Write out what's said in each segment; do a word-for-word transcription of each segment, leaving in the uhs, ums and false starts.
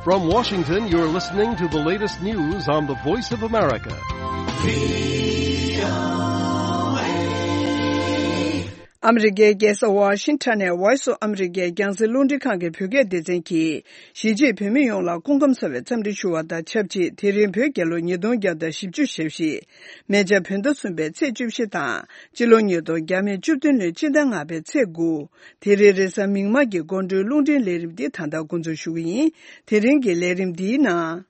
From Washington, you're listening to the latest news on the Voice of America. ཨ་མི་རི་ཀའི་རྒྱལ་ས་ཝ་ཤིང་ཊོན་ནས་Voice of America རྒྱང་སྲིང་རླུང་འཕྲིན་ཁང་གི་བོད་སྐད་སྡེ་ཚན་གྱིས། གཞིས་བྱེས་བོད་མི་ཡོངས་ལ་སྐུ་ཁམས་བཟང་བའི་འཚམས་འདྲི་ཞུ་བ་དང་ཆབས་ཅིག་དེ་རིང་བོད་རྒྱལ་ལོ་ཉིས་སྟོང་བརྒྱ་དང་བཞི་བཅུ་ཞེ་བཞི། མེ་བྱ་བོད་ཟླ་གསུམ་པའི་ཚེས་བཅུ་བཞི་དང་། སྤྱི་ལོ་ཉིས་སྟོང་བརྒྱ་མེད་བཅུ་བདུན་ལོའི་སྤྱི་ཟླ་ལྔ་པའི་ཚེས་དགུ། དེ་རིང་རེས་གཟའ་མིག་དམར་གྱི་དགོང་དྲོའི་རླུང་འཕྲིན་ལས་རིམ་འདི་ད་ལྟ་འགོ་འཛུགས་ཞུ་གི་ཡིན། དེ་རིང་གི་ལས་རིམ་འདིའི་ནང་།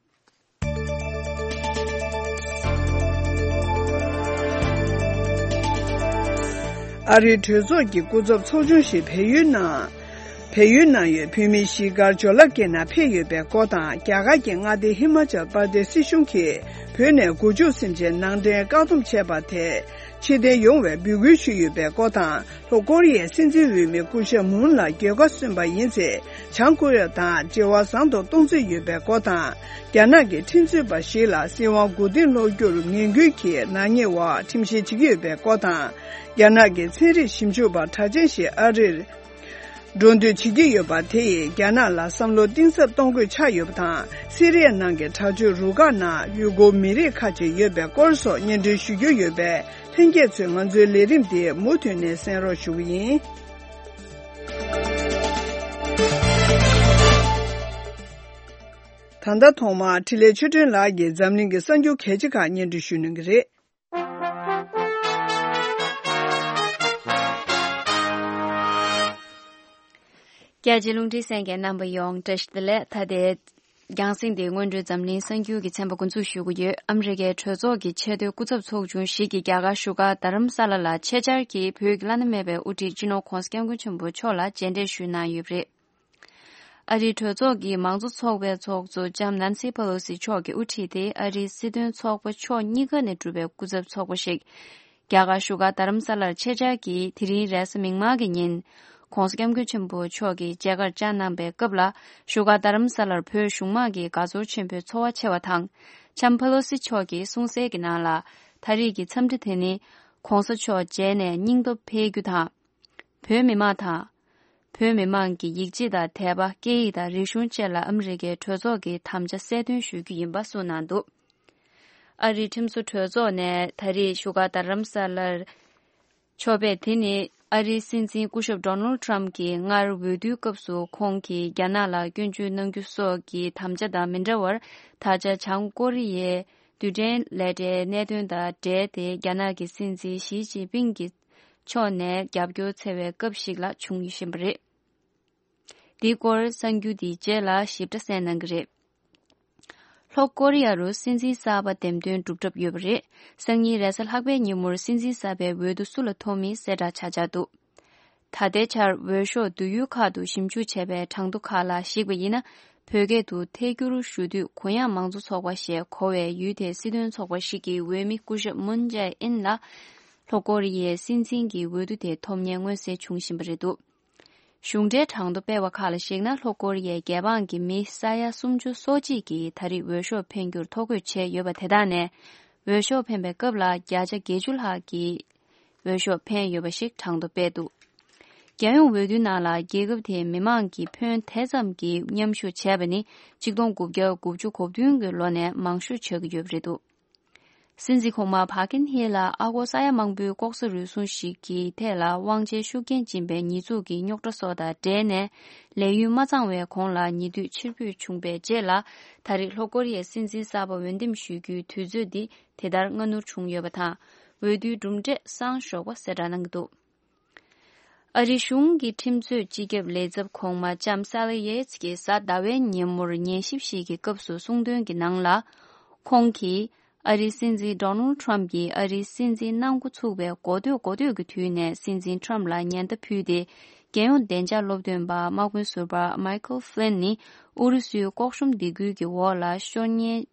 ཨ་རིའི་གྲོས་ཚོགས་ཀྱི་སྐུ་ཚབ་ཚོགས་ཆུང་ཞིག་བལ་ཡུལ་ནང་། བལ་ཡུལ་ནང་ཡོད་བོད་མི་གཞིས་སྒར་ཇོ་ལ་ཀེ་ནང་ཕེབས་ཡོད་པའི་སྐོར་དང་། རྒྱ་གར་གྱི་མངའ་སྡེ་ཧི་མ་ཅལ་པར་དེ་སི་གཞུང་གིས་བོད་ནས་སྒོ་ཕྱུགས་སེམས་ཅན་ནང་འདྲེན་བཀག་སྡོམ་བྱས་པ་དེ་ཕྱིར་འཐེན་ཡོང་བའི་འབོད་སྐུལ་ཞུས་ཡོད་པའི་སྐོར་དང་། ལྷོ་ཀོ་རི་ཡའི་སྲིད་འཛིན་འོས་མི་སྐུ་ཞབས་མུན་ལ་རྒྱལ་ཁ་སོན་པ་ཡིན་ཚེ། བྱང་ཀོ་རི་ཡ་དང་འབྲེལ་བ་བཟང་དུ་གཏོང་རྩིས་ཡོད་པའི་སྐོར་དང་། རྒྱ་ནག་གི་ཁྲིམས་རྩོད་པ་ཞིག་ལ་སྲིད་དབང་མགོ་རྟིང་སློག་རྒྱུར་ངན་སྐུལ་གྱི་ནག་ཉེས་འོག་ཁྲིམས་བཤེར་བྱེད་ཀྱི་ཡོད་པའི་སྐོར་དང་། རྒྱ་ནག་གི་ཚན་རིག་ཞིབ་འཇུག་པ་གྲགས་ཅན་ཞིག་ཨ་རིར་འགྲོ་འདུག་བྱེད་ཀྱི་ཡོད་པ་དེ་ཡིས་རྒྱ་ནག་ལ་བསམ་བློ་གཏིང་ཟབ་གཏོང་དགོས་ཆགས་ཡོད་པ་དང་། སི་རི་ཡ་ནང་གི་དྲག་སྤྱོད་རུ་ཁག་ནང་ཡུ་གུར་མི་རིགས་ཁག་ཅིག་ཡོད་པའི་སྐོར་སོགས་སྙན་སྒྲོན་ཞུ་རྒྱུ་ཡོད་པས། ལྷན་རྒྱས་ཚོས་ང་ཚོའི་ལས་རིམ་འདི་མུ་མཐུད་ནས་གསན་རོགས་ཞུ་གི་ཡིན། ད་ལྟ་ཐོག་མར་འཕྲིན་ལས་ཆོས་སྒྲོན་ལགས་ཀྱིས་འཛམ་གླིང་གི་གསར་འགྱུར་གལ་ཆེ་ཁག་སྙན་སྒྲོན་ཞུ་གནང་གི་རེད། རྒྱལ་སྤྱིའི་རླུང་འཕྲིན་གསན་མཁན་རྣམ་པ་ཡོངས་བཀྲ་ཤིས་བདེ་ལེགས། ད་ལྟའི་རྒྱང་སྲིང་འདི་སྔོན་འགྲོའི་འཛམ་གླིང་གསར་འགྱུར་གྱི་ཚན་པ་འགོ་འཛུགས་ཞུ་གི་ཡོད། ཨ་མི་རི་ཀའི་གྲོས་ཚོགས་ཀྱི་ཆེས་མཐོའི་སྐུ་ཚབ་ཚོགས་ཆུང་ཞིག་གིས་རྒྱ་གར་བཞུགས་སྒར་རྡ་རམ་ས་ལ་ལ་ཆེད་བཅར་གྱིས་བོད་ཀྱི་བླ་ན་མེད་པའི་དབུ་ཁྲིད་སྤྱི་ནོར་༧གོང་ས་༧སྐྱབས་མགོན་ཆེན་པོ་མཆོག་ལ་མཇལ་འཕྲད་ཞུས་གནང་ཡོད་པ་རེད། ཨ་རིའི་གྲོས་ཚོགས་ཀྱི་མང་གཙོ་ཚོགས་པའི་ཚོགས་གཙོ་ལྕམ་ནན་སི་པེ་ལོ་སི་མཆོག་གི་དབུ་ཁྲིད་དེ་ཨ་རིའི་སྲིད་དོན་ཚོགས་པ་ཕྱོགས་གཉིས་ཀ་ནས་གྲུབ་པའི་སྐུ་ཚབ་ཚོགས་པ་ཞིག་རྒྱ་གར་བཞུགས་སྒར་རྡ་རམ་ས་ལར་ཆེད་བཅར་གྱིས་དེ་རིང་རེས་གཟའ་མིག་དམར་གྱི་ཉིན་༧གོང་ས་༧སྐྱབས་མགོན་ཆེན་པོ་མཆོག་གིས་མཇལ་ཁར་བཅར་གནང་པའི་སྐབས་ལ། བཞུགས་སྒར་རྡ་རམ་ས་ལར་བོད་གཞུང་དམངས་ཀྱིས་དགའ་ཚོར་ཆེན་པོས་འཚོ་བ་ཆེ་བ་དང་། ལྕམ་པེ་ལོ་སི་མཆོག་གིས་གསུང་གསལ་གྱི་ནང་ལ། ད་རེས་ཀྱི་འཚམས་འདྲི་དེ་ནི་༧གོང་ས་མཆོག་མཇལ་ནས་སྙིང་སྟོབས་འཕེལ་རྒྱུ་དང་། བོད་མི་མང་དང་། བོད་མི་མང་གི་ཡིག་ཆ་དང་དད་པ། སྐད་ཡིག་དང་རིག་གཞུང་བཅས་ལ་ཨ་མི་རི་ཀའི་གྲོས་ཚོགས་ཀྱི་དམ་བཅའ་གསལ་སྟོན་ཞུ་རྒྱུ་ཡིན་པ་གསུངས་གནང་འདུག་ཨ་རིའི་ཁྲིམས་བཟོ་གྲོས་ཚོགས་ནས་ད་རེས་བཞུགས་སྒར་རྡ་རམ་ས་ལར་ཕྱོགས་ཕེབས་དེ་ནི་ཨ་རིའི་སྲིད་འཛིན་སྐུ་ཞབས་ཌོ་ནལ་ཊམ་གྱིས་སྔར་འོས་བསྡུའི་སྐབས་སུ་ཁོང་གིས་རྒྱ་ནག་ལ་སྐྱོན་བརྗོད་གནང་རྒྱུ་སོགས་ཀྱི་དམ་བཅའ་དང་མི་འདྲ་བར། ད་ཆ་བྱང་ཀོ་རི་ཡའི་རྡུལ་ཕྲན་ལས་གྲྭའི་གནད་དོན་དང་འབྲེལ་ཏེ་རྒྱ་ནག་གི་སྲིད་འཛིན་ཞི་ཅིན་ཕིང་གི་ཕྱོགས་ནས་རྒྱབ་སྐྱོར་འཚོལ་བའི་སྐབས་ཤིག་ལ་བྱུང་བཞིན་པ་རེད། འདིའི་སྐོར་གསར་འགྱུར་འདིའི་རྗེས་ལ་ཞིབ་ཕྲ་གསན་གནང་གི་རེད། ལྷོ་ཀོ་རི་ཡ་རུ་སྲིད་འཛིན་གསར་པ་འདེམས་ཐོན་གྲུབ་གྲབས་ཡོད་པ་རེད། སང་ཉིན་རེས་གཟའ་ལྷག་པའི་ཉིན་མོར་སྲིད་འཛིན་གསར་པའི་འོས་བསྡུ་སུ་ལ་ཐོབ་མིན་གསལ་བསྒྲགས་བྱ་འཆར་འདུག་ད་ལྟའི་ཆར་འོས་ཤོག་བསྡུ་ཡུལ་ཁག་ཏུ་ཞིབ་འཇུག་བྱས་པའི་གྲངས་ཐོ་ཁག་ལ་གཞིགས་པ་ཡིན་ན། བོད་སྐད་དུ་ཐད་སྒྱུར་ཞུ་དུས་གུ་ཡངས་མང་གཙོ་ཚོགས་པ་ཞེས་གོ་བའི་ཡུལ་དེའི་སྲིད་དོན་ཚོགས་པ་ཞིག་གི་འོས་མི་སྐུ་ཞབས་མུན་ཇའེ་ཨིན་ལ། ལྷོ་ཀོ་རི་ཡའི་སྲིད་འཛིན་གྱི་འོས་བསྡུ་དེ་ཐོབ་མཁན་མངོན་གསལ་བྱུང་བཞིན་པ་རེད་འདུག་གཞུང་འབྲེལ་གྲངས་ཐོ་སྤེལ་བ་ཁག་ལ་གཞིགས་ན། ལྷོ་ཀོ་རི་ཡའི་རྒྱལ་འབངས་ཀྱི་མི་ས་ཡ་སུམ་ཅུ་སོ་གཅིག་གིས་ད་རེས་འོས་ཤོག་འཕེན་རྒྱུར་ཐོ་འགོད་བྱས་ཡོད་པ་དེ་དག་ནས། འོས་ཤོག་འཕེན་པའི་སྐབས་ལ་བརྒྱ་ཆ་བརྒྱད་ཅུ་ལྷག་གིས་འོས་ཤོག་འཕེན་ཡོད་པ་ཞིག་གྲངས་ཐོ་སྤེལ་འདུག་རྒྱལ་ཡོངས་འོས་བསྡུའི་ནང་ལ་རྒྱལ་ཁབ་དེའི་མི་མང་གིས་ཕོན་དེ་ཙམ་གྱིས་མཉམ་ཞུགས་བྱས་པ་ནི་ཆིག་སྟོང་དགུ་བརྒྱ་དགུ་བཅུ་གོ་བདུན་གྱི་ལོ་ནས་མང་ཤོས་ཆགས་ཀྱི་ཡོད་པ་རེད་འདུག་སྲིད་འཛིན་གོང་མ་ཕ་ཀིན་ཧེ་ལ་ཨ་སྒོར་ས་ཡ་མང་པོའི་ལྐོག་ཟ་རུལ་སུངས་ཤིག་གི་ཐད་ལ་དབང་ཆའི་ཤུགས་རྐྱེན་སྦྱིན་པའི་ཉེས་འཛུགས་ཀྱི་རྙོག་དྲ་སོགས་དང་འབྲེལ་ནས། ལས་ཡུན་མ་ཚང་བའི་གོང་ལ་ཉེ་དུས་ཕྱིར་འབུད་བྱུང་བའི་རྗེས་ལ། ད་རེས་ལྷོ་ཀོ་རི་ཡའི་སྲིད་འཛིན་གསར་པ་འོས་འདེམས་ཞུ་རྒྱུའི་དུས་ཚོད་འདི་དེ་ལྟར་སྔ་སྣུར་བྱུང་ཡོད་པ་དང་། འོས་བསྡུའི་གྲུབ་འབྲས་གསང་ཞོགས་པ་གསལ་བསྒྲགས་གནང་གི་འདུག་ཨ་རིའི་གཞུང་གི་ཁྲིམས་རྩོད་སྤྱི་ཁྱབ་ལས་ཚབ་གོང་མ་ལྕམ་ས་ལི་ཡེ་ཚི་ཀྱིས་གཟའ་ཟླ་བའི་ཉིན་མོར་ཉན་ཞིབ་ཞིག་གི་སྐབས་སུ་གསུངས་དོན་གྱི་ནང་ལ། ཁོང་གིས་ཨ་རིའི་སྲིད་འཛིན་ཌོ་ནལ་ཊམ་གྱིས་ཨ་རིའི་སྲིད་འཛིན་གནང་འགོ་ཚུགས་པའི་འགོ་སྟོད་འགོ་སྟོད་ཀྱི་དུས་ནས་སྲིད་འཛིན་ཊམ་ལ་ཉེན་བརྡ་ཕུལ་ཏེ། རྒྱལ་ཡོངས་བདེ་འཇགས་སློབ་སྟོན་པ་དམག་དཔོན་ཟུར་པ་མའི་ཁལ་ཧྥི་ལིན་ནི་ཨུ་རུ་སུའི་ལྐོག་ཤུམ་སྡིགས་སྐུལ་གྱི་འོག་ལ་ཤོར་ཉེན་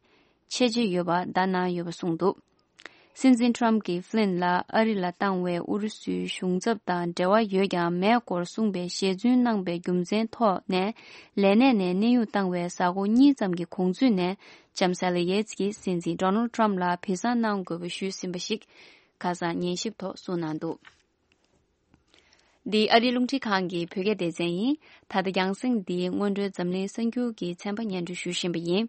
ཆེ་ཆེ་ཡོད་པ་བརྡ་གནང་ཡོད་པ་གསུངས་འདུག་སྲིད་འཛིན་ཊམ་གྱིས་ཧྥི་ལིན་ལ་ཨ་རི་ལ་བཏང་བའི་ཨུ་རུ་སུའི་གཞུང་ཚབ་དང་འབྲེལ་བ་ཡོད་ཀྱང་མེད་སྐོར་གསུངས་པའི་ཞལ་རྫུན་གནང་པའི་རྒྱུ་མཚན་ཐོག་ནས། ལས་གནས་ནས་གནས་དབྱུང་བཏང་བའི་གཟའ་འཁོར་གཉིས་ཙམ་གྱི་གོང་ཚུད་ནས། ལྕམ་ས་ལི་ཡེ་ཚི་ཀྱིས་སྲིད་འཛིན་ཌོ་ནལ་ཊམ་ལ་བི་ཟ་གནང་དགོས་པ་ཞུས་ཟིན་པ་ཞིག་ཁ་སང་ཉན་ཞིབ་ཐོག་གསུངས་གནང་འདུག་འདི་ཨ་རིའི་རླུང་འཕྲིན་ཁང་གི་བོད་སྐད་སྡེ་ཚན་ཡིན། ད་ལྟ་རྒྱང་སྲིང་འདིའི་སྔོན་འགྲོའི་འཛམ་གླིང་གསར་འགྱུར་གྱི་ཚན་པ་སྙན་སྒྲོན་ཞུ་བཞིན་པ་ཡིན།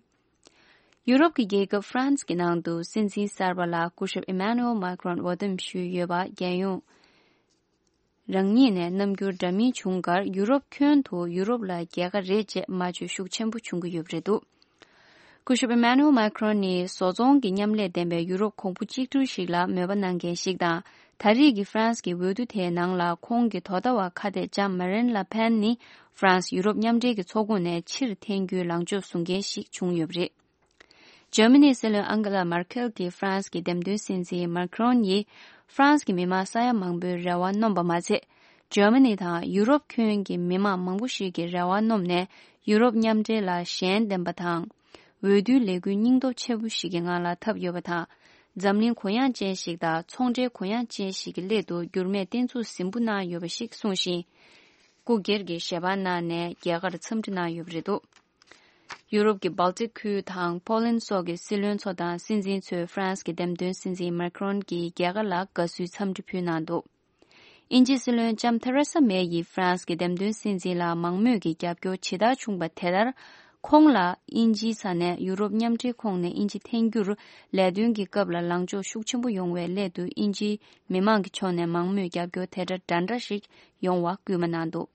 ཡུ་རོབ་ཀྱི་རྒྱལ་ཁབ་ཧྥ་རན་སི་གི་ནང་དུ་སྲིད་འཛིན་གསར་པ་ལ་སྐུ་ཞབས་ཨི་མཱ་ནུ་ཨེལ་མཱ་ཁི་རོན་འོས་འདེམས་ཞུས་ཡོད་པ་རྒྱལ་ཡོངས་རང་ཉིད་ནས་རྣམ་འགྱུར་འདྲ་མིན་བྱུང་ཁར་ཡུ་རོབ་ཁྱོན་དུ་ཡུ་རོབ་ལ་རྒྱལ་ཁ་རེད་ཅེས་སྨྲ་བརྗོད་ཤུགས་ཆེན་པོ་བྱུང་གི་ཡོད་པ་རེད་འདུག་སྐུ་ཞབས་ཨི་མཱ་ནུ་ཨེལ་མཱ་ཁི་རོན་ནི་བཟོ་ཚོང་གི་མཉམ་ལས་ལྡན་པའི་ཡུ་རོབ་གོང་བུ་གཅིག་སྒྲིལ་ཞིག་ལ་མོས་པ་གནང་མཁན་ཞིག་དང་། ད་རེས་ཀྱི་ཧྥ་རན་སི་གི་འོས་བསྡུ་དེའི་ནང་ལ་ཁོང་གི་དོ་ཟླ་བ་ཁ་གཏད་ལྕམ་མ་རིན་ལ་ཕན་ནི་ཧྥ་རན་སི་ཡུ་རོབ་མཉམ་འབྲེལ་གྱི་ཚོགས་ཁོངས་ནས་ཕྱིར་འཐེན་རྒྱུའི་ལངས་ཕྱོགས་བཟུང་མཁན་ཞིག་བྱུང་ཡོད་པ་རེད། འཇར་མ་ནིའི་སྲིད་བློན་ཨང་གེ་ལ་མར་ཁེལ་གྱིས་ཧྥ་རན་སི་གི་འདེམས་ཐོན་སྲིད་འཛིན་མཱ་ཁི་རོན་ཡིས་ཧྥ་རན་སི་གི་མི་མང་ས་ཡ་མང་པོའི་རེ་བ་སྣོམས་པ་མ་ཚད། འཇར་མ་ནི་དང་ཡུ་རོབ་ཁྱོན་གྱི་མི་མང་མང་པོ་ཞིག་གི་རེ་བ་སྣོམས་ནས་ཡུ་རོབ་མཉམ་འབྲེལ་ལ་ཞེན་ལྡན་པ་དང་། འོས་བསྡུའི་ལས་འགུལ་སྙིང་སྟོབས་ཆེ་པོ་ཞིག་གི་ངང་ལ་འཐབ་ཡོད་པ་དང་། འཛམ་གླིང་གུ་ཡངས་ཅན་ཞིག་དང་ཚོང་འབྲེལ་གུ་ཡངས་ཅན་ཞིག་གི་སླད་དུ་འགྱུར་མེད་བརྟན་ཚུགས་ཟིན་པོ་གནང་ཡོད་པ་ཞིག་གསུངས་ཤིང་། སྐུ་སྒེར་གྱི་ཞལ་པར་གནང་ནས་རྒྱལ་ཁར་འཚམས་འདྲི་གནང་ཡོད་པ་རེད་འདུག་ཡུ་རོབ་ཀྱི་སྦལ་ཏིག་ཁུལ་དང་པོ་ལན་སོགས་ཀྱི་སྲིད་བློན་ཚོ་དང་སྲིད་འཛིན་ཚོས་ཧྥ་རན་སི་གི་འདེམས་ཐོན་སྲིད་འཛིན་མཱ་ཁི་རོན་གྱི་རྒྱལ་ཁ་ལ་དགའ་བསུའི་འཚམས་འདྲི་ཕུལ་གནང་འདུག་དབྱིན་ཇིའི་སྲིད་བློན་ལྕམ་ཐེ་རེ་ས་མེ་ཡིས་ཧྥ་རན་སི་གི་འདེམས་ཐོན་སྲིད་འཛིན་ལ་མང་མོས་ཀྱི་རྒྱབ་སྐྱོར་ཇི་ལྟར་བྱུང་པ་དེ་ལྟར། ཁོང་ལ་དབྱིན་ཇིའི་ས་ནས་ཡུ་རོབ་མཉམ་འབྲེལ་ཁོངས་ནས་དབྱིན་ཇི་འཐེན་རྒྱུར་ལས་དོན་གྱི་སྐབས་ལ་ལངས་ཕྱོགས་ཤུགས་ཆེན་པོ་ཡོང་བའི་སླད་དུ་དབྱིན་ཇིའི་མི་མང་གི་ཕྱོགས་ནས་མང་མོས་རྒྱབ་སྐྱོར་དེ་འདྲ་འདྲ་འདྲ་ཞིག་ཡོང་བ་སྐུལ་མ་གནང་འདུག་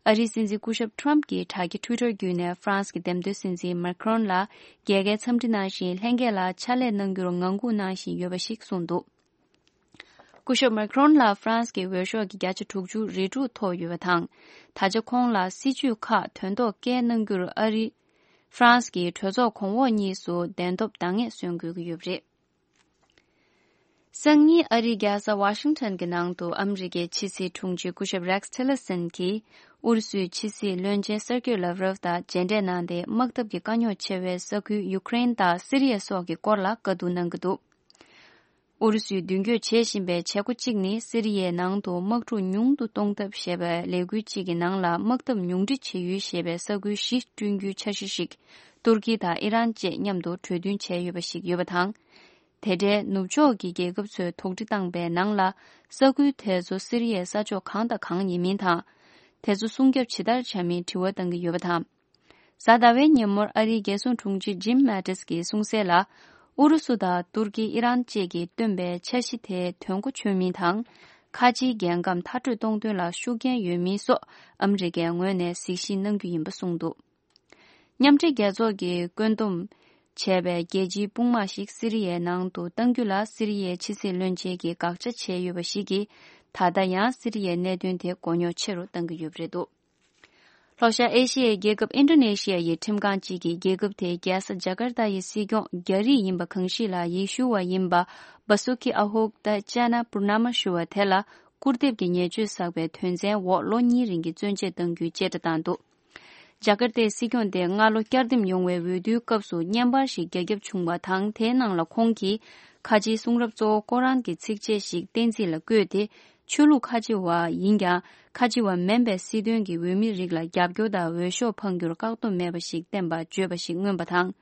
ཨ་རིའི་སྲིད་འཛིན་སྐུ་ཞབས་ཁྲོམ་གྱིས་དྲ་རྒྱ་ཊུའི་ཊར་བརྒྱུད་ནས་ཧྥ་རན་སི་གི་འདེམས་ཐོན་སྲིད་འཛིན་མཱ་ཁི་རོན་ལ་རྒྱལ་ཁའི་འཚམས་འདྲི་གནང་ཞིང་། ལྷན་རྒྱས་ལ་ཕྱག་ལས་གནང་རྒྱུར་ངང་སྒུག་གནང་བཞིན་ཡོད་པ་ཞིག་གསུངས་འདུག་སྐུ་ཞབས་མཱ་ཁི་རོན་ལ་ཧྥ་རན་སི་གི་འོས་ཤོག་གི་བརྒྱ་ཆ་དྲུག་ཅུ་རེ་དྲུག་ཐོབ་ཡོད་པ་དང་། ད་ཆ་ཁོང་ལ་སྲིད་ཇུས་ཁག་དོན་ཐོག་བཀལ་གནང་རྒྱུར་ཨ་རི། ཧྥ་རན་སི་གི་གྲོས་ཚོགས་གོང་འོག་གཉིས་སུ་གདན་ཐོབ་འདང་ངེས་སོན་དགོས་ཀྱི་ཡོད་པ་རེད། སང་ཉིན་ཨ་རིའི་རྒྱལ་ས་ཝ་ཤིང་ཊོན་གྱི་ནང་དུ་ཨ་མི་རི་ཀའི་ཕྱི་སྲིད་དྲུང་ཆེ་སྐུ་ཞབས་རེག་ཊི་ལི་སན་གྱིས་ཨུ་རུ་སུའི་ཕྱི་སྲིད་བློན་ཆེན་སེར་ཀེ་ལབ་རོབ་དང་མཇལ་འཕྲད་གནང་སྟེ། དམག་འཐབ་ཀྱི་དཀའ་རྙོག་ཆེ་བའི་ས་ཁུལ་ཡུ་ཀེ་རེན་དང་སི་རི་ཡ་སོགས་ཀྱི་སྐོར་ལ་བཀའ་བསྡུར་གནང་གི་འདུག་ཨུ་རུ་སུས་མདུན་སྐྱོད་བྱེད་བཞིན་པའི་བྱེད་སྒོ་གཅིག་ནི། སི་རི་ཡའི་ནང་དུ་དམག་འཁྲུག་ཉུང་དུ་གཏོང་ཐབས་ཞེས་པའི་ལས་འགུལ་གཅིག་གི་ནང་ལ། དམག་འཐབ་ཉུང་འཕྲི་བྱེད་ཡུལ་ཞེས་པའི་ས་ཁུལ་བཞི་བསྐྲུན་རྒྱུའི་འཆར་གཞི་ཞིག་ཏུར་ཀི་དང་ཨི་རན་བཅས་མཉམ་དུ་གྲོས་མཐུན་བྱས་ཡོད་པ་ཞིག་ཡོད་པ་དང་། དེ་འབྲེལ་ནུབ་ཕྱོགས་ཀྱི་རྒྱལ་ཁབ་ཚོས་དོགས་འདྲི་བཏང་པའི་ནང་ལ། ས་ཁུལ་དེ་ཚོ་སི་རི་ཡའི་ས་ཕྱོགས་གང་དང་གང་ཡིན་མིན་དང་། དེ་ཚོ་སྲུང་སྐྱོབ་ཇི་ལྟར་བྱ་མིན་དྲི་བ་བཏང་གི་ཡོད་པ་དང་། གཟའ་ཟླ་བའི་ཉིན་མོར་ཨ་རིའི་རྒྱལ་སྲུང་དྲུང་ཆེ་ཇིམ་མེ་ཏིས་ཀྱིས་གསུངས་གསལ་ལ། ཨུ་རུ་སུ་དང་ཏུར་ཀི་ཨི་རན་བཅས་ཀྱིས་བཏོན་པའི་འཆར་གཞི་དེ་དོན་གོ་ཆོད་མིན་དང་། ཁ་ཆེའི་རྒྱལ་ཁམས་མཐར་སྐྲོད་གཏོང་དོན་ལ་ཤུགས་རྐྱེན་ཡོད་མིན་སོགས་ཨ་མི་རི་ཀའི་ངོས་ནས་གཟིགས་ཞིབ་གནང་རྒྱུ་ཡིན་པ་གསུངས་འདུག་མཉམ་འབྲེལ་རྒྱལ་ཚོགས་ཀྱིས་བཀོད་འདོམས་བྱས་པའི་རྒྱལ་སྤྱིའི་དཔུང་དམག་ཞིག་སི་རི་ཡའི་ནང་དུ་གཏང་རྒྱུ་ལ་སི་རི་ཡའི་ཕྱི་སྲིད་བློན་ཆེན་གྱིས་དགག་བྱ་བྱས་ཡོད་པ་ཞིག་གིས། ད་ལྟ་ཡང་སི་རི་ཡའི་གནད་དོན་དེ་མགོ་རྙོག་ཆེ་རུ་གཏང་གི་ཡོད་པ་རེད་འདུག་ལྷོ་ཤར་ཨེ་ཤི་ཡའི་རྒྱལ་ཁབ་ཨིན་ཌོ་ནེ་ཤི་ཡ་ཡི་ཁྲིམས་ཁང་གཅིག་གིས་རྒྱལ་ཁབ་དེའི་རྒྱལ་ས་ཇ་ཀར་ཏ་ཡི་སྲིད་སྐྱོང་རྒྱ་རིགས་ཡིན་པ་གང་ཞིག་ལ་ཡེ་ཤུ་བ་ཡིན་པ་བ་སུ་ཁི་ཨ་ཧུག་ཏ་ཅ་ན་པུར་ན་མ་ཞུ་བ་དེ་ལ་སྐུར་འདེབས་ཀྱི་ཉེས་སྤྱོད་བསགས་པའི་དོན་ཚན་འོག་ལོ་གཉིས་རིང་གི་བཙོན་འཇལ་གཏང་རྒྱུའི་བཅད་ཁྲ་བཏང་འདུག་ཇ་ཀར་ཏའི་སྲིད་སྐྱོང་དེ་སྔ་ལོ་བསྐྱར་འདེམས་ཡོང་བའི་འོས་བསྡུའི་སྐབས་སུ་བརྙན་པར་ཞིག་རྒྱ་ཁྱབ་བྱུང་བ་དང་། དེའི་ནང་ལ་ཁོང་གིས་ཁ་ཆེའི་གསུང་རབ་གཙོ་བོ་ཀོ་རཱན་གྱི་ཚིགས་བཅད་ཞིག་བསྟན་རྩིས་ལ་བཀོད་དེ། ཆོས་ལུགས་ཁ་ཆེ་བ་ཡིན་ཀྱང་། ཁ་ཆེ་བ་མིན་པའི་སྲིད་དོན་གྱི་འོས་མི་རིགས་ལ་རྒྱབ་སྐྱོར་དང་འོས་ཤོག་འཕང་རྒྱུར་བཀག་སྡོམ་མེད་པ་ཞིག་བསྟན་པ་བརྗོད་པ་ཞིག་མངོན་པ་དང་།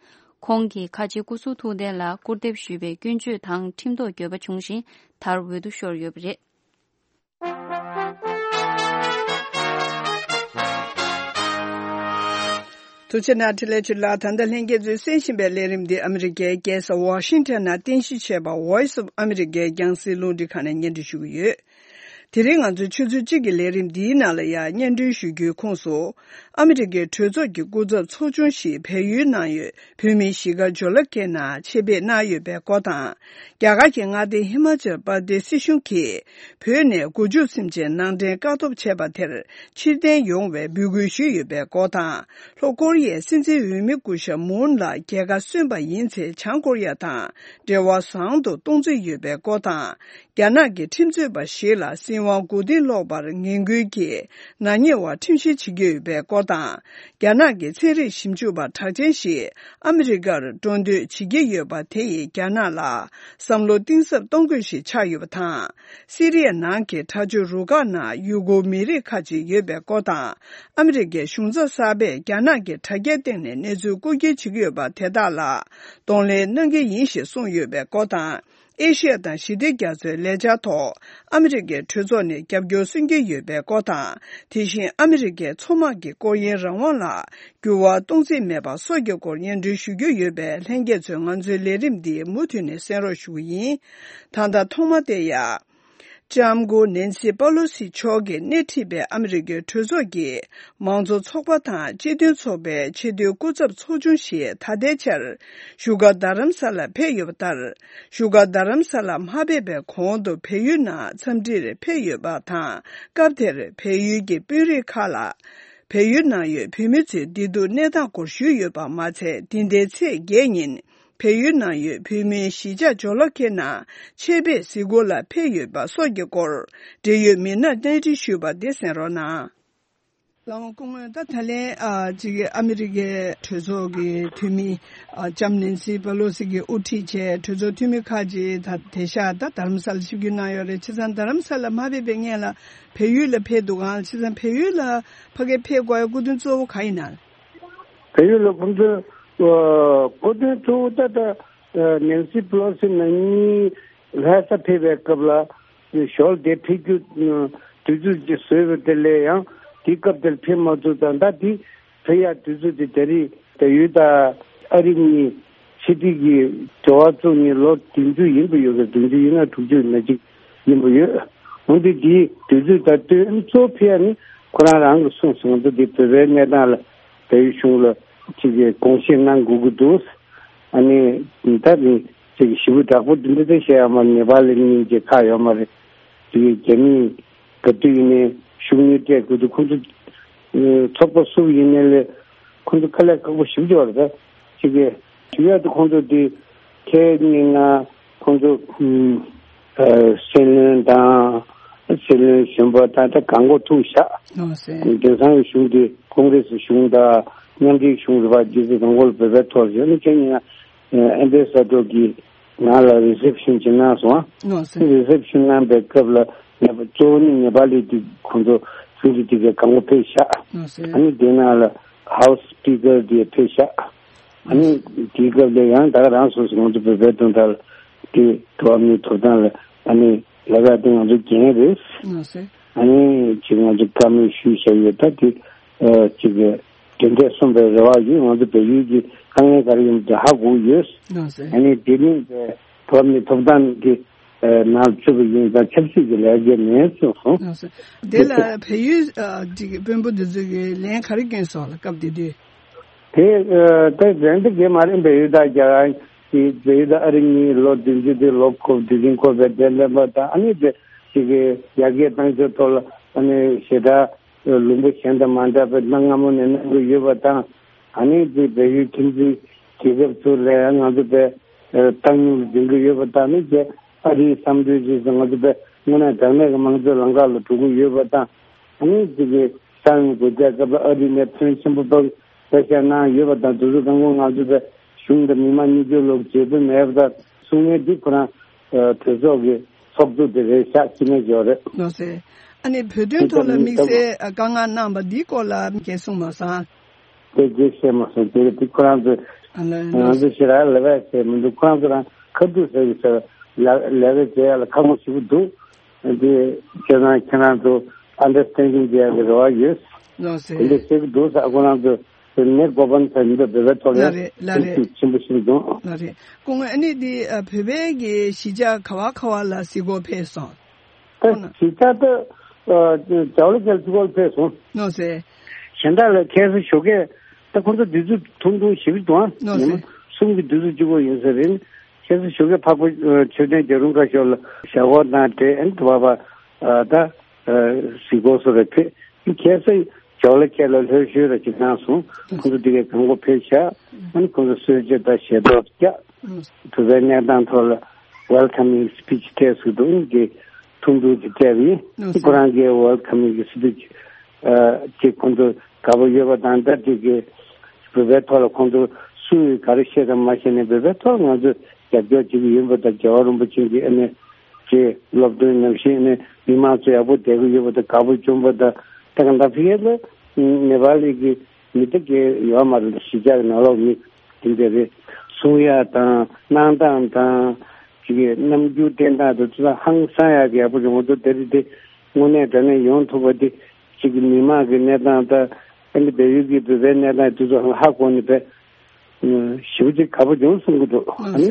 ཁོང་གིས་ཁ་ཆེའི་སྐུ་གཟུགས་ཐུགས་རྟེན་ལ་སྐུར་འདེབས་ཞུས་པའི་སྐྱོན་བརྗོད་དང་ཁྲིམས་ཐོག་འགྱོད་པ་བྱུང་ཞིང་། མཐར་འོས་བསྡུ་ཤོར་ཡོད་པ་རེད། ཐུགས་རྗེ་གནང་། འཕྲིན་ལས་ཆོས་ལགས། ད་ལྟ་ལྷན་རྒྱས་ཚོས་གསན་བཞིན་པའི་ལས་རིམ་འདི་ཨ་མི་རི་ཀའི་རྒྱལ་ས་ཝ་ཤིང་ཊོན་ནང་རྟེན་གཞི་བྱས་པ་Voice of America རྒྱང་སྲིང་རླུང་འཕྲིན་ཁང་ནས་སྙན་སྒྲོན་ཞུ་གི་ཡོད། དེ་རིང་ང་ཚོའི་ཆུ་ཚོད་གཅིག་གི་ལས་རིམ་འདིའི་ནང་ལ་ཡང་སྙན་སྒྲོན་ཞུ་རྒྱུའི་ཁོངས་སུ། ཨ་མི་རི་ཀའི་གྲོས་ཚོགས་ཀྱི་སྐུ་ཚབ་ཚོགས་ཆུང་ཞིག་བལ་ཡུལ་ནང་ཡོད་བོད་མིའི་གཞིས་སྒར་ཇོ་ལ་ཀེ་ནང་ཆེད་ཕེབས་གནང་ཡོད་པའི་སྐོར་དང་། རྒྱ་གར་གྱི་མངའ་སྡེ་ཧི་མ་ཅལ་པར་དེ་སི་སྲིད་གཞུང་གིས་བོད་ནས་མགོ་མཇུག་ཟིན་བྱས་ནང་འདྲེན་བཀག་སྡོམ་བྱས་པ་དེར་ཕྱིར་འཐེན་ཡོང་བའི་འབོད་སྐུལ་ཞུས་ཡོད་པའི་སྐོར་དང་། ལྷོ་ཀོ་རི་ཡའི་སྲིད་འཛིན་འོས་མི་སྐུ་ཞབས་མུན་ལ་རྒྱལ་ཁ་སོན་པ་ཡིན་ཚེ་བྱང་ཀོ་རི་ཡ་དང་འབྲེལ་བ་བཟང་དུ་གཏོང་རྩིས་ཡོད་པའི་སྐོར་དང་། རྒྱ་ནག་གི་ཁྲིམས་རྩོད་པ་ཞིག་ལ་སྲིད་དབང་མགོ་རྟིང་སློག་པར་ངན་སྐུལ་གྱིས་ནག་ཉེས་པ་ཁྲིམས་བཤེར་བྱེད་ཀྱི་ཡོད་པའི་སྐོར་དང་། རྒྱ་ནག་གི་ཚན་རིག་ཞིབ་འཇུག་པ་གྲགས་ཅན་ཞིག་ཨ་མི་རི་ཀར་འགྲོ་འདོད་བྱེད་ཀྱི་ཡོད་པ་དེ་ཡིས་རྒྱ་ནག་ལ་བསམ་བློ་གཏིང་ཟབ་གཏོང་དགོས་ཤིག་ཆགས་ཡོད་པ་དང་། སི་རི་ཡ་ནང་གི་དྲག་སྤྱོད་རུ་ཁག་ནང་ཡུ་གུར་མི་རིགས་ཁག་ཅིག་ཡོད་པའི་སྐོར་དང་། ཨ་མི་རི་ཀའི་གཞུང་ཚབ་གསར་པས་རྒྱ་ནག་གི་དྲ་རྒྱའི་སྟེང་ནས་གནས་ཚུལ་རྐུ་འཁྱེར་བྱེད་ཀྱི་ཡོད་པ་དེ་དག་ལ་གདོང་ལེན་གནང་གི་ཡིན་ཞེས་གསུངས་ཡོད་པའི་སྐོར་དང་། ཨེ་ཤི་ཡ་དང་ཞི་བདེ་རྒྱ་མཚོའི་ལས་འཆར་ཐོག་ཨ་མི་རི་ཀའི་གྲོས་ཚོགས་ནས་རྒྱབ་སྐྱོར་སུན་གྱི་ཡོད་པའི་སྐོར་དང་། དེ་བཞིན་ཨ་མི་རི་ཀའི་མཚོ་དམག་གི་སྐོར་གཡེང་རང་དབང་ལ་འགྱུར་བ་གཏོང་རྩིས་མེད་པ་སོགས་ཀྱི་སྐོར་སྙན་སྒྲོན་ཞུ་རྒྱུ་ཡོད་པས། ལྷན་རྒྱས་ཚོས་ང་ཚོའི་ལས་རིམ་འདི་མུ་མཐུད་ནས་གསན་རོགས་ཞུ་གི་ཡིན། ད་ལྟ་ཐོག་མ་དེ་ཡ། ལྕམ་སྐུ་ནེན་སི་པ་ལོ་སི་མཆོག་གིས་སྣེ་ཁྲིད་པའི་ཨ་མི་རི་ཀའི་གྲོས་ཚོགས་ཀྱི་མང་གཙོ་ཚོགས་པ་དང་སྤྱི་མཐུན་ཚོགས་པའི་ཆེས་མཐོའི་སྐུ་ཚབ་ཚོགས་ཆུང་ཞིག་ད་ལྟའི་ཆར་བཞུགས་སྒར་རྡ་རམ་ས་ལར་ཕེབས་ཡོད་པ་ལྟར། བཞུགས་སྒར་རྡ་རམ་ས་ལར་མ་ཕེབས་པའི་གོང་དུ་བལ་ཡུལ་ནང་འཚམས་འདྲིར་ཕེབས་ཡོད་པ་དང་། སྐབས་དེར་བལ་ཡུལ་གྱི་དཔོན་རིགས་ཁག་ལ་བལ་ཡུལ་ནང་ཡོད་བོད་མི་ཚོའི་བདེ་སྡུག་གནས་སྟངས་སྐོར་ཞུས་ཡོད་པ་མ་ཚད། འདི་ཟླའི་ཚེས་བརྒྱད་ཉིན་བལ་ཡུལ་ནང་ཡོད་བོད་མིའི་གཞིས་ཆགས་ཇོ་ལ་ཁེ་ནང་ཆེད་ཕེབས་གཟིགས་སྐོར་ལ་ཕེབས་ཡོད་པ་སོགས་ཀྱི་སྐོར་འབྲེལ་ཡོད་མི་སྣར་གནས་འདྲི་ཞུས་པ་དེ་གསན་རོགས་གནང་། ལགས་སྐུ་ངོ། ད་ད་ལན་ཨ་ཅིག་ཨ་མི་རི་ཀའི་གྲོས་ཚོགས་ཀྱི་འཐུས་མི་ཨ་ལྕམ་ནེན་སི་པེ་ལོ་སི་གིས་དབུ་ཁྲིད་བྱས་གྲོས་ཚོགས་འཐུས་མི་ཁག་ཅིག་ད་དེ་ཤག་ད་རྡ་རམ་ས་ལར་ཆིབས་བསྒྱུར་གནང་ཡོད་རེད། བྱས་ཙང་རྡ་རམ་ས་ལར་མ་ཕེབས་པའི་སྔོན་ལ་བལ་ཡུལ་ལ་ཕེབས་འདུག་ག། བྱས་ཙང་བལ་ཡུལ་ལ་ཕ་གིར་ཕེབས་དགོས་ཡ་སྐུ་དོན་གཙོ་བོ་ག་ཡིན་ན། བལ་ཡུལ་ལ་ཁོང་ཚོ་ཨ་སྐུ་དོན་གཙོ་བོ་ད་ལྟ་ཨ་ནེན་སི་པེ་ལོ་སི་ནང་མི་ལྷ་ས་ཕེབས་པའི་སྐབས་ལ་ཞོར་དེ་ཕེབས་རྒྱུ་ཨ་དུས་ཚོད་ཅིག་བཟོས་པ་དེ་ལས་ཡང་དེའི་སྐབས་དེར་ཕེབས་མ་ཐུབ་ཙང་། ད་དེ་ཕེབས་ཡ་དུས་ཚོད་དེ་ད་རེས་བལ་ཡུལ་དང་ཨ་རི་གཉིས་ཕྱི་འབྲེལ་གྱི་འབྲེལ་བ་བཙུགས་ནས་ལོ་བདུན་ཅུ་ཡིན་པ་ཡོད་རེད། བདུན་ཅུ་ཡིན་ན་དྲུག་ཅུ་ན་གཅིག་ཡིན་པ་ཡོད། འོན་ཏེ་དེའི་དུས་ཚོད་དང་བསྟུན་གཙོ་ཕལ་ནི་ཁོ་རང་རང་གི་གསུངས་སོང་། ད་དེ་བོད་པའི་གནས་སྟངས་ལ་བལ་ཡུལ་གཞུང་ལ་ཅིག་གི་དགོངས་བཞེས་གནང་དགོས་ཀྱི་འདུག། ཨ་ནི་ད་ནི་ཅིག་ཞེ་པོ་དྲག་པོ་འདི་འདྲ་ཅིག་བཤད་ཡ་མ་རེད། ནེ་པ་ལི་གཉིས་ཀྱི་ཁག་ཡོད་མ་རེད། དེ་རྒྱ་མིས་ག་དུས་ཡིན་ནའི་ཤུགས་སྣོན་སྤྲད་དགོས་འདུག། ཁོང་ཚོ་ཚོགས་པ་སུ་ཡིན་ནའི་ལས་ཁོང་ཚོ་དཀའ་ལས་ཁག་པོ་ཞེ་པོ་ཅིག་ཡོད་རེད། ད་ཅིག་གི་ཞུ་ཡ་དེ་ཁོང་ཚོ་དེ་ཁའི་སྙན་ངག་ཁོང་ཚོ་ཨུམ་ཨ་སྲིད་བློན་དང་སྲིད་བློན་གཞོན་པ་དང་ད་གང་གོ་ཐུག་བཞག། ཨོ་སེ། དེང་སང་གི་གཞུང་དེ་ཀོང་ཀྲེ་སི་གཞུང་དང་མཉམ་འབྲེལ་གཞུང་རེད་པ། རྗེས་སུ་གང་གོ་ལ་བོད་པའི་ཐོག་བཞག་ནི་ཁྱེད་ཉིད་ཨན་ཏེ་ས་ཏོ་གི་ང་ལ་རི་སེབ་ཤིན་ཅིག་གནང་སོང་། ཨོ་སེ། རི་སེབ་ཤིན་གནང་པའི་སྐབས་ལ་ནེ་པ་གཙོ་བོ་ནི་ནེ་པ་ལི་དེ་ཁོང་ཚོ་གཞུང་དེ་དེ་གའི་གང་གོ་ཕེབས་བཞག། ཨོ་སེ། ཨ་ནི་དེ་ནང་ལ་ཧའུ་སི་སྤི་ཀར་དེ་ཕེབས་བཞག། ཨ་ནི་དེའི་སྐབས་ལ་ཡང་ད་ག་རང་སོ་སོ་ང་ཚོ་བོད་པའི་དོན་དག་ལ་དེ་འགྲོ་བ་མིའི་ཐོབ་ཐང་ལ་ཨ་ནི་ལས་ཀ་དེ་ང་ཚོ་འགན་རེད། ཨ་སེ། ཨ་ནི་ཅིག་ང་ཚོ་བཀའ་མོལ་ཞུས་བཞག་ཡོད། ད་དེ་ཨ་ཅིག་གི་དེ་འདྲས་གསུངས་པའི་རེ་བ་ཡོད། ང་ཚོ་བལ་ཡུལ་གྱི་དཀའ་ངལ་ག་རེ་ཡིན་མིན་དེ་ཧ་གོ་ཡོད། ཨ་སེ། ཨ་ནི་དེ་ནི་འགྲོ་བ་མིའི་ཐོབ་ཐང་གི་ནང་ཚུད་པ་ཡིན་ཙང་ཆབ་སྲིད་ཀྱི་ལས་འགན་མེད་གསུངས་སོང་། ཨ་སེ། དེ་ལ་བལ་ཡུལ་ཨ་ཅིག་དཔོན་པོ་འདི་ཚོ་གིས་ལན་ག་རེ་བསྐྱོན་སོང་ལ་སྐབས་དེ་དུས། དེ་ཨ་ད་རན་ཏེ་དགེ་མ་རན་པའི་ཡུལ་དང་རྒྱ་གར་གྱི་བལ་ཡུལ་དང་ཨ་རི་གཉིས་ལོ་བདུན་ཅུ་དེ་ལོ་འཁོར་དུས་ཆེན་འཁོར་བའི་དེ་ལེན་པ་དང་། ཨ་ནི་དེ་ཅིག་གི་ཡར་རྒྱས་བཏང་ཕྱོགས་ཐོག་ལ་ཨ་ནི་ཞེ་དྲག་ལུང་པ་གཞན་དང་མ་འདྲ་བའི་གནའ་སྔ་མོ་ནས་གནང་གི་ཡོད་པ་དང་། ཨ་ནི་དེ་བལ་ཡུལ་ཁྱིམ་མཚེས་རྒྱལ་ཁབ་ཚོ་ལ་ང་ཚོ་བལ་ཨ་བཏང་སྙོམས་ལ་འཛིན་གྱི་ཡོད་པ་དང་། ཨ་ནི་དེ་ཨ་རིའི་བསམ་ཚུལ་ཅིག་སོང་། ང་ཚོ་བལ་དངོས་གནས་དྲང་གནས་ཀྱི་དམངས་གཙོའི་ལམ་ཁ་ལ་འགྲོ་གི་ཡོད་པ་དང་། ཨ་ནི་དེ་གི་ས་ཡོམ་དགོས་ཆ་སྐབས་ལ་ཨ་རི་ནས་ཕོན་ཆེན་པོ་ཕར་བཀའ་ཤག་གནང་ཡོད་པ་དང་། དུས་ཚོད་དང་པོ་ང་ཚོ་བལ་གཞུང་དང་མི་མང་གཉིས་ཆར་ལོག་མཇལ་འཕྲད་མེད་པ་དང་། གསུང་ངན་འདི་ཁོ་རང་ཨ་གྲོས་ཚོགས་ཀྱི་ཚོགས་གཙོ་དེ་རེད་ཤག། སྐྱིད་མེད་ཇོ་རེད། ལགས་སེ། ཨ་ནི་བོད་དོན་ཐོག་ལ་དམིགས་བསལ་དཀའ་ངལ་གནང་བ་འདིའི་སྐོར་ལ་གང་གསུངས་མ་སོང་། དེ་རྗེས་བཤད་མ་སོང་། དེ་རེད། དེ་ཁོ་རང་ཚོས་ཨ་ལ་ང་ལགས་ཚོ་ཞེ་དྲག་ལས་ཀ་བྱས་མི་འདུག། ཁོ་རང་ཚོ་རང་ཁ་ཐུག་ཟེར་གི་ཟེར་ལ་ལས་ཀ་བྱེད་ཡ་ལ་ཁག་པོ་ཞེ་པོ་འདུག། དེ་བྱས་ཙང་ཁྱེད་རང་ཚོ་ཨན་ཌར་སི་ཊེན་ཌིང་བྱེད་ཡ་གི་རེ་བ་ཡོད། ལགས་སེ། དེ་འདྲ་བྱེད་ཀྱི་འདུག་ཟེར། ཁོ་རང་ཚོ་དེ་ནས་གོ་པན་ཚ་ཡིན་པ་བོད་པའི་ཐོག་ལ་ལགས་རེད། ལགས་རེད། ཤུགས་ཆེན་པོ་ཞིག་འདུག། ལགས་རེད། སྐུ་ངོ། ཨ་ནི་འདི་ཨ་བོད་པའི་གི་གཞིས་ཆགས་ག་བ་ག་བ་ལ་གཟིགས་སྐོར་ཕེབས་སོང་། ད་གཞིས་ཆགས་ད་ཨ་ཇོ་ལ་ཁེ་ལ་གཟིགས་སྐོར་ཕེབས་སོང་། ལགས་སེ། གཞན་དག་ལ་ཁ་སང་ཞོགས་ཀས་ད་ཁོང་ཚོ་དུས་ཚོད་ཐུང་ཐུང་ཞེ་པོ་འདུག་ཨ། ལགས་སེ། ཉི་མ་གསུམ་གྱི་དུས་ཚོད་གཅིག་པོ་ཡིན་ས་རེད། ཁ་སང་ཞོགས་ཀས་འཕགས་པ་ཨ་མཆོད་རྟེན་རྒྱལ་རོང་ཁ་ཤོར་ལ་ཞབས་ཏོག་གནང་སྟེ། ཨ་ནི་དེ་བ་བ་ཨ་ད་ཨ་གཟིགས་སྐོར་སོགས་ལ་ཕེབས། ཁ་སང་ཇོ་ལ་ཁེ་ལ་ལྷོད་ཤོས་ར་ཅིག་གནང་སོང་། ཁོང་ཚོ་དེ་གའི་གང་གོ་ཕེབས་ཤག། ཨ་ནི་ཁོང་ཚོ་གསོལ་ཇ་དང་ཞལ་ཏོག་བཀྱགས། བོད་པའི་གནས་སྟངས་ཐོག་ལ་ཝེལ་ཀམ་སི་པི་ཆི་སྤྲད་ཟེར་འདུག། ཨ་ནི་དེ་ཐུང་ཐུང་ཅིག་སྤྲད་པ་ཡིན། ཨ་ཁོ་རང་གིས་ཝེལ་ཀམ་སི་པི་ཆི་ཨ་ཅིག་ཁོང་ཚོ་དགའ་པོ་ཡོད་པ་དང་། ད་དེ་གའི་བོད་པའི་ཐོག་ལ་ཁོང་ཚོ་སུས་ག་རེ་བཤད་དང་མ་བཤད་ནས་བོད་པའི་ཐོག་ལ་ང་ཚོས་རྒྱབ་སྐྱོར་བྱེད་ཀྱི་ཡོད་པ་དང་། རྒྱལ་བ་རིན་པོ་ཆེ་གི་ཨ་ནི་ཅིག་སློབ་སྟོན་ནང་བཞིན་ཨ་ནི་མི་མང་ཚོ་ཡག་པོ་བསྡད་ཀྱི་ཡོད་པ་དང་། དགའ་པོ་བྱུང་བ་དང་། ད་ག་ད་ཕི་ཡ་ལ་ནེ་པ་ལི་གི་མི་དེ་གའི་ཡོད་མ་རེད། གཞིས་ཆགས་ནང་ལོགས་མི་དེ་འདྲ་རེད། གསུང་ཡ་དང་གནང་སྟངས་དང་ ཅིག་གི་རྣམ་འགྱུར་བསྟན་སྟངས་དེ་ཚོ་ཧང་སང་ཡག་གི་ཡག་པོ་བྱུང་འདུག་དེ་རིང་དེ་དངོས་གནས་དྲང་གནས་ཡོང་ཐུབ་པ་དེ་ཅིག་གི་མི་མང་གི་གནས་སྟངས་དང་ཨ་ནི་བལ་ཡུལ་གྱི་བོད་པའི་གནས་སྟངས་དེ་ཚོ་ཧ་གོ་ནས་བས་ཞེ་པོ་ཅིག་དགའ་པོ་བྱུང་གསུང་གི་འདུག་ཨ་ནི་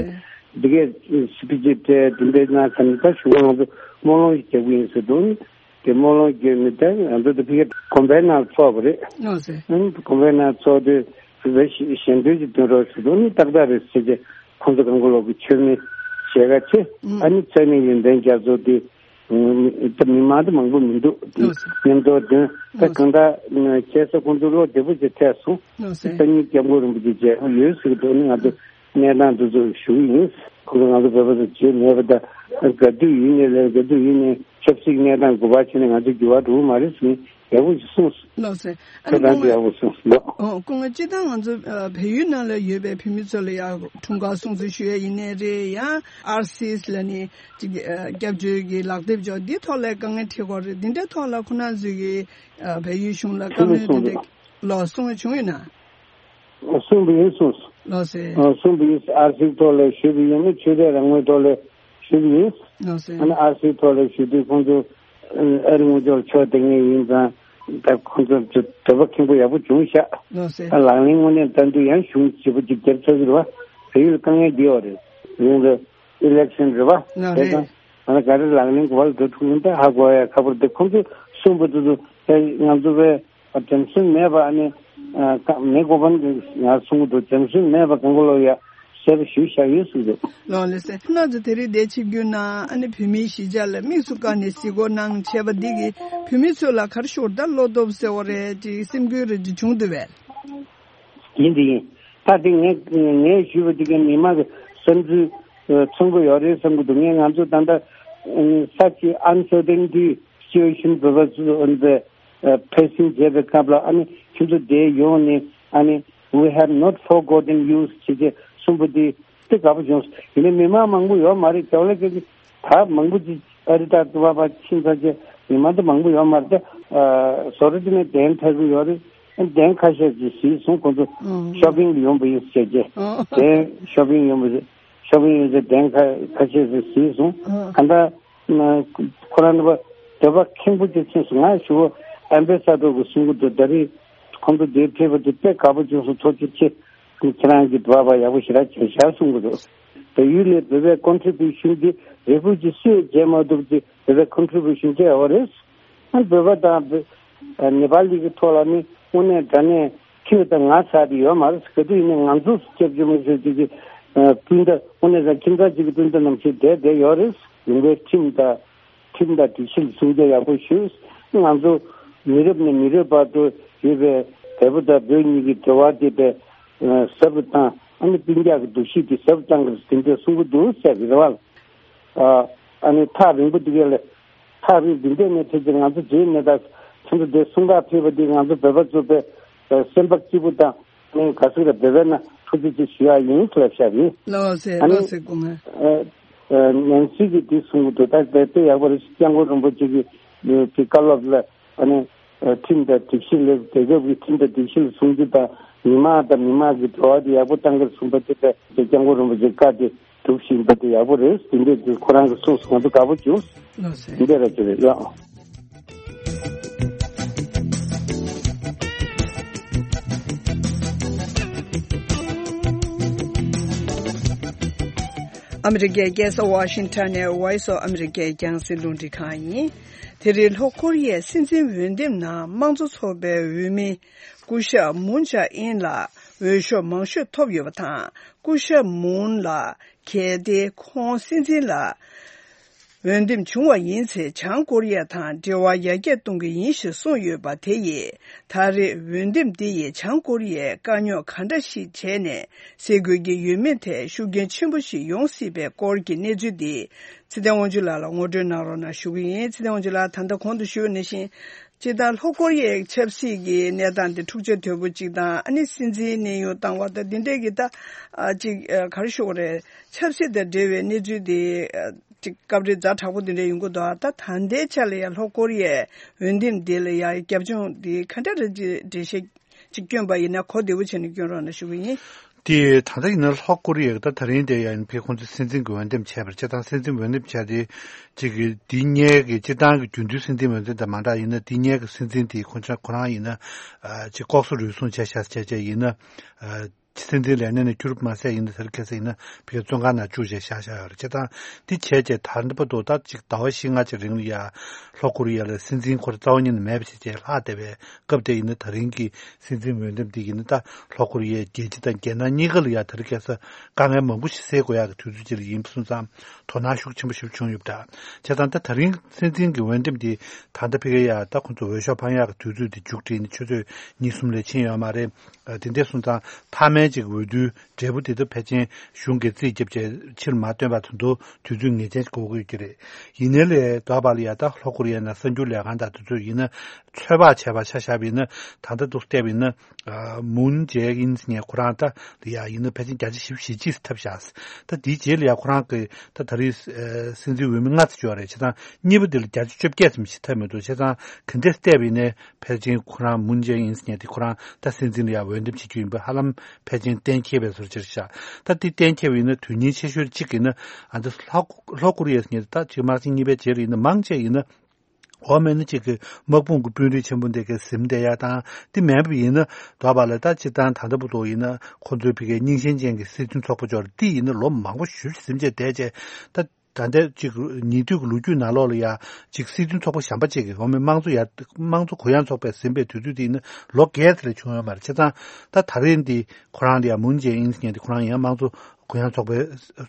འདི་གས་སི་པི་ཅི་སྤྲད་འདི་འདྲའི་གནང་ཙང་ད་གཞུག་གུ་ང་ཚོ་སྨོན་ལམ་ཞིག་རྒྱག་གི་ཡིན་ཟེར་འདུག་དེ་སྨོན་ལམ་བརྒྱབ་ནས་ད་ང་ཚོ་དེ་ཕ་གིར་དགོན་པའི་ནང་ཚོགས་པ་རེད། ཨོ་ཟེར། ཨང་དགོན་པའི་ནང་ཚོགས་དུས་བོད་པའི་ཞལ་འདོན་ཅིག་འདོན་རོགས་ཞུ་དུས་ནི་ཏག་ཏག་རེད་ཟེར་གྱི་ཁོང་ཚོ་གང་ག་ལོག་གི་མཆོད་མེ་ཞལ་ཁ་ཕྱེ། ཨ་ནི་མཚན་ནས་ཡོན་ཏན་རྒྱ་མཚོ་དེ་ད་མི་མང་དུ་མང་པོ་མི་འདུག་དེ་ཨོ་ཟེར། མཉམ་དུ་འདོན་ད་ཨོ་ཟེར། གང་ལྟར་ཁྱེད་ཚོ་ཁོང་ཚོ་བློ་བདེ་པོ་ཅིག་ཐེབས་སོང་། ཨོ་ཟེར། སང་ཉིན་སྐྱབས་མགོན་རིན་པོ་ཆེ་མཇལ་ཁ་ཡོད་ཟེར་གི་འདུག་ནི་ང་ཚོ་གནས་སྟངས་འདི་ཚོ་ཞུ་གི་ཡིན། ཁོང་ཚོ་ང་ཚོ་བོད་པ་ཚོ་བརྗེད་མེད་པ་དང་ག་དུས་ཡིན་ནའི་ལས་ག་དུས་ཡིན་ནའི་ཆབ་སྲིད་གནས་སྟངས་དགོས་པ་བྱས་ནས་ང་ཚོ་འགྱུར་བ་འགྲོ་གི་མ་རེད་ཟེར་ནས་ཡག་པོ་ཞིག་གསུངས་སོང་། ལགས་སེ། ཨ་ཁ་ནི་སང་སྐུ་ངོ་ཡག་པོ་གསུངས་སོང་། ལགས། ཨོ་སྐུ་ངོ་སྤྱིར་བཏང་ང་ཚོ་ཨ་བལ་ཡུལ་ནང་ལ་ཡོད་པའི་བོད་མི་ཚོ་ལ་ཡང་འཁྲུངས་སྐར་སྲུང་བརྩི་ཞུ་ཡ་ཡིན་ནའི་རེད། ཡང་ཨར་སི་ལ་ནི་ཅིག་ཨ་སྐྱབས་བཅོལ་གྱི་ལག་དེབ་འཇོག་འདི་ཐོག་ལ་དཀའ་ངལ་འཕྲད་ཀྱི་ཡོད་རེད། འདི་འདྲའི་ཐོག་ལ་ཁོང་རྣམ་ཚོས་ཀྱི་ཨ་བལ་ཡུལ་གཞུང་ལ་བཀའ་མོལ་འདི་འདྲ་ལགས་སོ་གསུང་བྱུང་ཡོད་ན། གསུངས་པ་ཡིན་གསུངས། ལགས་སེ། གསུངས་པ་ཡིན། ཨར་སིའི་ཐོག་ལ་ཞུས་པ་ཡིན་ན་ཆོས་དད་རང་མོས་ཐོག་ལ་ཞུས་པ་ཡིན། ལགས་སེ། ཨ་ནི་ཨར་སིའི་ཐོག་ལ་ཞུ་དུས་ཁོང་ཚོ་ཨ་རི་ངོ་ཅོག་ཕྱོགས་དེ་ངེས་ཡིན་ཙང་ད་ཁོང་ཚོ་དོ་དོད་པ་ཁེངས་པོ་ཡག་པོ་བྱུང་ཤག་ལགས་སེ། ལག་ལེན་དངོས་གནས་བསྟར་དུས་ཡང་གཞུང་ཞེ་པོ་ཅིག་རྒྱབ་ཚར་གི་རེད་བ། བལ་ཡུལ་དཀའ་ངལ་འདི་ཡོད་རེད། རིང་ལ་ཨི་ལེག་ཤན་རེད་བ། ལགས་རེད། དེ་དང་ང་ལ་ག་རེ་ལག་ལེན་གོ་བ་ལ་འགྲོ་ཐུབ་ཡིན་ད་ཧ་གོ་ཡ་ཁ་པར་དེ་ཁོང་ཚོས་གསུངས་པ་དེ་ཚོ་ང་ཚོ་བས། འགྲེམས་སོན་མེད་པ་ཨ་ནི། ཨ་ཀ་མེ་གོ་པན་གྱིས་ང་གསུང་གི་འདུག་འགྲེམས་སོན་མེད་པ་གང་ག་ལོག་ཡ་གསལ་པོ་ཞུས་བཞག་ཡོད་གསུངས་འདུག་ལགས་ལགས་སེ། ཁོང་རྣམ་ཚོ་དེ་རིང་འདིར་ཆིབས་བསྒྱུར་གནང་ཨ་ནི་བོད་མིའི་གཞིས་ཆགས་ལ་དམིགས་སུ་བཀར་ནས་གཟིགས་སྐོར་གནང་བྱས་པ་འདི་གིས་བོད་མི་ཚོ་ལ་ག་རེ་ཞུ་དགོས་རེད་ད་བློ་སྟོབས་ཟེར་བ་རེད་ཅིག་སེམས་འགུལ་རེ་ཅིག་བྱུང་འདུག་བས། ཡིན་དེ་ཡིན། ད་དེ་ངས་ངས་ཞུས་པ་དེ་གའི་མི་མང་གི་བསམ་ཚུལ་མཚོན་གྱི་ཡོད་རེད་བསམ་གྱི་འདུག་ངས་ང་ཚོ་ད་ལྟ་such uncertainty situation བོད་པ་ཚོ་ཨ་ནི་ཕེ་སིང་བྱས་པའི་སྐབས་ལ་ཨ་ནི་ཁྱོད་ཚོ་འདིར་ཡོང་ནས་ཨ་ནི་we have not forgotten you ཞེས་བྱས་གསུངས་པ་འདི་དཔེ་དགའ་པོ་བྱུང་། ཡིན་ནའི་མི་མང་མང་པོ་ཡོད་མ་རེད། རྒྱ་བ་ལ་སྐད་ཀྱི་ད་མང་པོ་ཅིག་ཨ་རི་དང་དུ་བ་བ་ཕྱིན་ཚར་རྗེས་མི་མང་དུ་མང་པོ་ཡོད་མ་རེད། ད་བཟོ་གྲྭ་དེ་ནས་གདན་ཐར་གྱི་ཡོད་རེད། གདན་ཁ་ཤས་ཅིག་གཟིགས་སོང་། ཁོང་ཚོ་ཤོ་པིང་ལ་ཡོང་པ་ཡིན་ཟེར་རྗེས་གདན་ཤོ་པིང་ཡོང་པ་ཤོ་པིང་ཡོང་ཚེ་གདན་ཁ་ཁ་ཤས་ཅིག་གཟིགས་སོང་། གང་ལྟར། ཁོ་རང་ནི་བ་དོད་པ་ཁེངས་པོ་ཅིག་ཕྱིན་སོང་། ང་ཞུ་བ་ཨེམ་བེ་ས་ཏོ་གི་གསུང་གི་འདུག་ད་རེས་ཁོང་ཚོ་འདིར་ཕེབས་པ་དེ་དཔེ་དགའ་པོ་བྱུང་སོང་། ཐུགས་རྗེ་ཆེ། ཁྱེད་རང་གིས་འབད་པ་ཡག་པོ་ཞེ་དྲག་བྱས་ཤག་གསུང་གི་འདུག་ད་ཡུལ་ནས་བོད་པའི་ཀོན་ཊི་བྷུ་ཤན་དེ་རེ་ཕུ་ཇི་སུས་བྱས་མ་ཐུབ་ཅིག་བོད་པའི་ཀོན་ཊི་བྷུ་ཤན་བྱས་ཡོད་རེད། ཨ་བོད་པ་དང་བོད་ནེ་པ་ལི་གི་ཐོག་ལ་ནི་དངོས་གནས་དྲང་གནས་ཁྱོད་དང་ང་ཆགས་ཏེ་ཡོད་མ་རེད། ག་དུས་ཡིན་ནའི་ང་ཚོ་སྐྱབས་བཅོལ་མི་ཚོས་ཅིག་གི་སྤུན་ཟླ་དངོས་གནས་དྲང་ཁྱིམ་ཚང་གཅིག་གི་སྤུན་ཟླ་ནང་བཞིན་བསྡད་བསྡད་ཡོད་རེད། ཡིན་པའི་ཁྲིམས་དང་ཁྲིམས་དང་སྒྲིག་གཞི་ལ་སྲུང་སྐྱོབ་ཡག་པོ་ཞུས། ང་ཚོ་མི་རབས་ནས་མི་རབས་བར་དུ་ཡོད་པའི་བལ་པོ་དང་བོད་གཉིས་ཀྱི་འབྲེལ་བ་དེ་བས་ཟབ་ཏུ་བཏང་། ཨ་ནི་སྤུན་ཀྱག་གི་འདུ་ཤེས་དེ་ཟབ་ཏུ་བཏང་དགོས་ཟེར་དེ་འདྲ་གསུང་གི་འདུག་ཟེར་གི་རེད་བ། ཨ་ནི་ཐག་རིང་པོ་འདི་ག་ལས་ཐག་རིང་འདི་འདྲས་ནས་ཕེབས་ཀྱི་ང་ཚོ་བརྗེད་མེད་ད། ཁྱེད་ཚོ་འདིར་གསུང་ག་ཕེབས་པ་འདི་ང་ཚོ་བོད་པ་ཚོ་དཔེ་སེམས་པ་སྐྱིད་པོ་དང་ནི་ག་ཚོད་ལ་བོད་པའི་ནང་ཐུགས་རྗེ་ཆེ་ཞུ་ཡག་ཡིན་ལབ་བཞག་གི། ལགས་སེ་ཨ་ནི་ལགས་སེ་སྐུ་ངོ། ཨ་ནན་སི་གིས་འདི་གསུང་གི་འདུག་ད་དཔེ་དཔེ་ཡག་པོ་རེད། སྐྱབས་མགོན་རིན་པོ་ཆེ་གི་གི་བཀའ་སློབ་ལ་ཨ་ནི་ཁྲིམས་དང་སྒྲིག་གཞི་ལ་རྒྱལ་ཁབ་ཀྱི་ཁྲིམས་དང་སྒྲིག་གཞི་ལ་སྲུང་སྐྱོབ་དང་མི་མང་དང་མི་མང་གི་འབྲེལ་བ་དེ་ཡག་པོ་གཏང་གི་གསུངས་པ་དེ་དཔེ་སྐྱབས་མགོན་རིན་པོ་ཆེ་བཀའ་དེ་སྒྲུབ་བཞིན་པ་དེ་ཡག་པོ་རེད། དེ་འདྲས་དེ་ཁོ་རང་གིས་གསུངས་སོང་། ང་ཚོ་དགའ་པོ་བྱུང་། ལགས་སེ། འདི་འདྲས་ར་ཅིག་རེད་ཡ། ཨ་མི་རི་ཀའི་རྒྱལ་ས་ཝ་ཤིང་ཊོན་ནས་Voice of America རྒྱང་སྲིང་རླུང་འཕྲིན་ཁང་ཡིན། དེ་རིང་ལྷོ་ཀོ་རི་ཡའི་སྲིད་འཛིན་འོས་འདེམས་ནང་དམངས་གཙོ་ཚོགས་པའི་འོས་མི་སྐུ་ཞབས་མུན་ཇཱ་ཨིན་ལ་འོས་ཤོག་མང་ཤོས་ཐོབ་ཡོད་པ་དང་། སྐུ་ཞབས་མུན་ལ་གལ་ཏེ་ཁོང་སྲིད་འཛིན་ལ་འོས་འདེམས་བྱུང་བ་ཡིན་ཚེ། བྱང་ཀོ་རི་ཡ་དང་འབྲེལ་བ་ཡར་རྒྱས་གཏོང་གི་ཡིན་ཞེས་གསུངས་ཡོད་པ་དེ་ཡིས། ད་རེས་འོས་འདེམས་འདི་ཡིས་བྱང་ཀོ་རི་ཡས་དཀའ་རྙོག་ག་འདྲ་ཞིག་བྱས་ནས་སེལ་དགོས་ཀྱི་ཡོད་མེད་ཐད་ཤུགས་རྐྱེན་ཆེན་པོ་ཞིག་ཡོང་སྲིད་པའི་སྐོར་གྱི་གནས་ཚུལ་འདི་ཚེ་བརྟན་དབང་ཕྱུག་ལགས་ལ་ངོ་སྤྲོད་གནང་རོགས་གནང་ཞུ་གི་ཡིན། ཚེ་བརྟན་དབང་ཕྱུག་ལགས། ད་ལྟ་གོང་དུ་ཞུས་པ་ནང་བཞིན། སྤྱིར་བཏང་ལྷོ་ཀོ་རི་ཡའི་ཆབ་སྲིད་ཀྱི་གནས་སྟངས་དེ་འཁྲུག་ཆ་དོད་པོ་གཅིག་དང་། ཨ་ནི་སྲིད་འཛིན་གནས་དབྱུང་བཏང་བ་དང་། འདི་འདྲས་ཀྱི་ད་ཨ་ཅིག་ཨ་ག་རེ་ཞུ་དགོས་རེད། ཆབ་སྲིད་དང་འབྲེལ་བའི་གནས་ཚུལ་དེ་ཨ་ཅིག་སྐབས་རེ་ཛ་དྲག་པོ་འདི་འདྲས་ཡོང་གི་འདུག་ཨ་ད་ད་ལྟའི་ཆ་ལ་ཡང་ལྷོ་ཀོ་རི་ཡའི་འོས་འདེམས་དེ་ལ་ཡང་རྒྱབ་ལྗོངས་དེ་ག་འདྲ་རེད་ཅེས་འགྲེལ་བཤད་ཅིག་བསྐྱོན་པ་ཡིན་ན་གོ་བདེ་བོ་བྱས་ནས་བསྐྱོན་རོགས་གནང་ཞུ་གི་ཡིན། དེ་ད་ལྟ་ཡིན་ན་ལྷོ་ཀོ་རི་ཡ་ད་ད་རིང་དེ་ཡང་ཕེ་ཁོང་ཚོས་སྲིད་འཛིན་གྱི་འོས་འདེམས་བྱས་པར་སྤྱིར་བཏང་སྲིད་འཛིན་འོས་འདེམས་བྱས་ཏེ་གཅིག་གི་འདི་སྔའི་གི་སྤྱིར་བཏང་གི་རྒྱུན་མཐུད་སྲིད་འཛིན་འོས་འདེམས་དང་མ་འདྲ་ཡིན་ན། འདི་སྔའི་གི་སྲིད་འཛིན་དེ་ཁོང་ཚོ་ཁོ་རང་ཡིན་ན་ཨ་ཅིག་ལྐོག་ཟ་རུལ་སུངས་བྱས་བཞག་བྱས་བྱས་ཡིན་ན་ཨ་སྲིད་འཛིན་ལས་གནས་ནས་བསྐྱུར་མ་ཟད་ཡིན་ན་དེར་ཁ་སང་ཡིན་ན་ཕེ་བཙོན་ཁང་ནང་བཅུག་བྱས་བཞག་བཞག་ཡོད་རེད། སྤྱིར་བཏང་འདི་བྱས་བྱས་ད་ལྟ་བར་དུ་ད་ཅིག་ཟླ་བ་བཞི་ལྔ་ཅིག་རིང་ལ་ཡ་ལྷོ་ཀོ་རི་ཡ་ལ་སྲིད་འཛིན་ཁོ་རང་རྩ་བ་ཉིད་ནས་མེད་པ་བྱས་བྱས་ལྷག་བསྡད་པའི་སྐབས་དེ་ཡིན་ན་ད་རིང་གི་སྲིད་འཛིན་འོས་འདེམས་འདི་ཡིན་ན་ད་ལྷོ་ཀོ་རི་ཡའི་རྒྱལ་སྤྱི་དང་རྒྱལ་ནང་གཉིས་ཀ་ལ་ཡ་དེ་རིང་ཁ་སང་དཀའ་ངལ་མང་པོ་ཞིག་སེལ་དགོས་ཡག་གི་དུས་ཚོད་ཅིག་ལ་ཡིན་པ་སོང་ཙང་དོ་སྣང་ཤུགས་ཆེན་པོ་ཞིག་བྱུང་ཡོད་པ་འདྲ། བྱས་ཙང་ད་ད་རིང་སྲིད་འཛིན་གྱི་འོས་འདེམས་འདི་ད་ལྟ་ཕ་གི་ཡ་ད་ཁོང་ཚོ་འོས་ཤོག་འཕང་ཡག་གི་དུས་ཚོད་དེ་མཇུག་སྒྲིལ་ནས་ཆུ་ཚོད་གཉིས་གསུམ་ལས་ཕྱིན་ཡོད་མ་རེད། ཨ་དེ་འདྲ་སོང་ཙང་མཐའ་མའི་ཅིག་འོས་བསྡུའི་འབྲས་བུ་དེ་ད་ཕལ་ཆེར་གཞུང་གིས་རྩིས་བརྒྱབ་བྱས་ཕྱིར་མ་བཏོན་པ་དེ་ཚོ་དུས་ཚོད་ངེས་ཅན་ཞིག་དགོས་ཀྱི་ཡོད་ཀྱི་རེད། ཡིན་ནའི་ལས་ལྡོག་པ་ལ་ཡ་ད་ལྷོ་ཀོ་རི་ཡ་ནང་གསར་འགྱུར་ལས་ཁང་དང་དེ་ཚོ་ཡིན་ན་ཚོད་དཔག་བྱས་པ་ཆ་བཞག་པ་ཡིན་ན་ད་ལྟ་འདུག་བལྟས་པ་ཡིན་ན། ཨ་མུན་ཇེ་ཨིན་ཟེར་མཁན་ཁོ་རང་ད་ལ་ཡ་ཡིན་ན་ཕལ་ཆེར་བརྒྱ་ཆ་བཞི་བཅུ་ཞེ་གཅིག་ཙམ་ཐོབ་བཞག་ད་དེའི་རྗེས་ལ་ཡ་ཁོ་རང་གི་ད་ད་རེས་ཨ་སྲིད་འཛིན་འོས་མི་ལྔ་ཙམ་ཡོད་རེད། བྱས་ཙང་གཉིས་པ་དེ་ལ་བརྒྱ་ཆ་བཅོ་བརྒྱད་ཙམ་ཞིག་ཐོབ་མི་འདུག་བྱས་ཙང་ག་འདྲས་བལྟས་པ་ཡིན་ནའི་ཕལ་ཆེར་ཁོ་རང་མུན་ཇེ་ཨིན་ཟེར་མཁན་དེ་ཁོ་རང་ད་སྲིད་འཛིན་ལ་ཡ་འོས་འདེམས་བྱེད་རྒྱུ་ཡིན་པ་ཧ་ལམ་ཕལ་ཆེར་གཏན་འཁེལ་བའི་བཟོ་འདྲ་ཅིག་རེད་ཤག་ད་དེ་གཏན་འཁེལ་བ་ཡིན་ན་དོན་སྙིང་ཆེ་ཤོས་གཅིག་ཡིན་ན་ཨ་ད་ལྷོ་ལྷོ་ཀོ་རི་ཡ་ཟེར་མཁན་དེ་ད་གཅིག་དམག་ཆེན་གཉིས་པའི་རྗེས་ལ་ཡིན་ན་མང་ཆེ་ཡིན་ན། འོ་མེད་ན་གཅིག་གི་དམག་དཔུང་གི་དཔོན་རིགས་ཆེན་པོ་འདི་གའི་ཟིན་བསྡད་ཡ་དང་དེ་མེད་པ་ཡིན་ན་ལྡོག་པ་ལ་ད་སྤྱིར་བཏང་ད་ལྟ་བར་དུ་ཡིན་ན་ཁོང་ཚོའི་ཕ་གིའི་རྙིང་ཞེན་ཅན་གྱི་སྲིད་དོན་ཚོགས་པ་ཅིག་ཡོད་རེད། དེ་ཡིན་ན་ལོ་མང་པོ་ཞེ་པོ་ཟིན་བྱས་བསྡད་བྱས་ད་ད་ལྟའི་གཅིག་ཉེ་དུས་ཀྱི་ལོ་རྒྱུས་ནང་ལོགས་ལ་ཡ་གཅིག་སྲིད་དོན་ཚོགས་པ་གཞན་པ་ཅིག་གིས་འོ་མེད་དམངས་གཙོ་ཡར་དམངས་གཙོ་གུ་ཡངས་ཚོགས་པས་ཟིན་པའི་དུས་ཚོད་དེ་ཡིན་ན་ལོ་བརྒྱད་ཙམ་ལས་བྱུང་ཡོད་མ་རེད། བྱས་ཙང་ད་ད་རེས་འདི་ཁོ་རང་ལ་ཡ་མུན་ཇེ་ཨིན་ཟེར་མཁན་དེ་ཁོ་རང་ཡང་དམངས་གཙོ་གུ་ཡངས་ཚོགས་པའི་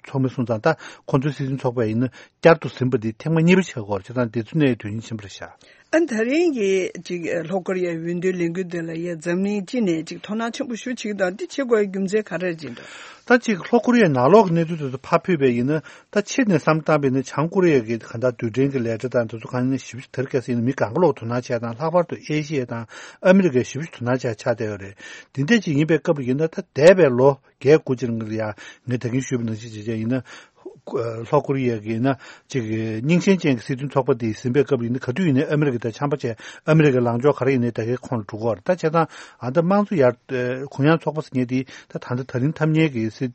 ཚོགས་མི་སོང་ཙང་ད་ཁོང་ཚོའི་སྲིད་དོན་ཚོགས་པ་ཡིན་ན་བསྐྱར་དུ་ཟིན་པ་འདི་ཐེངས་མ་གཉིས་པ་བྱེད་ཀྱི་ཡོད་རེད། བྱས་ཙང་འདི་ཚོ་ནས་དོན་སྙིང་ཆེན་པོ་རེད་ཤག་ཨ་ད་རིང་གི་ཅིག་ལྷོ་ཀོ་རི་ཡའི་འོས་བསྡུའི་ལས་འགུལ་འདི་ལ་ཡ་འཛམ་གླིང་སྤྱི་ནས་ཅིག་དོ་སྣང་ཆེན་པོ་ཞེ་པོ་བྱེད་ཀྱི་འདུག་འདི་བྱེད་དགོས་པའི་རྒྱུ་མཚན་ག་རེ་རེད་ཅེ་འདྲ། ད་ཅིག་ལྷོ་ཀོ་རི་ཡའི་ནང་ལོགས་ཀྱི་གནས་ཚུལ་དེ་ཚོ་ཕར་ཕུད་པ་ཡིན་ན་ད་ཕྱི་ནས་བསམ་བློ་བཏང་བ་ཡིན་ན་བྱང་ཀོ་རི་ཡ་གི་གང་ལྟར་རྡུལ་ཕྲན་གྱི་ལས་གྲྭ་དང་དེ་ཚོ་གང་ཡིན་ན་ཞེ་པོ་ཅིག་དེ་རིང་ཁ་སང་ཡིན་ན་མི་གང་ག་ལོག་དོ་སྣང་བྱས་དང་ལྷག་པར་དུ་ཨེ་ཤི་ཡ་དང་ཨ་མི་རི་ཀས་ཞེ་པོ་ཅིག་དོ་སྣང་བྱས་ཆགས་བསྡད་ཡོད་རེད། འདི་འདྲ་ཅིག་ཡིན་པའི་སྐབས་ལ་ཡིན་ན་ད་འདས་པའི་ལོ། བརྒྱད་དགུ་ཅིག་རིང་ལ་ཡ་ངས་ད་གིན་ཞུས་པ་ནང་བཞིན་བྱས་བྱས་ཡིན་ན། ལྷོ་ཀོ་རི་ཡ་གི་ཡིན་ན་ཅིག་རྙིང་ཞེན་ཅན་གྱི་སྲིད་དོན་ཚོགས་པ་དེ་ཟིན་པའི་སྐབས་ཡིན་ན་ག་དུས་ཡིན་ནའི་ཨ་མི་རི་ཀ་དང་འཆམ་པོ་བྱས་ཨ་མི་རི་ཀའི་ལངས་ཕྱོགས་ག་རེ་ཡིན་ནའི་ད་གིན་ཁོང་ལ་འགྲོ་གི་ཡོད་རེད། ད་བྱས་ཙང་ཨ་ད་དམངས་གཙོ་ཡར་གུ་ཡངས་ཚོགས་པ་ཟེར་མཁན་དེ་ད་ད་ལྟ་ད་རིང་ཐ་སྙད་ཀྱི་སྲིད་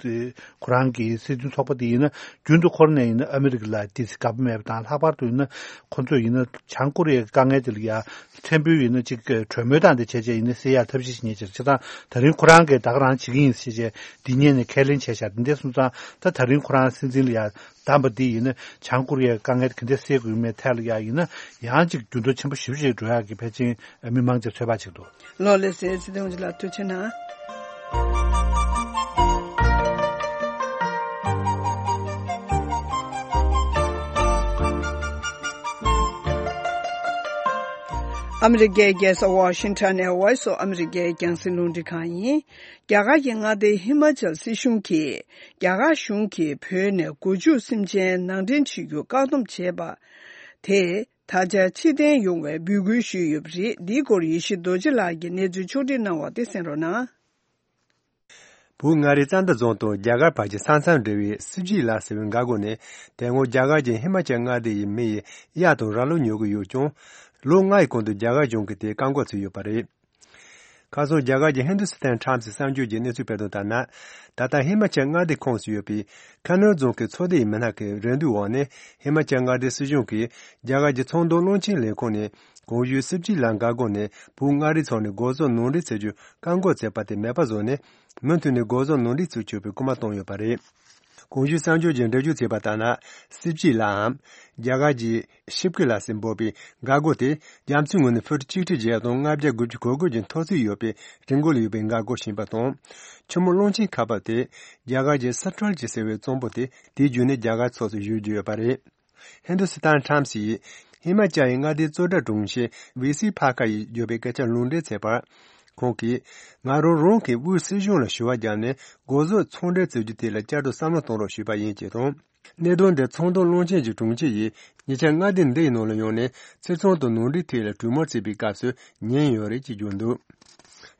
ཁོ་རང་གི་སྲིད་དོན་ཚོགས་པ་དེ་ཡིན་ན་རྒྱུན་དུ་ཁོ་རང་ནས་ཡིན་ན་ཨ་མི་རི་ཀ་ལ་ཏོག་ཙམ་དགའ་པོ་མེད་པ་དང་ལྷག་པར་དུ་ཡིན་ན་ཁོ་ཚོ་ཡིན་ན་བྱང་ཀོ་རི་ཡའི་དཀའ་ངལ་དེ་ལ་ཡ། ཕྲན་བུ་ཡིན་ན་གཅིག་གྲོས་མོལ་དང་དེ་བྱས་བྱས་ཡིན་ན་སེལ་ཡག་ཐབས་ཤེས་ཤིག་རྙེད་ཕྱིར་བྱས་ཙང་ད་རིང་ཁོ་རང་གིས་ད་ག་རང་བྱེད་ཀྱི་ཡིན་ཟེར་བྱས་འདི་སྔོན་ནས་ཁས་ལེན་བྱས་ཤག་འདི་འདྲ་སོང་ཙང་ད་ད་རིང་ཁོ་རང་སྲིད་འཛིན་ལ་ཡ་བདམས་པ་འདི་ཡིན་ན་བྱང་ཀོ་རི་ཡའི་དཀའ་ངལ་ག་འདྲ་སེལ་དགོས་མེད་ཐད་ལ་ཡ་ཡིན་ན་ཡང་གཅིག་འགྱུར་ལྡོག་ཆེན་པོ་ཞེ་པོ་ཞིག་འགྲོ་ཡག་གི་ཕལ་ཆེར་མི་མང་ཆེ་ཚོད་དཔག་བྱེད་འདུག་ལོ་ལེགས་སེ་སྲིད་སྐྱོང་ལགས་ཐུགས་རྗེ་གནང་། ཨ་མི་རི་ཀའི་རྒྱལ་ས་ཝ་ཤིང་ཊོན་ནས་Voice of America་རྒྱང་སྲིང་རླུང་འཕྲིན་ཁང་ཡིན། རྒྱ་གར་གྱི་མངའ་སྡེ་ཧི་མ་ཅལ་སྲིད་གཞུང་གིས་རྒྱ་གར་གཞུང་གིས་བོད་ནས་སྒོ་ཕྱུགས་སེམས་ཅན་ནང་འདྲེན་བྱེད་རྒྱུ་བཀག་སྡོམ་བྱས་པ་དེ་ད་ཆ་ཕྱིར་འཐེན་ཡོང་བའི་འབོད་སྐུལ་ཞུས་ཡོད་པ་རེད། འདིའི་སྐོར་ཡེ་ཤེས་རྡོ་རྗེ་ལགས་ཀྱིས་གནས་ཚུལ་ཕྱོགས་སྒྲིག་གནང་བ་དེ་གསན་རོགས་གནང་། བོད་མངའ་རིས་རྩ་མདའ་རྫོང་དང་རྒྱ་གར་བར་གྱི་ས་མཚམས་འབྲེལ་བའི་སིབ་ཇི་ལ་ཟེར་བའི་འགག་སྒོ་ནས་དེ་སྔོན་རྒྱ་གར་གྱི་ཧི་མ་ཅལ་མངའ་སྡེ་ཡི་མི་ཡི་གཡག་དང་ར་ལུག་ཉོ་གི་ཡོད་ཀྱང་། ལོ་ལྔ་ཡི་གོང་དུ་རྒྱ་གར་གཞུང་གིས་དེ་བཀག་འགོག་བྱས་ཡོད་པ་རེད། ཁ་སང་རྒྱ་གར་གྱི་ཧིན་དུ་སི་ཐན་ཊའིམ་སི་གསར་འགྱུར་གྱིས་གནས་ཚུལ་སྤེལ་དོན་ལྟར་ན། ད་ལྟ་ཧི་མ་ཅལ་མངའ་སྡེ་ཁོངས་སུ་ཡོད་པའི་ཁ་ནོར་རྫོང་གི་ཚོགས་སྡེ་ཡི་མི་སྣ་ཁག་གི་རེ་འདུན་འོག་ནས་ཧི་མ་ཅལ་མངའ་སྡེའི་སྲིད་གཞུང་གིས་རྒྱ་གར་གྱི་ཚོང་དོན་བློན་ཆེན་ལས་ཁུངས་ནས་གོང་ཞུས་སིབ་ཇི་ལ་འགག་སྒོ་ནས་བོད་མངའ་རིས་ཕྱོགས་ནས་སྒོ་ཟོག་ནང་འདྲེན་བྱེད་རྒྱུ་བཀག་འགོག་བྱས་པ་དེ་མེད་པ་བཟོས་ནས་མུ་མཐུད་ནས་སྒོ་ཟོག་ནང་འདྲེན་བྱེད་ཆོག་པའི་སྐུལ་མ་བཏང་ཡོད་པ་རེད། གོང་ཞུས་གསར་འགྱུར་གྱིས་འགྲེལ་བརྗོད་བྱས་པ་ལྟར་ན། སིབ་ཅི་ལའམ། རྒྱ་གར་གྱི་ཤིབ་ཀི་ལ་ཟེར་འབོད་པའི་འགག་སྒོ་དེ་རྒྱ་མཚོའི་ངོས་ནས་ཕུཊ་གཅིག་ཁྲི་བརྒྱད་སྟོང་ལྔ་བརྒྱ་དགུ་བཅུ་གོ་དགུ་གི་མཐོ་ཚད་ཡོད་པའི་རི་མགོ་ལ་ཡོད་པའི་འགག་སྒོ་ཞིག་ཡིན་པ་དང་། ཆུ་མོ་གླང་ཆེན་ཁ་པར་དེ་རྒྱ་གར་གྱི་སི་ཁྲོན་གྱི་ཟེར་བའི་གཙང་པོ་དེ་དེའི་བརྒྱུད་ནས་རྒྱ་གར་ཕྱོགས་སུ་བཞུར་རྒྱུ་ཡོད་པ་རེད། ཧིན་དུ་སི་ཐན་ཊའིམ་སི་ཡིས་ཧི་མ་ཅལ་ཡི་མངའ་སྡེའི་གཙོ་བཀྲ་དྲུང་ཆེ་ཝི་སི་ཕ་ཁ་ཡིས་བརྗོད་པའི་སྐད་ཆ་ལུང་འདྲེན་བྱས་པར། ཁོང་གིས་ང་རང་རང་གི་དབུས་སྲིད་གཞུང་ལ་ཞུ་བ་བརྒྱབ་ནས་སྒོ་ཟོག་ཚོང་འབྲེལ་བྱེད་རྒྱུ་དེ་ལ་བསྐྱར་དུ་བསམ་བློ་གཏོང་རོགས་ཞུས་པ་ཡིན་ཅེས་དང་། གནད་དོན་འདི་ཚོང་དོན་བློན་ཆེན་གྱི་དྲུང་ཆེ་ཡིས་ཉེ་ཆར་མངའ་སྡེ་འདི་ཡི་ནང་ལ་ཡོང་ནས་ཚེ་ཚོང་དང་ནང་འདྲེན་ཐད་ལ་གྲོས་མོལ་བྱེད་པའི་སྐབས་སུ་ཉན་ཡོད་རེད་ཅེས་བརྗོད་འདུག་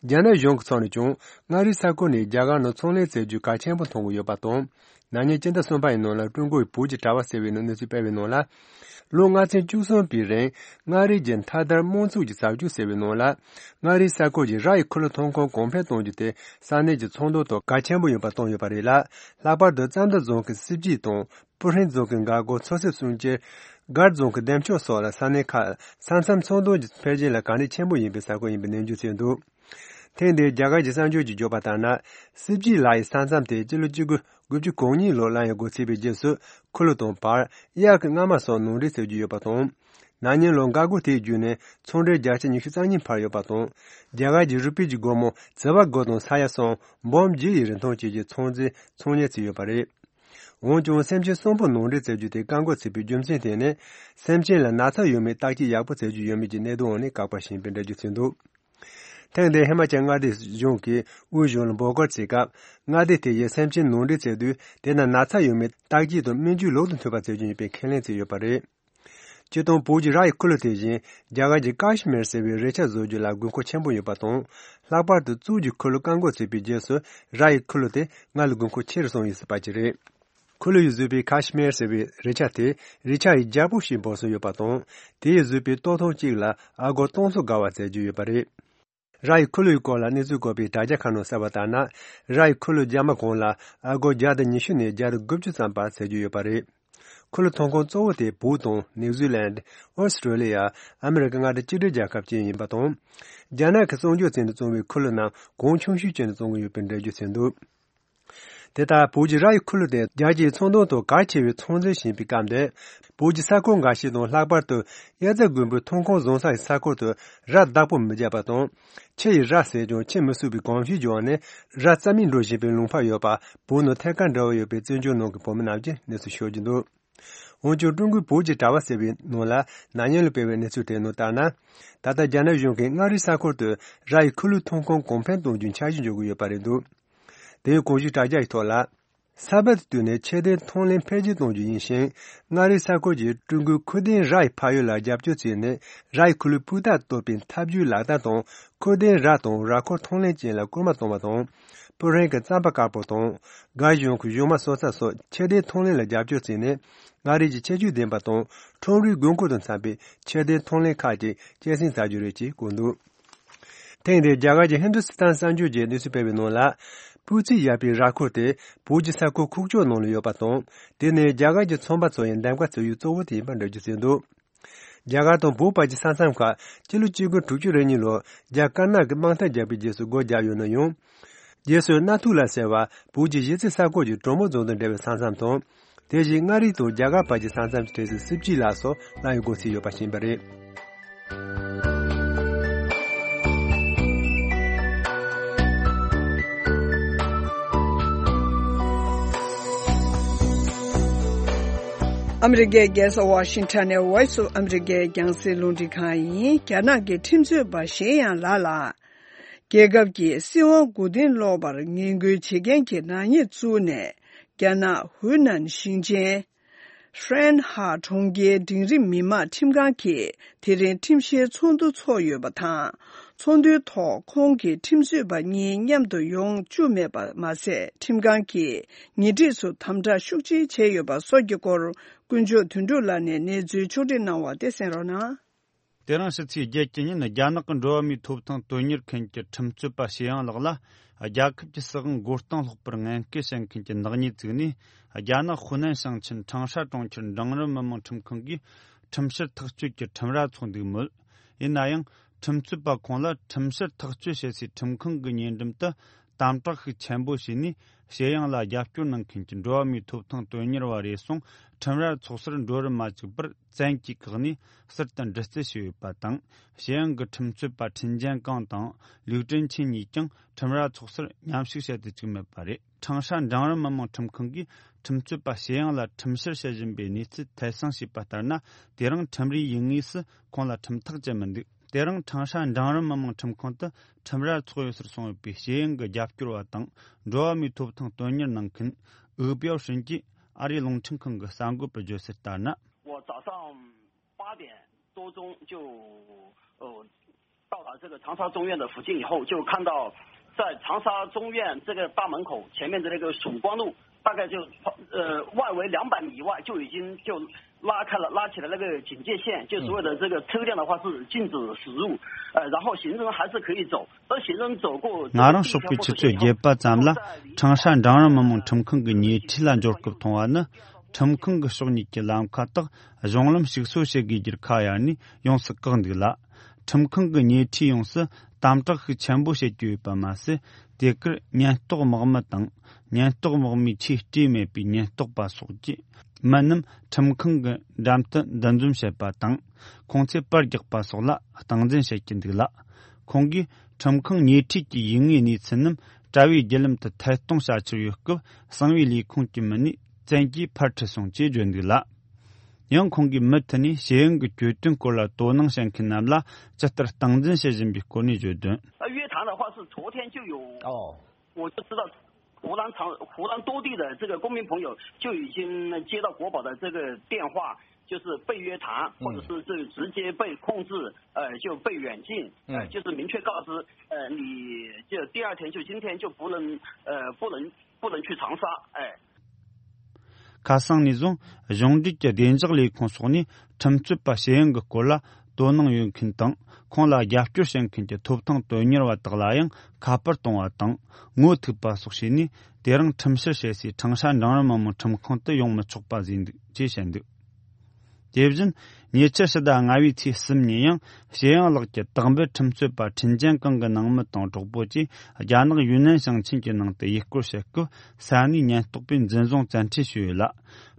རྒྱ་ནག་གཞུང་གི་ཕྱོགས་ནས་ཀྱང་མངའ་རིས་ས་ཁུལ་ནས་རྒྱ་གར་ནང་ཚོང་ལས་བྱེད་རྒྱུ་གལ་ཆེན་པོ་མཐོང་གི་ཡོད་པ་དང་། ན་ནིང་སྤྱི་ཟླ་གསུམ་པ་ཡི་ནང་ལ་ཀྲུང་གོ་ཡི་བོད་ཀྱི་དྲ་བ་ཟེར་བའི་ནང་གནས་ཚུལ་སྤེལ་བའི་ནང་ལ། ལོ་ལྔ་ཚན་བཅུ་གསུམ་པའི་རིང་མངའ་རིས་ཀྱི་མཐའ་དར་དམངས་གཙོ་གི་རྩ་འཛུགས་ཟེར་བའི་ནང་ལ། མངའ་རིས་ས་ཁུལ་གྱི་ར་ཡི་ཁུ་ལུ་ཐོན་ཁུངས་གོང་འཕེལ་གཏོང་རྒྱུ་དེ་ས་གནས་ཀྱི་ཚོང་དོན་ཐོག་གལ་ཆེན་པོ་ཡིན་པ་བཏོན་ཡོད་པ་རེད་ལ། ལྷག་པར་དུ་རྩམ་མདའ་རྫོང་གི་སྲིབ་སྐྱིད་དང་། སྤུ་ཧྲེང་རྫོང་གི་འགག་སྒོ་མཚོ་སེར་སུམ་ཅུ། སྒར་རྫོང་གི་འདེམས་ཤོག་སོགས་ལ་ས་གནས་ཁག་ས་མཚམས་ཚོང་དོན་གྱི་འཕེལ་རྒྱས་ལ་གལ་གནད་ཆེན་པོ་ཡིན་པའི་ས་ཁུལ་ཡིན་པའི་ནན་བརྗོད་བྱས་འདུག་ཐེངས་འདིའི་རྒྱ་གར་གྱི་གསར་འགྱུར་གྱིས་བརྗོད་པ་ལྟར་ན། སྲིབ་སྐྱིད་ལ་ཡི་ས་མཚམས་དེ་སྤྱི་ལོ་གཅིག་དགུ་དགུ་བཅུ་གོ་གཉིས་ལོར་ལམ་ཡང་སྒོ་ཕྱེ་བའི་རྗེས་སུ་ཁུ་ལུ་དང་བར་གཡག་གི་རྔ་མ་སོགས་ནང་འདྲེན་བྱེད་རྒྱུ་ཡོད་པ་དང་། ན་ནིང་ལོར་འགག་སྒོ་དེའི་བརྒྱུད་ནས་ཚོང་འབྲེལ་བརྒྱ་ཆ་ཉི་ཤུ་རྩ་གཉིས་འཕར་ཡོད་པ་དང་། རྒྱ་གར་གྱི་རུ་པི་གྱི་སྒོར་མོ་ཛི་བ་སྒོར་དང་ས་ཡ་གསུམ་འབུམ་བརྒྱད་ཡི་རིན་ཐང་བཅས་ཀྱི་ཚོང་རྫས་ཚོང་གཉེར་བྱས་ཡོད་པ་རེད། འོན་ཀྱང་སེམས་ཅན་གསུམ་པོ་ནང་འདྲེན་བྱེད་རྒྱུ་དེ་བཀག་འགོག་བྱས་པའི་རྒྱུ་མཚན་དེ་ནི། སེམས་ཅན་ལ་ན་ཚ་ཡོད་མེད་བརྟག་དཔྱད་ཡག་པོ་བྱེད་རྒྱུ་ཡོད་མེད་ཀྱི་གནད་དོན་འོག་ནས་བཀག་པ་ཞིག་ཡིན་པའི་འགྲེལ་བརྗོད་བྱས་འདུག་ཐེངས་འདིར་ཧི་མ་ཅལ་མངའ་སྡེ་གཞུང་གིས་དབུས་གཞུང་ལ་འབོད་སྐུལ་བྱས་སྐབས། མངའ་སྡེ་དེ་ཡིས་སེམས་ཅན་ནང་འདྲེན་བྱེད་དུས་དེ་ན་ན་ཚ་ཡོད་མེད་བརྟག་དཔྱད་དང་སྨན་བཅོས་ལུགས་དང་མཐུན་པ་བྱེད་རྒྱུ་ཡིན་པའི་ཁས་ལེན་བྱས་ཡོད་པ་རེད། སྤྱིར་བཏང་བོད་ཀྱི་ར་ཡི་ཁུ་ལུ་དེ་བཞིན་རྒྱ་གར་གྱི་ཀཱ་ཤི་མིར་ཟེར་བའི་རི་ཆ་བཟོ་རྒྱུ་ལ་དགོས་མཁོ་ཆེན་པོ་ཡོད་པ་དང་། ལྷག་པར་དུ་གཙུག་གི་ཁུ་ལུ་བཀག་འགོག་བྱས་པའི་རྗེས་སུ་ར་ཡི་ཁུ་ལུ་དེ་སྔར་ལས་དགོས་མཁོ་ཆེ་རུ་སོང་ཡོད་སྲིད་པ་ཅིག་རེད། ཁུ་ལུ་ཡིས་བཟོས་པའི་ཀཱ་ཤི་མིར་ཟེར་བའི་རི་ཆ་དེ་རི་ཆ་ཡི་རྒྱལ་པོ་ཞེས་འབོད་སྲོལ་ཡོད་པ་དང་། དེ་ཡིས་བཟོས་པའི་ལྟོ་ཐུང་གཅིག་ལ་ཨ་སྒོར་སྟོང་ཚོ་བརྒལ་བ་བཙལ་རྒྱུ་ཡོད་པ་རེད། ར་ཡི་ཁུ་ལུ་ཡི་སྐོར་ལ་གནས་ཚུལ་བཀོད་པའི་དྲ་རྒྱ་ཁག་ནང་གསལ་བ་ལྟར་ན། ར་ཡི་ཁུ་ལུ་རྒྱ་མ་གང་ལ་ཨ་སྒོར་བརྒྱ་དང་ཉི་ཤུ་ནས་བརྒྱ་དང་དགུ་བཅུ་ཙམ་བར་བཙལ་རྒྱུ་ཡོད་པ་རེད། ཁུ་ལུ་ཐོན་ཁུངས་གཙོ་བོ་དེ་བོད་དང་ནིའུ་ཛི་ལན། ཨོ་སི་ཀྲོ་ལི་ཡ། ཨ་མི་རི་ཀ་མངའ་སྡེ་གཅིག་སྒྲིལ་རྒྱལ་ཁབ་བཅས་ཡིན་པ་དང་། རྒྱ་ནག་གི་གསོག་འཇོག་བྱས་ནས་བཙོང་བའི་ཁུ་ལུ་རྣམས་གོང་ཆུང་ཤོས་བྱས་ནས་བཙོང་གི་ཡོད་པའི་འགྲེལ་བརྗོད་བྱས་འདུག་དེ་ལྟར་བོད་ཀྱི་ར་ཡི་ཁུ་ལུ་དེ་རྒྱལ་སྤྱིའི་ཚོང་དོན་ཐོག་གལ་ཆེ་བའི་ཚོང་རྫས་ཤིག་ཡིན་པའི་སྐབས་འདིར། བོད་ཀྱི་ས་ཁུལ་འགའ་ཞིག་དང་ལྷག་པར་དུ་དབྱར་རྩྭ་དགུན་འབུའི་ཐོན་ཁུངས་བཟང་ས་ཡི་ས་ཁུལ་དུ་ར་བདག་པོ་མི་བརྒྱབ་པ་དང་། ཁྱི་ཡིས་ར་བཟས་ཀྱང་ཁྱི་མི་གསོད་པའི་གོམས་གཤིས་ཀྱི་འོག་ནས་ར་རྩ་མེད་འགྲོ་བཞིན་པའི་ལུང་པ་ཡོད་པ་བོད་ནང་ཐད་ཀར་འབྲེལ་བ་ཡོད་པའི་བཙན་བྱོལ་ནང་གི་བོད་མི་རྣམས་ཀྱིས་གནས་ཚུལ་ཤོད་ཀྱི་འདུག་འོན་ཀྱང་ཀྲུང་གོའི་བོད་ཀྱི་དྲ་བ་ཟེར་བའི་ནང་ལ་ན་ནིང་ལ་སྤེལ་བའི་གནས་ཚུལ་དེའི་ནང་ལྟར་ན། ད་ལྟ་རྒྱ་ནག་གཞུང་གིས་མངའ་རིས་ས་ཁུལ་དུ་ར་ཡི་ཁུ་ལུའི་ཐོན་ཁུངས་གོང་འཕེལ་གཏོང་རྒྱུའི་འཆར་གཞི་འཇོག་གི་ཡོད་པ་རེད་འདུག་དེའི་གོང་ཞུས་དྲ་རྒྱ་ཡི་ཐོག་ལ། ས་བབ་དེ་བསྟུན་ནས་ཁྱི་སྡེའི་ཐོན་ལས་འཕེལ་རྒྱས་གཏོང་རྒྱུ་ཡིན་ཞིང་། མངའ་རིས་ས་ཁུལ་གྱིས་ཀྲུང་གོའི་ཁུ་སྡེའི་ར་ཡི་ཕ་ཡུལ་ལ་རྒྱབ་སྐྱོར་བྱས་ནས་ར་ཡི་ཁུ་ལུའི་སྤུས་རྟགས་གཏོད་པའི་ཐབས་ཇུས་ལག་བསྟར་དང་། ཁུ་སྡེའི་ར་དང་ར་འཁོར་ཐོན་ལས་ཅན་ལ་སྐུལ་མ་གཏོང་བ་དང་། སྤུ་ཧྲེང་གི་རྩམ་པ་དཀར་པོ་དང་། སྒར་གཞུང་གི་གཞུག་མ་གསོ་ཚགས་སོགས་ཁྱི་སྡེའི་ཐོན་ལས་ལ་རྒྱབ་སྐྱོར་བྱས་ནས། མངའ་རིས་ཀྱི་ཁྱད་ཆོས་ལྡན་པ་དང་ཁྲོམ་རའི་དགོས་མཁོ་དང་འཚམ་པའི་ཁྱི་སྡེའི་ཐོན་ལས་ཁག་ཅིག་སྐྱེད་སྲིང་བྱ་རྒྱུ་རེད་ཅེས་བཀོད་འདུག་ཐེངས་འདིར་རྒྱ་གར་གྱི་ཧིན་དུ་སི་ཐན་གསར་འགྱུར་གྱིས་གནས་ཚུལ་སྤེལ་བའི་ནང་ལ། སྤུས་ཚད་ཡག་པའི་ར་འཁོར་དེ་བོད་ཀྱི་ས་ཁུལ་ཁུག་ཀྱོག་ནང་ལ་ཡོད་པ་དང་། དེ་ནི་རྒྱ་གར་གྱི་ཚོང་པ་ཚོ་ཡི་འདེམས་ཀ་བྱེད་ཡུལ་གཙོ་བོ་དེ་ཡིན་པར་འགྲེལ་བརྗོད་བྱས་འདུག་རྒྱ་གར་དང་བོད་བར་གྱི་ས་མཚམས་ཁག་སྤྱི་ལོ་གཅིག་དགུ་དྲུག་ཅུ་རེ་གཉིས་ལོར་རྒྱ་དཀར་ནག་གིས་དམག་འཐབ་བརྒྱབ་པའི་རྗེས་སུ་སྒོ་བརྒྱབ་ཡོད་ན་ཡང་། རྗེས་སུ་གནའ་ཐུག་ལ་ཟེར་བ་བོད་ཀྱི་གཞིས་རྩེ་ས་ཁུལ་གྱི་གྲོ་མོ་རྫོང་དང་འབྲེལ་བའི་ས་མཚམས་དང་། དེ་བཞིན་མངའ་རིས་དང་རྒྱ་གར་བར་གྱི་ས་མཚམས་ཀྱི་གྲས་སུ་སྲིབ་སྐྱིད་ལ་སོགས་ལམ་ཡང་སྒོ་ཕྱེ་ཡོད་པ་ཞིག་ཡིན་པ་རེད། ཨ་མི་རི་ཀའི་རྒྱལ་ས་ཝ་ཤིང་ཊོན་ནས་Voice of America རྒྱང་སྲིང་རླུང་འཕྲིན་ཁང་ཡིན། རྒྱ་ནག་གི་ཁྲིམས་རྩོད་པ་ཞེ་ཡང་ལགས་ལ། རྒྱལ་ཁབ་ཀྱི་སྲིད་དབང་མགོ་རྟིང་སློག་པར་ངན་སྐུལ་བྱེད་མཁན་གྱི་ནག་ཉེས་བཙུགས་ནས། རྒྱ་ནག་ཧུའུ་ནན་ཞིང་ཆེན་ཧྲན་ཧ་གྲོང་ཁྱེར་འབྲིང་རིམ་མི་དམངས་ཁྲིམས་ཁང་གིས་དེ་རིང་ཁྲིམས་བཤེར་ཚོགས་འདུ་འཚོགས་ཡོད་པ་དང་། ཚོགས་འདུའི་ཐོག་ཁོང་གི་ཁྲིམས་རྩོད་པ་གཉིས་མཉམ་དུ་ཡོང་བཅུག་མེད་པ་མ་ཟད། ཁྲིམས་ཁང་གིས་ཉེ་འཁྲིས་སུ་དམ་དྲག་ཤུགས་ཆེ་བྱས་ཡོད་པ་སོགས་ཀྱི་སྐོར། དཀོན་མཆོག་དོན་གྲུབ་ལགས་ནས་གནས་ཚུལ་ཕྱོགས་སྒྲིག་གནང་བ་དེ་གསན་རོགས་གནང་། དེ་རིང་ཕྱི་ཚེས་བརྒྱད་ཀྱི་ཉིན། རྒྱ་ནག་གི་འགྲོ་བ་མིའི་ཐོབ་ཐང་དོན་གཉེར་མཁན་གྱི་ཁྲིམས་རྩོད་པ་ཞེ་ཡང་ལགས་ལ། རྒྱལ་ཁབ་ཀྱི་སྲིད་དབང་མགོ་རྟིང་སློག་པར་ངན་སྐུལ་བྱེད་མཁན་གྱི་ནག་ཉེས་བཙུགས་ནས། རྒྱ་ནག་ཧུ་ནན་ཞིང་ཆེན་ཁྲང་ཧྲ་གྲོང་ཁྱེར་འབྲིང་རིམ་མི་དམངས་ཁྲིམས་ཁང་གིས་ཁྲིམས་བཤེར་ཐག་གཅོད་ཀྱི་ཁྲིམས་ར་འཚོགས་འདུག་མོད། ཡིན་ན་ཡང་། ཁྲིམས་རྩོད་པ་ཁོང་ལ་ཁྲིམས་བཤེར་ཐག་གཅོད་བྱེད་སའི་ཁྲིམས་ཁང་གི་ཉེ་འགྲམ་དུ་དམ་དྲག་ཤུགས་ཆེན་པོ་བྱས་ནས། ཞེ་ཡང་ལ་རྒྱབ་སྐྱོར་གནང་མཁན་གྱི་འགྲོ་བ་མིའི་ཐོབ་ཐང་དོན་གཉེར་བ་རེ་ཟུང་ཁྲིམས་ར་འཚོགས་སར་འགྲོ་རུ་མ་བཅུག་པར། བཙན་གྱིས་བཀག་ནས་ཟུར་དུ་འདྲི་རྩད་བྱས་ཡོད་པ་དང་། ཞེ་ཡང་གི་ཁྲིམས་རྩོད་པ་ཁྲིན་ཅན་ཀང་དང་ལིའུ་ཀྲིན་ཆིན་གཉིས་ཀྱང་ཁྲིམས་ར་འཚོགས་སར་མཉམ་ཞུགས་བྱེད་དུ་བཅུག་མེད་པ་རེད། ཁྲང་ཧྲ་འབྲིང་རིམ་མི་དམངས་ཁྲིམས་ཁང་གིས་ཁྲིམས་རྩོད་པ་ཞེ་ཡང་ལ་ཁྲིམས་བཤེར་བྱེད་བཞིན་པའི་གནས་ཚུལ་ཐད་གསང་བྱས་པ་ལྟར་ན། དེ་རིང་ཁྲིམས་རའི་ཡུལ་དངོས་སུ་ཁོང་ལ་ཁྲིམས་ཐག་བཅད་མི་འདུག་དེ་རིང་ཁྲང་ཧྲ་འབྲིང་རིམ་མི་དམངས་ཁྲིམས་ཁང་དུ་ཁྲིམས་ར་འཚོགས་ཡོད་སར་སོང་ཡོད་པའི་ཞེ་ཡང་གི་རྒྱབ་སྐྱོར་བ་དང་འགྲོ་བ་མིའི་ཐོབ་ཐང་དོན་གཉེར་གནང་མཁན་ཨུ་པིའོ་ཧྲིན་གྱིས་ཨ་རིའི་རླུང་འཕྲིན་ཁང་གི་གསར་འགོད་པར་བརྗོད་གསལ་ལྟར་ན། 我早上八点多钟就呃到达这个长沙中院的附近以后，就看到在长沙中院这个大门口前面的那个曙光路大概就呃外围两百米以外就已经就拉开了，拉起了那个警戒线，就所有的这个车辆的话是禁止驶入，呃，然后行人还是可以走，而行人走过。ང་རང་ཕྱོགས་པའི་ཆུ་ཚོད་བརྒྱད་པ་ཙམ་ལ་ཁྲང་ཧྲན་འབྲིང་རིམ་མི་དམངས་ཁྲིམས་ཁང་གི་ཉེ་འཁྲིས་ལ་འབྱོར་སྐབས་མཐོང་བ་ནི། ཁྲིམས་ཁང་གི་ཕྱོགས་གཉིས་ཀྱི་ལམ་ཁ་དག་གཞུང་ལམ་ཞིག་གསོ་བྱེད་དགོས་རྒྱུར་ཁ་གཡར་ནས་ཡོངས་སུ་བཀག་འདུག་ལ། ཁྲིམས་ཁང་གི་ཉེ་འཁྲིས་ཡོངས་སུ་དམ་དྲག་ཤུགས་ཆེན་པོ་བྱེད་ཀྱི་ཡོད་པ་མ་ཟད། དེ་གར་ཉེན་རྟོག་དམག་མི་དང་། ཉེན་རྟོག་དམག་མིའི་ཆས་སྤྲས་མེད་པའི་ཉེན་རྟོག་པ་སོགས་ཀྱིས་མི་རྣམས་ཁྲིམས་ཁང་གི་འགྲམ་དུ་འདུ་འཛོམས་བྱེད་པ་དང་། ཁོང་ཚོས་པར་རྒྱག་པ་སོགས་ལ་སྟངས་འཛིན་བྱེད་ཀྱི་འདུག་ལ། ཁོང་གིས་ཁྲིམས་ཁང་ཉེ་འཁྲིས་ཀྱི་ཡིག་ངོས་གནས་ཚུལ་རྣམས་དྲ་བའི་བརྒྱུད་ལམ་དུ་ཐད་གཏོང་བྱ་འཆར་ཡོད་སྐབས། གསང་བའི་ལས་ཁུངས་ཀྱི་མི་སྣས་བཙན་གྱིས་ཕར་ཁྲིད་སོང་ཅེས་བརྗོད་འདུག་ལ། ཡང་ཁོང་གིས་མུ་མཐུད་ནས་ཤེས་ཡོན་གྱི་གྱོད་དོན་སྐོར་ལ་དོ་སྣང་བྱེད་མཁན་རྣམས་ལ་ཇི་ལྟར་སྟངས་འཛིན་བྱེད་བཞིན་པའི་སྐོར་ནས་བརྗོད་དོན། 约谈的话是昨天就有，哦，我就知道湖南长湖南多地的这个公民朋友就已经接到国保的这个电话，就是被约谈，或者是这个直接被控制，呃，就被软禁，呃，就是明确告知，呃，你就第二天就今天就不能，呃，不能不能去长沙，哎。 ཁ་སང་ནས་བཟུང་གཞུང་འབྲེལ་གྱི་བདེ་འཇགས་ལས་ཁུངས་སོགས་ནས་ཁྲིམས་རྩོད་པ་ཤེས་ཡོན་གྱི་སྐོར་ལ་དོ་སྣང་ཡོད་མཁན་དང་། ཁོང་ལ་རྒྱབ་སྐྱོར་བྱེད་མཁན་གྱི་ཐོབ་ཐང་དོན་གཉེར་བ་དག་ལ་ཡང་ཁ་པར་གཏོང་བ་དང་ངོ་ཐུག་པ་སོགས་བྱས་ནས། དེ་རིང་ཁྲིམས་བཤེར་བྱེད་སའི་ཁྲང་ཧྲན་འབྲིང་རིམ་མི་དམངས་ཁྲིམས་ཁང་དུ་ཡོང་མི་ཆོག་པ་བཟོས་འདུག་ཅེས་བཤད་འདུག་དེ་བཞིན་ཉེ་ཆར་ཕྱི་ཟླ་ལྔ་བའི་ཚེས་གསུམ་ཉིན་ཡང་ཞེ་ཡང་ལགས་ཀྱི་དག་འབུད་ཁྲིམས་རྩོད་པ་ཁྲིན་ཅན་ཀང་གི་ནང་མི་དང་གྲོགས་པོ་བཅས་རྒྱ་ནག་ཡུན་ནན་ཞིང་ཆེན་གྱི་ནང་དུ་ཡུལ་སྐོར་བྱེད་སྐབས། ས་གནས་ཉེན་རྟོག་པས་འཛིན་བཟུང་བཙན་ཁྲིད་བྱས་ཡོད་ལ།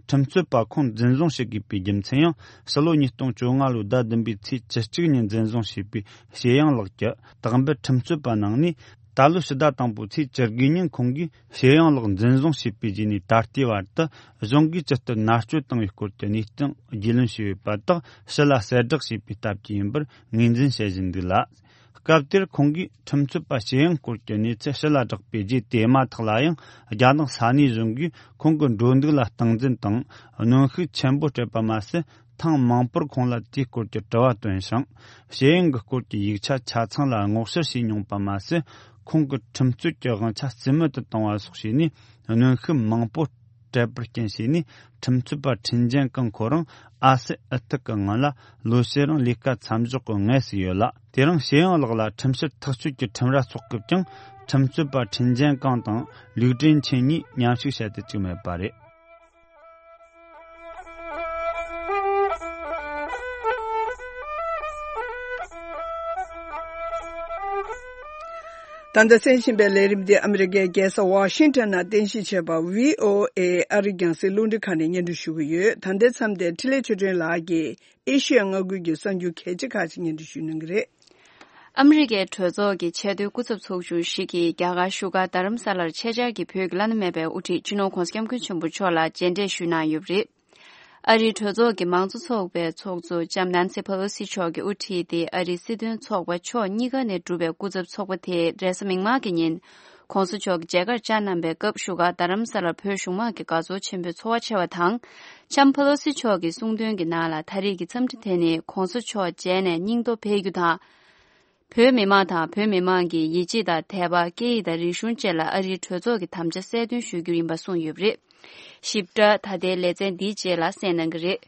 ཁྲིམས་རྩོད་པ་ཁོང་འཛིན་བཟུང་བྱེད་དགོས་པའི་རྒྱུ་མཚན་ཡང་ཕྱི་ལོ་ཉིས་སྟོང་བཅོ་ལྔ་ལོའི་ཟླ་བདུན་པའི་ཚེས་བཅུ་གཅིག་ཉིན་འཛིན་བཟུང་བྱས་པའི་ཞེ་ཡང་ལགས་ཀྱི་དག་འབུད་ཁྲིམས་རྩོད་པ་ནང་ནས། ད་ལོའི་ཕྱི་ཟླ་དང་པོའི་ཚེས་བཅུ་དགུ་ཉིན་ཁོང་གིས་ཞེ་ཡང་ལགས་འཛིན་བཟུང་བྱས་པའི་རྗེས་ནས་ད་ལྟའི་བར་དུ་གཞུང་གིས་ཇི་ལྟར་མནར་གཅོད་བཏང་བའི་སྐོར་གྱི་གནས་སྟངས་རྒྱུས་ལོན་བྱས་ཡོད་པ་དག་ཕྱི་ལ་གསལ་བསྒྲགས་བྱས་པའི་སྟབས་ཀྱིས་ཡིན་པར་ངོས་འཛིན་བྱེད་བཞིན་འདུག་ལ། སྐབས་དེར་ཁོང་གིས་ཁྲིམས་རྩོད་པ་ཞེ་ཡང་སྐོར་གྱི་གནས་ཚུལ་ཕྱི་ལ་བསྒྲགས་པའི་རྗེས་དེ་མ་ཐག་ལ་ཡང་རྒྱ་ནག་ས་གནས་གཞུང་གིས་ཁོང་གི་འགྲོ་འདུག་ལ་སྟངས་འཛིན་དང་གནོན་ཤུགས་ཆེན་པོ་སྤྲད་པ་མ་ཟད། ཐེངས་མང་པོར་ཁོང་ལ་དེའི་སྐོར་གྱི་དྲི་བ་བཏོན་ཞིང་། ཞེ་ཡང་གི་སྐོར་གྱི་ཡིག་ཆ་ཆ་ཚང་ལ་སྔོག་བཤེར་བྱས་མྱོང་པ་མ་ཟད། ཁོང་གི་ཁྲིམས་རྩོད་ཀྱི་དབང་ཆ་རྩིས་མེད་དུ་བཏང་བ་སོགས་བྱས་ནས་གནོན་ཤུགས་མང་པོ་སྤྲད་པར་རྐྱེན་བྱས་ནས། ཁྲིམས་རྩོད་པ་ཁྲིན་ཅན་ཀང་ཁོ་རང་ཨ་སི་ཨི་ཐུག་གི་ངོས་ལ་ལོ་ཕྱེད་རིང་ལས་ཀ་མཚམས་འཇོག་གི་ངལ་གསོས་ཡོད་ལ། དེ་རིང་ཞེ་ཡང་ལགས་ལ་ཁྲིམས་བཤེར་ཐག་གཅོད་ཀྱི་ཁྲིམས་ར་འཚོགས་སྐབས་ཀྱང་། ཁྲིམས་རྩོད་པ་ཁྲིན་ཅན་ཀང་དང་ལིའུ་ཀྲིན་ཆན་གཉིས་མཉམ་ཞུགས་བྱ་རྒྱུ་བཅུག་མེད་པ་རེད། ད་ལྟ་གསན་བཞིན་པའི་ལས་རིམ་འདི་ཨ་མི་རི་ཀའི་རྒྱལ་ས་ཝ་ཤིང་ཊོན་ནང་རྟེན་གཞི་བྱས་པ་ཝི་ཨོ་ཨེ་ཨ་རིའི་རྒྱང་སྲིང་རླུང་འཕྲིན་ཁང་ནས་སྙན་སྒྲོན་ཞུ་གི་ཡོད། ད་ལྟའི་མཚམས་དེར་འཕྲིན་ལས་ཆོས་སྒྲོན་ལགས་ཀྱིས་ཨེ་ཤི་ཡ་མངའ་ཁུལ་གྱི་གསར་འགྱུར་གལ་ཆེ་ཁག་ཅིག་སྙན་སྒྲོན་ཞུ་གནང་གི་རེད། ཨ་མི་རི་ཀའི་གྲོས་ཚོགས་ཀྱི་ཆེས་མཐོའི་སྐུ་ཚབ་ཚོགས་ཆུང་ཞིག་གིས་རྒྱ་གར་བཞུགས་སྒར་རྡ་རམ་ས་ལར་ཆེད་བཅར་གྱིས་བོད་ཀྱི་བླ་ན་མེད་པའི་དབུ་ཁྲིད་སྤྱི་ནོར་༧གོང་ས་༧སྐྱབས་མགོན་ཆེན་པོ་མཆོག་ལ་མཇལ་འཕྲད་ཞུས་གནང་ཡོད་པ་རེད། ཨ་རིའི་གྲོས་ཚོགས་ཀྱི་མང་གཙོ་ཚོགས་པའི་ཚོགས་གཙོ་ལྕམ་ནན་སི་ཕེ་ལོ་སི་མཆོག་གིས་དབུ་ཁྲིད་དེ་ཨ་རིའི་སྲིད་དོན་ཚོགས་པ་ཕྱོགས་གཉིས་ཀ་ནས་གྲུབ་པའི་སྐུ་ཚབ་ཚོགས་པ་དེས་རེས་གཟའ་མིག་དམར་གྱི་ཉིན་༧གོང་ས་མཆོག་གི་མཇལ་ཁར་བཅར་གནང་པའི་སྐབས་བཞུགས་སྒར་རྡ་རམ་ས་ལར་བོད་གཞུང་མང་གི་དགའ་ཚོར་ཆེན་པོའི་ཚོར་བ་ཆེ་བ་དང་། ལྕམ་ཕེ་ལོ་སི་མཆོག་གིས་གསུངས་དོན་གྱི་ནང་ལ་ད་རེས་ཀྱི་འཚམས་འདྲི་དེ་ནི་༧གོང་ས་མཆོག་མཇལ་ནས་སྙིང་སྟོབས་འཕེལ་རྒྱུ་དང་། བོད་མི་མང་དང་བོད་མི་མང་གི་ཡིད་ཆེས་དང་དད་པ། སྐད་ཡིག་དང་རིག་གཞུང་བཅས་ལ་ཨ་རིའི་གྲོས་ཚོགས་ཀྱི་དམ་བཅའ་གསལ་སྟོན་ཞུ་རྒྱུ་ཡིན་པ་གསུངས་ཡོད་པ་རེད། ཞིབ་ཕྲ་ད་ལྟའི་ལེ་ཚན་འདིའི་རྗེས་ལ་གསན་གནང་གི་རེད།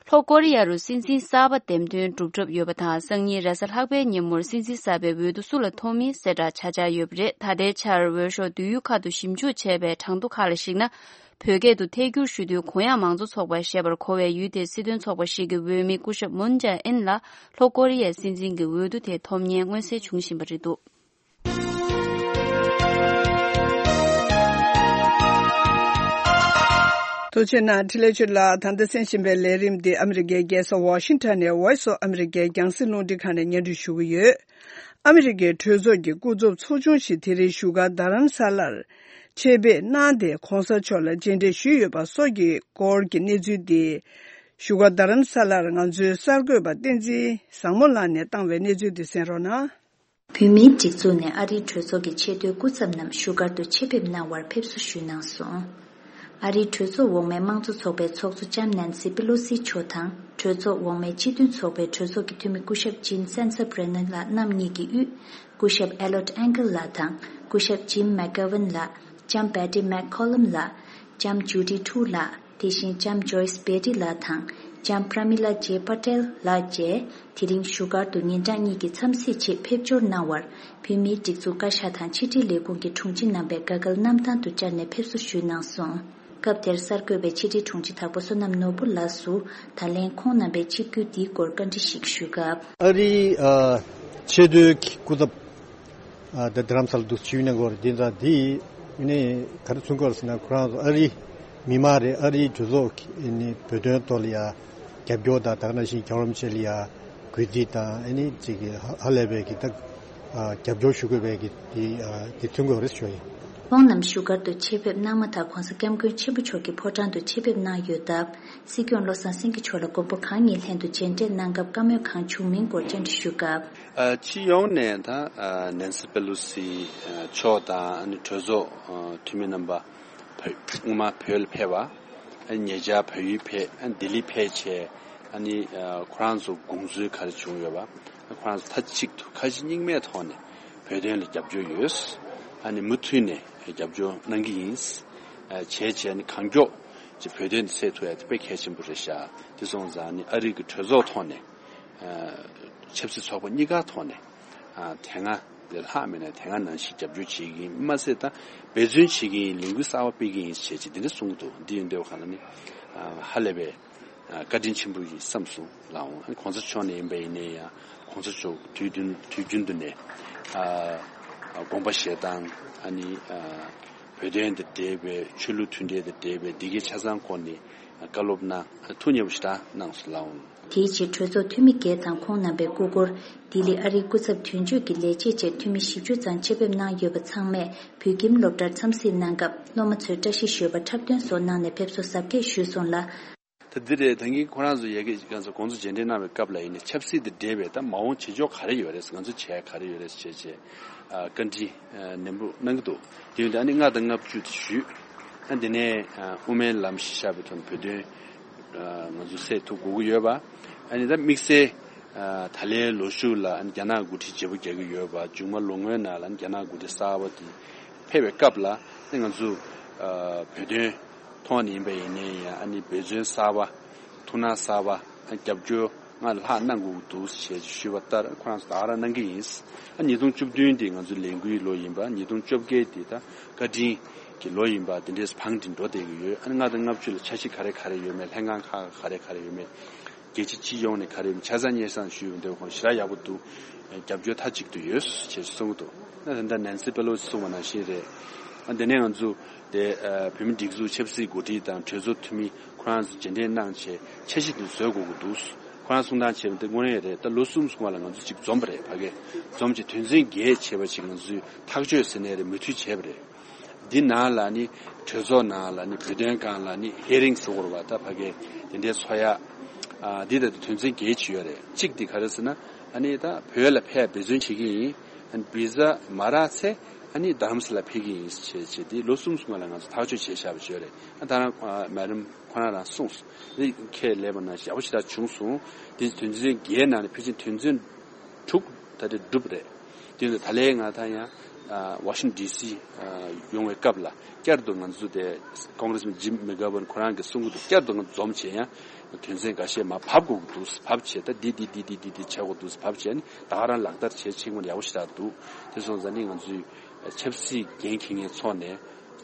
ལྷོ་ཀོ་རི་ཡ་རུ་སྲིད་འཛིན་གསར་པ་འདེམས་ཐོན་གྲུབ་གྲབས་ཡོད་པ་དང་། སང་ཉིན་རེས་གཟའ་ལྷག་པའི་ཉིན་མོར་སྲིད་འཛིན་གསར་པའི་འོས་བསྡུ་སུ་ལ་ཐོབ་མིན་གསལ་བསྒྲགས་བྱ་འཆར་ཡོད་པ་རེད། ད་ལྟའི་ཆར་འོས་ཤོག་བསྡུ་ཡུལ་ཁག་ཏུ་ཞིབ་འཇུག་བྱས་པའི་གྲངས་ཐོ་ཁག་ལ་གཞིགས་ན། བོད་སྐད་དུ་ཐད་སྒྱུར་ཞུ་དུས་གུ་ཡངས་མང་གཙོ་ཚོགས་པ་ཞེས་པར་གོ་བའི་ཡུལ་དེའི་སྲིད་དོན་ཚོགས་པ་ཞིག་གི་འོས་མི་སྐུ་ཞབས་མུན་ཇེ་ཨིན་ལ་ལྷོ་ཀོ་རི་ཡའི་སྲིད་འཛིན་གྱི་འོས་བསྡུ་དེ་ཐོབ་མཁན་མངོན་གསལ་བྱུང་བཞིན་པ་རེད་འདུག། ཐུགས་རྗེ་གནང་། འཕྲིན་ལས་ཆོས་ལགས། ད་ལྟ་གསན་བཞིན་པའི་ལས་རིམ་འདི་ཨ་མི་རི་ཀའི་རྒྱལ་ས་ཝ་ཤིང་ཊོན་ནས་Voice of America རྒྱང་སྲིང་རླུང་འཕྲིན་ཁང་ནས་སྙན་སྒྲོན་ཞུ་གི་ཡོད། ཨ་མི་རི་ཀའི་གྲོས་ཚོགས་ཀྱི་སྐུ་ཚབ་ཚོགས་ཆུང་ཞིག་དེ་རིང་བཞུགས་སྒར་རྡ་རམ་ས་ལར་ཆེད་ཕེབས་གནང་སྟེ། གོང་ས་མཆོག་ལ་མཇལ་འཕྲད་ཞུས་ཡོད་པ་སོགས་ཀྱི་སྐོར་གྱི་གནས་ཚུལ་འདི། བཞུགས་སྒར་རྡ་རམ་ས་ལར་ང་ཚོའི་གསར་འགོད་པ་བསྟན་འཛིན་བཟང་མོ་ལགས་ནས་བཏང་བའི་གནས་ཚུལ་འདི་གསན་རོགས་གནང་། བོད་མིའི་སྒྲིག་འཛུགས་ནས་ཨ་རིའི་གྲོས་ཚོགས་ཀྱི་ཆེས་མཐོའི་སྐུ་ཚབ་རྣམས་བཞུགས་སྒར་དུ་ཆེད་ཕེབས་གནང་བར་ཕེབས་བསུ་ཞུས་གནང་སོང་། ཨ་རིའི་གྲོས་ཚོགས་འོག་མའི་དམངས་གཙོ་ཚོགས་པའི་ཚོགས་གཙོ་ལྕམ་ནན་སི་པི་ལོ་སི་མཆོག་དང་། གྲོས་ཚོགས་འོག་མའི་སྤྱི་མཐུན་ཚོགས་པའི་གྲོས་ཚོགས་ཀྱི་འཐུས་མི་སྐུ་ཞབས་ཇིམ་སན་སར་བྷི་རེ་ནན་ལགས་རྣམ་གཉིས་ཀྱི་དབུས། སྐུ་ཞབས་ཨེ་ལོཊ་ཨན་ཀལ་ལགས་དང་། སྐུ་ཞབས་ཇིམ་མེག་གྷ་ཝན་ལགས། ལྕམ་བེ་ཏི་མེག་ཁོ་ལམ་ལགས། ལྕམ་ཇུ་ཌི་ཁྲུ་ལགས། དེ་བཞིན་ལྕམ་ཇོ་ཡིས་བེ་ཏི་ལགས་དང་ལྕམ་པྲ་མི་ལ་ཇེ་པ་ཏེལ་ལགས་བཅས་དེ་རིང་བཞུགས་སྒར་དུ་ཉིན་གྲངས་གཉིས་ཀྱི་འཚམས་གཟིགས་ཆེད་ཕེབས་འབྱོར་གནང་བར། བོད་མིའི་སྒྲིག་འཛུགས་བཀའ་ཤག་དང་ཕྱི་དྲིལ་ལས་ཁུངས་ཀྱི་དྲུང་ཆེ་རྣམ་པས་དགའ་སྐལ་གནམ་ཐང་དུ་བཅར་ནས་ཕེབས་བསུ་ཞུས་གནང་སོང་། སྐབས་དེར་གསར་འགོད་པས་ཕྱི་དྲིལ་དྲུང་ཆེ་དྭགས་པོ་བསོད་ནམས་ནོར་བུ་ལགས་སུ། ད་ལན་ཁོང་རྣམ་པའི་ཆིབས་བསྒྱུར་འདིའི་སྐོར་བཀའ་འདྲི་ཞིག་ཞུས་སྐབས། ཨ་རིའི་ཨ་ཆེས་མཐོའི་སྐུ་ཚབ་ཨ་ད་རྡ་རམ་ས་ལ་འདུག་ཆིབས་གནང་སྐོར་འདི་ད་འདི་ནི་ག་རེ་མཚོན་གྱི་ཡོད་ཟེར་ན། ཁོ་རང་ཚོ་ཨ་རི་མི་མང་རེད། ཨ་རིའི་གྲོས་ཚོགས་ཀྱི་ནི་བོད་དོན་ཐོག་ལ་ཡ་རྒྱབ་སྐྱོར་དང་། ད་ག་ནང་བཞིན་རྒྱལ་བ་རིན་པོ་ཆེ་ལ་ཡ་གུས་བརྩི་དང་། ཨ་ནི་ཅིག་གི་ཧ་ཧ་ལས་པའི་གི་ད་ཨ་རྒྱབ་སྐྱོར་ཞུ་དགོས་པའི་གི་དེ་ཨ་དེ་མཚོན་གྱི་ཡོད་རེད་ཞུ་ཡིན། ཁོང་རྣམས་བཞུགས་སྒར་དུ་ཆེད་ཕེབས་གནང་མ་ཐག་༧གོང་ས་༧སྐྱབས་མགོན་ཆེན་པོ་མཆོག་གི་ཕོ་བྲང་དུ་ཆེད་ཕེབས་གནང་ཡོད་སྟབས། སྲིད་སྐྱོང་བློ་བཟང་སེང་གེ་མཆོག་ལ་མགོན་པོ་གང་ཉིད་ལྷན་དུ་མཇལ་འཕྲད་གནང་སྐབས་བཀའ་མོལ་གང་བྱུང་མིན་སྐོར་བཅར་འདྲི་ཞུས་སྐབས། ཨ་སྤྱི་ཡོངས་ནས་ད་ཨ་ནན་སི་པེ་ལོ་སི་ཨ་མཆོག་དང་། ཨ་ནི་གྲོས་ཚོགས་ཨ་འཐུས་མི་རྣམ་པ་བོད་སྔོན་མ་བོད་ལ་ཕེབས་པ། ཨ་ནི་ཉེ་ཆར་བལ་ཡུལ་ཕེབས། ཨ་ནི་ལྡི་ལི་ཕེབས་བྱས། ཨ་ནི་ཨ་ཁོ་རང་ཚོ་དགོངས་ཚུལ་ག་རེ་བྱུང་ཡོད་པ། ཨ་ཁོ་རང་ཚོ་མཐའ་གཅིག་ཏུ་ཁ་ཞེ་གཉིས་མེད་ཐོག་ནས་བོད་དོན་ལ་རྒྱབ་སྐྱོར་ཡོད། ཨ་ནི་མུ་མཐུད་ནས་རྒྱབ་སྐྱོར་གནང་གི་ཡིན། ཨ་བྱས་བྱས་ནས་གང་མགྱོགས་ཀྱི་བོད་དོན་འདི་སེལ་ཐུབ་ཡ་དེ་དཔེ་གལ་ཆེན་པོ་རེད་ཤག་དེ་སོང་ཙང་ནི་ཨ་རི་གི་གྲོས་ཚོགས་ཐོག་ནས། ཨ་ཆབ་སྲིད་ཚོགས་པ་གཉིས་ཀ་ཐོག་ནས། ཨ་དེ་སྔ་ལས་ལྷག་མེད་ན་དེ་སྔ་ནང་བཞིན་རྒྱབ་སྐྱོར་བྱེད་ཀྱི་ཡིན་མ་ཟད། ད་འབད་བརྩོན་བྱེད་ཀྱི་ཡིན། ལས་འགུལ་གསར་པ་སྤེལ་གྱི་ཡིན་ཞེས་ཅིག་དེ་འདྲ་གསུང་གི་འདུག་འདི་ཡིན་དུས་གང་ལ་ནི་ཨ་ཧ་ལས་པའི་ཨ་བཀའ་དྲིན་ཆེན་པོ་ཡིན་བསམ་སོང་ལགས་འོང་། ཨ་ནི་གོང་ས་མཆོག་ནས་ཡིན་པ་ཡིན་ནའི་ཡང་། གོང་ས་མཆོག་དུས་རྒྱུན་དུས་རྒྱུན་དུ་ནས་ཨ་དགོངས་པ་བཞེས་སྟངས། ཨ་ནི་ཨ་བོད་དོན་དང་འབྲེལ་བའི། ཆོས་ལུགས་མཐུན་འབྲེལ་དང་འབྲེལ་བའི་འདི་གའི་ཆ་ཚང་སྐོར་ནས་བཀའ་སློབ་གནང་། ཐུགས་མཉེས་པོ་ཞེ་དྲག་གནང་སོང་ལགས་འོང་། དེའི་རྗེས་གྲོས་ཚོགས་འཐུས་མི་བརྒྱད་དང་ཁོང་རྣམ་པའི་སྐུ་སྐོར། ལྡི་ལི་ཨ་རིའི་སྐུ་ཚབ་དོན་གཅོད་ཀྱི་ལས་བྱེད་བཅས་འཐུས་མི་བཞི་བཅུ་ཙམ་ཆེད་ཕེབས་གནང་ཡོད་པ་ཚང་མས་བོད་ཁྱིམ་སློབ་གྲྭར་འཚམས་གཟིགས་གནང་སྐབས། སློབ་མ་ཚོས་བཀྲ་ཤིས་ཞོལ་པ་འཁྲབ་སྟོན་སོགས་གནང་ནས་ཕེབས་བསུ་གཟབ་རྒྱས་ཞུས་སོང་ལ། ད་འདི་རེད། ད་གིན་ཁོ་རང་ཚོ་ཡ་གི་ང་ཚོ་དགོང་དྲོ་མཇལ་འཕྲད་གནང་བའི་སྐབས་ལ་ཡིན་ནའི་ཆབ་སྲིད་དང་འབྲེལ་བའི་ད་མ་འོངས་བྱེད་ཕྱོགས་ག་རེ་ཡོད་རེད། ང་ཚོ་བྱས་ག་རེ་ཡོད་རེད་བྱས་བྱས། ཨ་བཀའ་འདྲི་ཨ་ནན་པོ་གནང་གི་འདུག་དེ་ཡིན་དུས་ཨ་ནི་ལྔ་དང་ལྔ་བཅུ་དེ་ཞུས། ཨ་འདི་ནས་ཨ་དབུ་མའི་ལམ་གཞི་བཞག་པའི་ཐོག་ནས་བོད་དོན་ཨ་ང་ཚོ་སེལ་ཐུབ་དགོས་ཀྱི་ཡོད་པ། ཨ་ནི་ད་དམིགས་བསལ་ཨ་ད་ལན་ལོ་གཞུག་ལ་ཨ་ནི་རྒྱ་ནག་འགོ་ཁྲིད་བརྗེ་པོ་རྒྱག་གི་ཡོད་པ། མཇུག་མ་ལོ་སྔོན་ནང་ལ་ཨ་ནི་རྒྱ་ནག་འགོ་ཁྲིད་གསར་པ་དེ་ཕེབས་པའི་སྐབས་ལ་ཨ་ནི་ང་ཚོ་ཨ་བོད་དོན་ཐོག་ནས་ཡིན་པ་ཡིན་ནའི་ཡང་། ཨ་ནི་འབད་བརྩོན་གསར་པ། ཐུགས་སྣང་གསར་པ། ཨ་རྒྱབ་སྐྱོར་སྔར་ལྷག་གནང་དགོས་ཀྱི་འདུག་ཞེས་ཞུས་པ་ལྟར་ཁོ་རང་ཚོ་ད་ག་རང་གནང་གི་ཡིན། ཨ་ཉིས་སྟོང་བཅུ་བདུན་འདི་ང་ཚོའི་ལས་འགུལ་ལོ་ཡིན་པ། ཉིས་སྟོང་བཅོ་བརྒྱད་འདི་ད་བཀའ་དྲིན་གྱི་ལོ་ཡིན་པ། དེ་འདྲས་བང་སྒྲིག་འགྲོ་བསྡད་ཀྱི་ཡོད། ཨ་ནི་ལྔ་དང་ལྔ་བཅུ་ལ་འཆར་གཞི་ག་རེ་ག་རེ་ཡོད་མེད། ལྷན་ཁང་ཁག་ག་རེ་ག་རེ་ཡོད་མེད། རྒྱལ་སྤྱི་སྤྱི་ཡོངས་ནས་ག་རེ་ཡོད་མེད་ཆ་ཚང་སྙན་སེང་ཞུས་ཡོང་དུས་ཁོང་ཞེ་དྲག་ཡག་པོ་འདུག་རྒྱབ་སྐྱོར་མཐའ་གཅིག་ཏུ་ཡོད་ཅེས་གསུངས་འདུག་ཨ་ད་ལྟ་ནན་སི་པེ་ལོ་སི་གསུངས་པ་ནང་བཞིན་རེད། ཨ་དེ་ནས་ང་ཚོ་དེ་ཨ་བོད་མི་སྒྲིག་འཛུགས་ཆབ་སྲིད་འགོ་ཁྲིད་དང་གྲོས་ཚོགས་འཐུས་མི་ཁོ་རང་ཚོ་མཇལ་འཕྲད་གནང་བྱས་འཆར་གཞི་དེ་བཟོ་དགོས་ཀྱི་འདུག་ཁོ་རང་གསུང་སྟངས་བྱས་པ་དེ་དངོས་གནས་རེད། ད་ལོ་གསུམ་སྔོན་ལ་ང་ཚོ་གཅིག་འཛོམས་པ་རེད། ཕ་གི་འཛོམས་བྱས་དོན་ཚན་བརྒྱད་བྱས་པ་ཅིག་ང་ཚོས་ཐག་གཅོད་ཟེར་ནའི་རེད། མོས་མཐུན་བྱས་པ་རེད། འདི་ནང་ལ་ནི་གྲོས་ཚོགས་ནང་ལ་ནི་བོད་དོན་སྒང་ལ་ནི་ཧི་ཡ་རིང་ཟེར་དགོས་རེད་པ། ད་ཕ་གི་དེ་འདྲའི་ཚོགས་ཡ། ཨ་འདི་ལྟ་བུ་དོན་ཚན་བརྒྱད་ཅིག་ཡོད་རེད། གཅིག་འདི་ག་རེ་ཟེར་ན། ཨ་ནི་ད་བོད་ལ་ཕེབས་འབད་བརྩོན་བྱེད་ཀྱི་ཡིན། ཨ་ནི་བི་ཟ་མ་རག་ཚེ་ཨ་ནི་རྡ་རམ་ས་ལ་ཕེབས་ཀྱི་ཡིན་ཞེས་བྱས་ཏེ་ལོ་གསུམ་སྔོན་ལ་ང་ཚོ་ཐག་གཅོད་བྱས་བཞག་པ་ཅིག་ཡོད་རེད། ཨ་ད་རང་ཨ་མེ་ཌམ་ཁོ་རང་རང་གསུངས་སོང་། འདི་ཁས་ལེན་པ་ནང་བཞིན་ཡག་པོ་ཞེ་དྲག་བྱུང་སོང་། འདི་དོན་ཚན་བརྒྱད་ནང་ནས་ཕལ་ཆེར་དོན་ཚན་དྲུག་ད་ལྟ་གྲུབ་རེད། དེ་ཡིན་དུས་ད་ལན་ང་ད་ཡང་ཨ་ཝ་ཤིང་ཊོན་ཌི་སི་ཨ་ཡོང་བའི་སྐབས་ལ་བསྐྱར་དུ་ང་ཚོ་དེ་ཀོང་གྷི་རེ་སི་མེན་ཇིམ་མེག་གྷ་ཝན་ཁོ་རང་གིས་གསུང་གི་འདུག་བསྐྱར་དུ་ང་ཚོ་འཛོམས་བྱས་ཡང་དོན་ཚན་འགའ་ཤས་མར་ཕབ་དགོས་ཀྱི་འདུག་ཕབ་བྱས། ད་འདི་འདི་འདི་འདི་འདི་འདི་བྱེད་དགོས་འདུག་ཕབ་བྱས་ནས་ད་ག་རང་ལག་བསྟར་བྱེད་ཆེད་མངོན་ཡག་པོ་ཞེ་དྲག་འདུག་དེ་སོང་ཙང་ནི་ང་ཚོས་ཆབ་སྲིད་འགན་འཁྱེར་མཁན་ཚོ་ནས་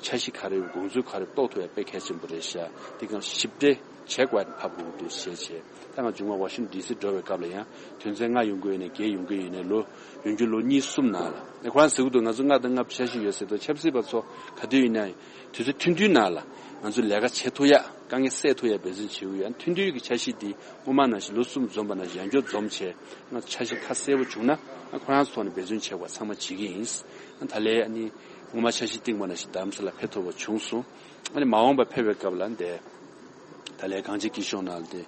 འཆར་གཞི་ག་རེ་ཡོད། དགོངས་ཚུལ་ག་རེ་ཡོད། རྟོགས་ཐུབ་ཡ་དཔེ་གལ་ཆེན་པོ་རེད་ཤག་དེ་གང་ཞིབ་ཕྲ་བྱེད་དགོས་ཡ་ཕབ་དགོས་ཀྱི་འདུག་ཞེས་བྱས། ད་ང་མཇུག་མ་ཝ་ཤིང་ཊོན་ཌི་སི་འགྲོ་བའི་སྐབས་ལ་ཡང་དོན་ཚན་ལྔ་ཡོང་གི་ཡོད་ནའི་བརྒྱད་ཡོང་གི་ཡོད་ནའི་ལོ་ཡོང་རྒྱུ་ལོ་གཉིས་གསུམ་ནང་ལ། ཨེ་ཁོ་རང་ཟེར་གི་འདུག་ང་ཚོ་ལྔ་དང་ལྔ་བཅུ་འཆར་གཞི་ཡོད་ཟེར་དུས་ཆབ་སྲིད་པ་ཚོ་ག་དུས་ཡིན་ན་དུས་ཚོད་ཐུང་ཐུང་ནང་ལ་ང་ཚོ་ལས་ཀ་བྱེད་ཐུབ་ཡ། དཀའ་ངལ་སེལ་ཐུབ་ཡ་འབད་བརྩོན་བྱེད་ཀྱི་ཡོད། ཨ་ཐུང་ཐུང་གི་འཆར་གཞི་འདི་སྔོན་མ་ནང་བཞིན་ལོ་གསུམ་འཛོམས་པ་ནང་བཞིན་ཡང་བསྐྱར་འཛོམས་བྱས་ང་ཚོ་འཆར་གཞི་ཁ་གསལ་པོ་བྱུང་ན། ཨ་ཁོ་རང་ཚོ་ཐོག་ནས་འབད་བརྩོན་བྱེད་དགོས་ཚང་མ་བྱེད་ཀྱི་ཡིན། ཨ་ད་ལན་ཨ་ནི་སྔོན་མ་འཆར་གཞི་བཏིང་བ་ནང་བཞིན་རྡ་རམ་ས་ལ་ཕེབས་ཐུབ་པ་བྱུང་སོང་། ཨ་ནི་མ་འོངས་པ་ཕེབས་པའི་སྐབས་ལ་འདི་ད་ལན་གངས་ཅན་སྐྱིད་གཤོངས་ནང་ལ་དེ་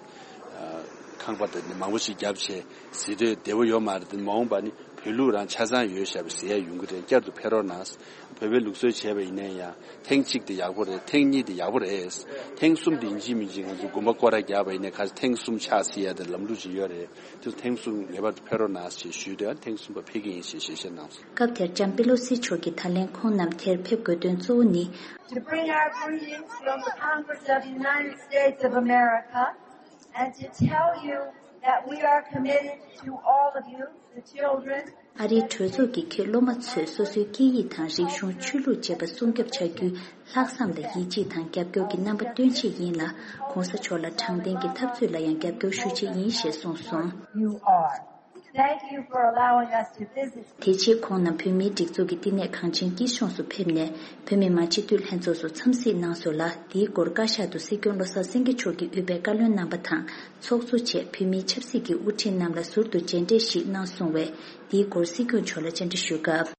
ཨ་ ཁང་པ་དེ་ནི་མང་པོ་ཞིག་བརྒྱབ་བྱས་ཟིན་འདོད་བདེ་བོ་ཡོད་མ་རེད་དེ། མ་འོངས་པ་ནི་བོད་ལུགས་རང་ཆ་ཚང་ཡོད་བཞག་པའི་ཟེར་ཡ་ཡོང་གི་རེད། བསྐྱར་དུ་ཕེབས་རོགས་གནང་། བོད་པའི་ལུགས་སྲོལ་བྱས་པ་ཡིན་ན་ཡང་ཐེངས་གཅིག་དེ་ཡག་པོ་རེད། ཐེངས་གཉིས་དེ་ཡག་པོ་རེད། ཐེངས་གསུམ་དེ་ཡིན་གཅིག་མིན་གཅིག་ང་ཚོ་དགོན་པ་སྐོར་ར་རྒྱག་པ་ཡིན་ན་ག་ཚོད་ཐེངས་གསུམ་ཆགས་སྲིད་ཡ་དེ་ལམ་ལུགས་ཅིག་ཡོད་རེད། དེ་ཚོ་ཐེངས་གསུམ་ངེས་པར་དུ་ཕེབས་རོགས་གནང་ཞེས་ཞུས་དོན། ཐེངས་གསུམ་པ་ཕེབས་ཀྱི་ཡིན་ཞེས་ཞལ་བཞེས་གནང་སོང་། སྐབས་དེར་ལྕམ་པེ་ལོ་སི་མཆོག་གིས་ད་ལན་ཁོང་རྣམས་དེར་ཕེབས་དགོས་དོན་གཙོ་བོ་ནི། To bring our greetings from the Congress of the United States of America and to tell you that we are committed to all of you, the children, ཨ་རིའི་གྲོས་ཚོགས་ཀྱི་ཁྱེད་སློབ་མ་ཚོས་སོ་སོའི་སྐད་ཡིག་དང་རིག་གཞུང་། ཆོས་ལུགས་བཅས་པ་སྲུང་སྐྱོབ་བྱ་རྒྱུའི་ལྷག་བསམ་ལ་ཡིད་ཆེས་དང་རྒྱབ་སྐྱོར་གྱི་རྣམ་པ་སྟོན་ཆེད་ཡིན་ལ། ༸གོང་ས་མཆོག་ལ་དྲང་བདེན་གྱི་འཐབ་རྩོད་ལ་ཡང་རྒྱབ་སྐྱོར་ཞུ་ཆེད་ཡིན་ཞེས་གསུངས་སོང་། You are. Thank you for allowing us to visit. དེ་རྗེས་ཁོང་རྣམས་བོད་མིའི་སྒྲིག་འཛུགས་ཀྱི་བསྟི་གནས་གངས་ཅན་སྐྱིད་གཤོངས་སུ་ཕེབས་ནས། བོད་མི་མང་སྤྱི་འཐུས་ལྷན་ཚོགས་སུ་འཚམས་གཟིགས་གནང་སོང་ལ། འདིའི་སྐོར་བཀའ་ཤག་ཏུ་སྲིད་སྐྱོང་བློ་བཟང་སེང་གེ་མཆོག་གིས་དབུས་པའི་བཀའ་བློན་རྣམ་པ་དང་། ཚོགས་གཙོ་བཅས་བོད་མིའི་ཆབ་སྲིད་ཀྱི་དབུ་ཁྲིད་རྣམས་ལ་ཟུར་དུ་མཇལ་འཕྲད་ཞིག་གནང་སོང་བས། འདིའི་སྐོར་སྲིད་སྐྱོང་མཆོག་ལ་བཅར་འདྲི་ཞུས་སྐབས།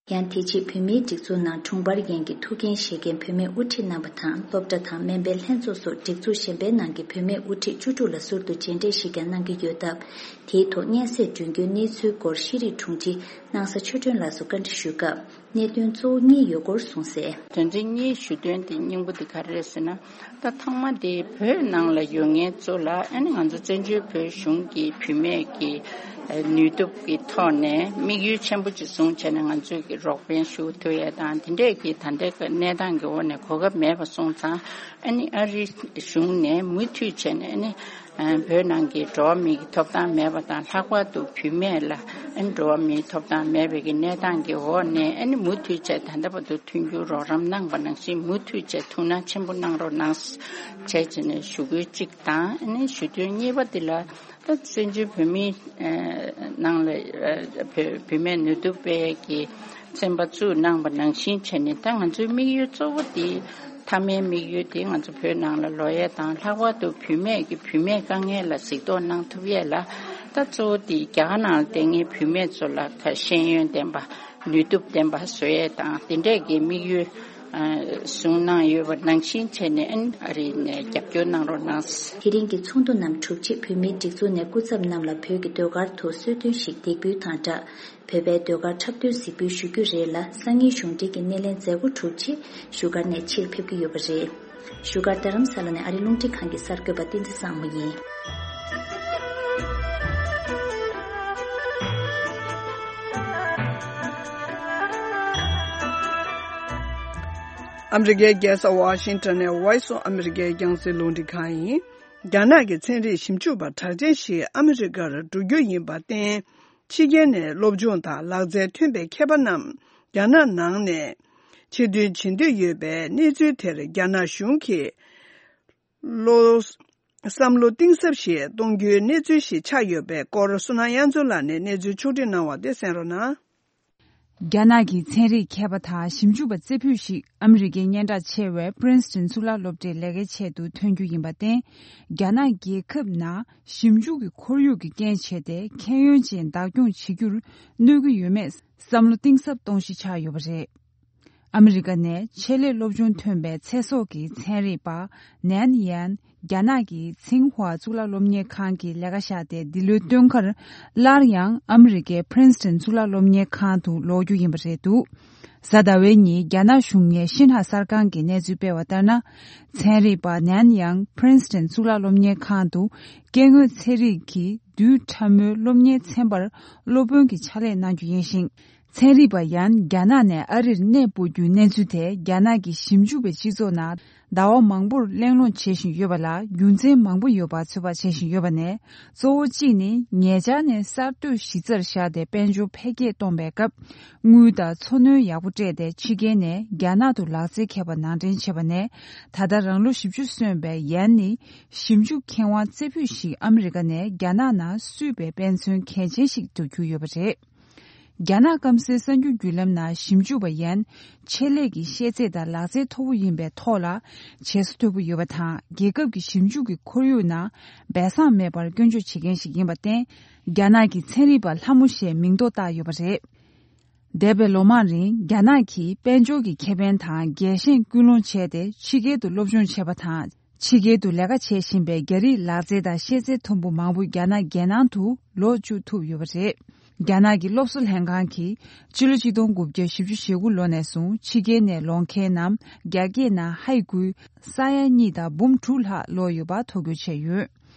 ཡང་དེ་རྗེས་བོད་མིའི་སྒྲིག་འཛུགས་ནང་དྲུང་འཕར་འགན་གྱི་ཐུགས་འགན་བཞེས་མཁན་བོད་མིའི་དབུ་ཁྲིད་རྣམ་པ་དང་། སློབ་གྲྭ་དང་སྨན་པའི་ལྷན་ཚོགས་སོགས་སྒྲིག་འཛུགས་གཞན་པའི་ནང་གི་བོད་མིའི་དབུ་ཁྲིད་བཅུ་དྲུག་ལ་ཟུར་དུ་མཇལ་འཕྲད་ཞིག་ཀྱང་གནང་གི་ཡོད་སྟབས། དེའི་ཐོག་སྙན་སེང་སྒྲོན་རྒྱུའི་གནས་ཚུལ་སྐོར་ཤེས་རིག་དྲུང་ཆེ་སྣང་ས་ཆོས་སྒྲོན་ལགས་སུ་བཀའ་འདྲི་ཞུས་སྐབས། གནད་དོན་གཙོ་བོ་གཉིས་ཡོད་སྐོར་གསུངས་གསལ། དོན་ཚན་གཉིས་ཞུ་དོན་དེ་སྙིང་པོ་དེ་ག་རེ་རེད་ཟེར་ན། ད་ཐོག་མ་དེ་བོད་ནང་ལ་ཡོད་མཁན་ཚོ་ལ། ཨ་ནི་ང་ཚོ་བཙན་བྱོལ་བོད་གཞུང་གི་བུད་མེད་ཀྱི་ནུས་སྟོབས་ཀྱི་ཐོག་ནས་དམིགས་ཡུལ་ཆེན་པོ་ཅིག་བཟུང་བྱས་ནས་ང་ཚོས་ཀྱི་རོགས་ཕན་ཞུ་ཐུབ་ཡས་དང་། དེ་འདྲས་ཀྱི་ད་ལྟའི་གནས་སྟངས་ཀྱི་འོག་ནས་གོ་སྐབས་མེད་པ་སོང་ཙང་། ཨ་ནི་ཨ་རི་གཞུང་ནས་མུ་མཐུད་བྱས་ནས། ཨ་ནི་བོད་ནང་གི་འགྲོ་བ་མིའི་ཐོབ་ཐང་མེད་པ་དང་། ལྷག་པར་དུ་བུད་མེད་ལ་ཨ་ནི་འགྲོ་བ་མིའི་ཐོབ་ཐང་མེད་པའི་གི་གནས་སྟངས་ཀྱི་འོག་ནས། ཨ་ནི་མུ་མཐུད་བྱས་ད་ལྟ་བར་དུ་མཐུན་འགྱུར་རོགས་རམ་གནང་བ་ནང་བཞིན་མུ་མཐུད་བྱས་ཐུགས་སྣང་ཆེན་པོ་གནང་རོགས་གནང་བྱས་བྱས་ནས་ཞུ་སྐུལ་གཅིག་དང་། ཨ་ནི་ཞུ་དོན་གཉིས་པ་འདི་ལ། ད་བཙན་བྱོལ་བོད་མིའི་ནང་ལ་བུད་མེད་ནུས་སྟོབས་སྤེལ་གྱི་ཚན་པ་བཙུགས་གནང་བ་ནང་བཞིན་བྱས་ནས། ད་ང་ཚོའི་དམིགས་ཡུལ་གཙོ་བོ་དེ་མཐའ་མའི་དམིགས་ཡུལ་དེ་ང་ཚོ་བོད་ནང་ལ་ལོག་ཡས་དང་། ལྷག་པར་དུ་བུད་མེད་ཀྱི་བུད་མེད་དཀའ་ངལ་ལ་གཟིགས་རྟོག་གནང་ཐུབ་ཡས་ལ། ད་གཙོ་བོ་དེ་རྒྱ་གར་ནང་ལ་བསྡད་མཁན་བུད་མེད་ཚོ་ལ་ད་ཤེས་ཡོན་ལྡན་པ། ནུས་སྟོབས་ལྡན་པ་བཟོ་ཡས་དང་། དེ་འདྲས་ཀྱི་དམིགས་ཡུལ་བཟུང་གནང་ཡོད་པ་ནང་བཞིན་བྱས་ནས། ཨ་ནི་ཨ་རི་ནས་རྒྱབ་སྐྱོར་གནང་རོགས་གནང་། དེ་རིང་གི་ཚོགས་འདུ་རྣམས་གྲུབ་རྗེས་བོད་མིའི་སྒྲིག་འཛུགས་ནས་སྐུ་ཚབ་རྣམས་ལ་བོད་ཀྱི་ཟློས་གར་ཐོག་གསོལ་སྟོན་ཞིག་འདེགས་འབུལ་དང་སྦྲགས། བོད་པའི་ཟློས་གར་འཁྲབ་སྟོན་གཟིགས་འབུལ་ཞུ་རྒྱུ་རེད་ལ། སང་ཉིན་གཞུང་འབྲེལ་གྱི་སྣེ་ལེན་མཛད་སྒོ་གྲུབ་རྗེས་བཞུགས་སྒར་ནས་ཕྱིར་ཕེབས་ཀྱི་ཡོད་པ་རེད། བཞུགས་སྒར་རྡ་རམ་ས་ལ་ནས་ཨ་རིའི་རླུང་འཕྲིན་ཁང་གི་གསར་འགོད་པ་བསྟན་འཛིན་བཟང་མོ་ཡིན། ཨ་མི་རི་ཀའི་རྒྱལ་ས་ཝ་ཤིང་ཊོན་ནས་Voice of America རྒྱང་སྲིང་རླུང་འཕྲིན་ཁང་ཡིན། རྒྱ་ནག་གི་ཚན་རིག་ཞིབ་འཇུག་པ་གྲགས་ཅན་ཞིག་ཨ་མི་རི་ཀར་འགྲོ་རྒྱུ་ཡིན་པར་བརྟེན། ཕྱི་རྒྱལ་ནས་སློབ་སྦྱོང་དང་ལག་རྩལ་ཐོན་པའི་མཁས་པ་རྣམས་རྒྱ་ནག་ནང་ནས་ཆེད་འདོན་བྱེད་འདོད་ཡོད་པའི་གནས་ཚུལ་དེར་རྒྱ་ནག་གཞུང་གིས་བློ། བསམ་བློ་གཏིང་ཟབ་ཞིག་གཏོང་རྒྱུའི་གནས་ཚུལ་ཞིག་ཆགས་ཡོད་པའི་སྐོར། བསོད་ནམས་དབྱངས་མཚོ་ལགས་ནས་གནས་ཚུལ་ཕྱོགས་བསྒྲིགས་གནང་བ་དེ་གསན་རོགས་གནང་། རྒྱ་ནག་གི་ཚན་རིག་མཁས་པ་དང་ཞིབ་འཇུག་པ་རྩེ་ཕུད་ཞིག་ཨ་མི་རི་ཀའི་སྙན་གྲགས་ཆེ་བའི་Princeton་གཙུག་ལག་སློབ་གྲྭའི་ལས་ཀའི་ཆེད་དུ་ཐོན་རྒྱུ་ཡིན་པར་བརྟེན། རྒྱ་ནག་རྒྱལ་ཁབ་ནང་ཞིབ་འཇུག་གི་ཁོར་ཡུག་གི་རྐྱེན་བྱས་ཏེ། ཤེས་ཡོན་ཅན་བདག་སྐྱོང་བྱེད་རྒྱུར་གནོད་ཀྱི་ཡོད་མེད་བསམ་བློ་གཏིང་ཟབ་གཏོང་གཞི་ཆགས་ཡོད་པ་རེད། ཨ་མི་རི་ཀ་ནས་ཆེད་ལས་སློབ་སྦྱོང་ཐོན་པའི་ཚེ་སྲོག་གི་ཚན་རིག་པ་ནན་ཡན། རྒྱ་ནག་གི་ཚིང་ཧྭ་གཙུག་ལག་སློབ་གཉེར་ཁང་གི་ལས་ཀ་བཞག་སྟེ། འདི་ལོའི་སྟོན་ཁར་སླར་ཡང་ཨ་མི་རི་ཀའི་Princeton གཙུག་ལག་སློབ་གཉེར་ཁང་དུ་ལོག་རྒྱུ་ཡིན་པ་རེད་འདུག་གཟའ་ཟླ་བའི་ཉིན་རྒྱ་ནག་གཞུང་གཉེར་ཤིན་ཧྭ་གསར་ཁང་གིས་གནས་ཚུལ་སྤེལ་བ་ལྟར་ན། ཚན་རིག་པ་ནན་ཡང་Princeton གཙུག་ལག་སློབ་གཉེར་ཁང་དུ་སྐྱེ་དངོས་ཚན་རིག་གི་རྡུལ་ཕྲ་མོའི་སློབ་གཉེར་ཚན་པར་སློབ་དཔོན་གྱི་ཕྱག་ལས་གནང་རྒྱུ་ཡིན་ཞིང་། ཚན་རིག་པ་ཡན་རྒྱ་ནག་ནས་ཨ་རིར་གནས་སྤོ་རྒྱུའི་གནས་ཚུལ་དེ། རྒྱ་ནག་གི་ཞིབ་འཇུག་པའི་སྤྱི་ཚོགས་ནང་ཟླ་བ་མང་པོར་གླེང་སློང་བྱེད་བཞིན་ཡོད་པ་ལ། རྒྱུ་མཚན་མང་པོ་ཡོད་པ་ཚོད་དཔག་བྱེད་བཞིན་ཡོད་པ་ནས། གཙོ་བོ་གཅིག་ནི། ཉེ་ཆར་ནས་གསར་གཏོད་གཞི་རྩར་བཞག་སྟེ་དཔལ་འབྱོར་འཕེལ་རྒྱས་གཏོང་བའི་སྐབས། དངུལ་དང་འཚོ་སྣོན་ཡག་པོ་སྤྲད་དེ། ཕྱི་རྒྱལ་ནས་རྒྱ་ནག་ཏུ་ལག་རྩལ་མཁས་པ་ནང་འདྲེན་བྱས་པ་ནས། ད་ལྟ་རང་ལོ་བཞི་བཅུ་སོན་པའི་ཡན་ནི། ཞིབ་འཇུག་མཁས་དབང་རྩེ་ཕུད་ཞིག་ཨ་མི་རི་ཀ་ནས་རྒྱ་ནག་ནང་བསུས་པའི་དཔེ་མཚོན་གལ་ཆེན་ཞིག་ཏུ་གྱུར་ཡོད་པ་རེད། རྒྱ་ནག་སྐམ་སའི་གསར་འགྱུར་བརྒྱུད་ལམ་ནང་ཞིབ་འཇུག་པ་ཡན། ཆེད་ལས་ཀྱི་ཤེས་ཚད་དང་ལག་རྩལ་མཐོ་པོ་ཡིན་པའི་ཐོག་ལ། བྱེད་ས་མཐོ་པོ་ཡོད་པ་དང་། རྒྱལ་ཁབ་ཀྱི་ཞིབ་འཇུག་གི་ཁོར་ཡུག་ནང་སྦས་གསང་མེད་པར་སྐྱོན་བརྗོད་བྱེད་མཁན་ཞིག་ཡིན་པར་བརྟེན། རྒྱ་ནག་གི་ཚན་རིག་པ་ལྷ་མོ་ཞེས་མིང་འདོགས་བཏགས་ཡོད་པ་རེད། འདས་པའི་ལོ་མང་རིང་རྒྱ་ནག་གིས་དཔལ་འབྱོར་གྱི་ཁེ་ཕན་དང་རྒྱལ་ཞེན་སྐུལ་སློང་བྱས་ཏེ། ཕྱི་རྒྱལ་དུ་སློབ་སྦྱོང་བྱས་པ་དང་ ཕྱི་རྒྱལ་དུ་ལས་ཀ་བྱེད་བཞིན་པའི་རྒྱ་རིགས་ལག་རྩལ་དང་ཤེས་ཚད་མཐོན་པོ་མང་པོ་རྒྱ་ནག་རྒྱལ་ནང་དུ་ལོག་བཅུག་ཐུབ་ཡོད་པ་རེད། རྒྱ་ནག་གི་སློབ་གསོ་ལྷན་ཁང་གིས་ཕྱི་ལོ་ཆིག་སྟོང་དགུ་བརྒྱ་བཞི་བཅུ་ཞེ་དགུ་ལོ་ནས་བཟུང་ཕྱི་རྒྱལ་ནས་ལོག་མཁན་རྣམས་རྒྱ་སྐད་ནང་ཧའི་གུའི་ས་ཡ་གཉིས་དང་འབུམ་དྲུག་ལྷག་ལོག་ཡོད་པ་ཐོ་འགོད་བྱས་ཡོད།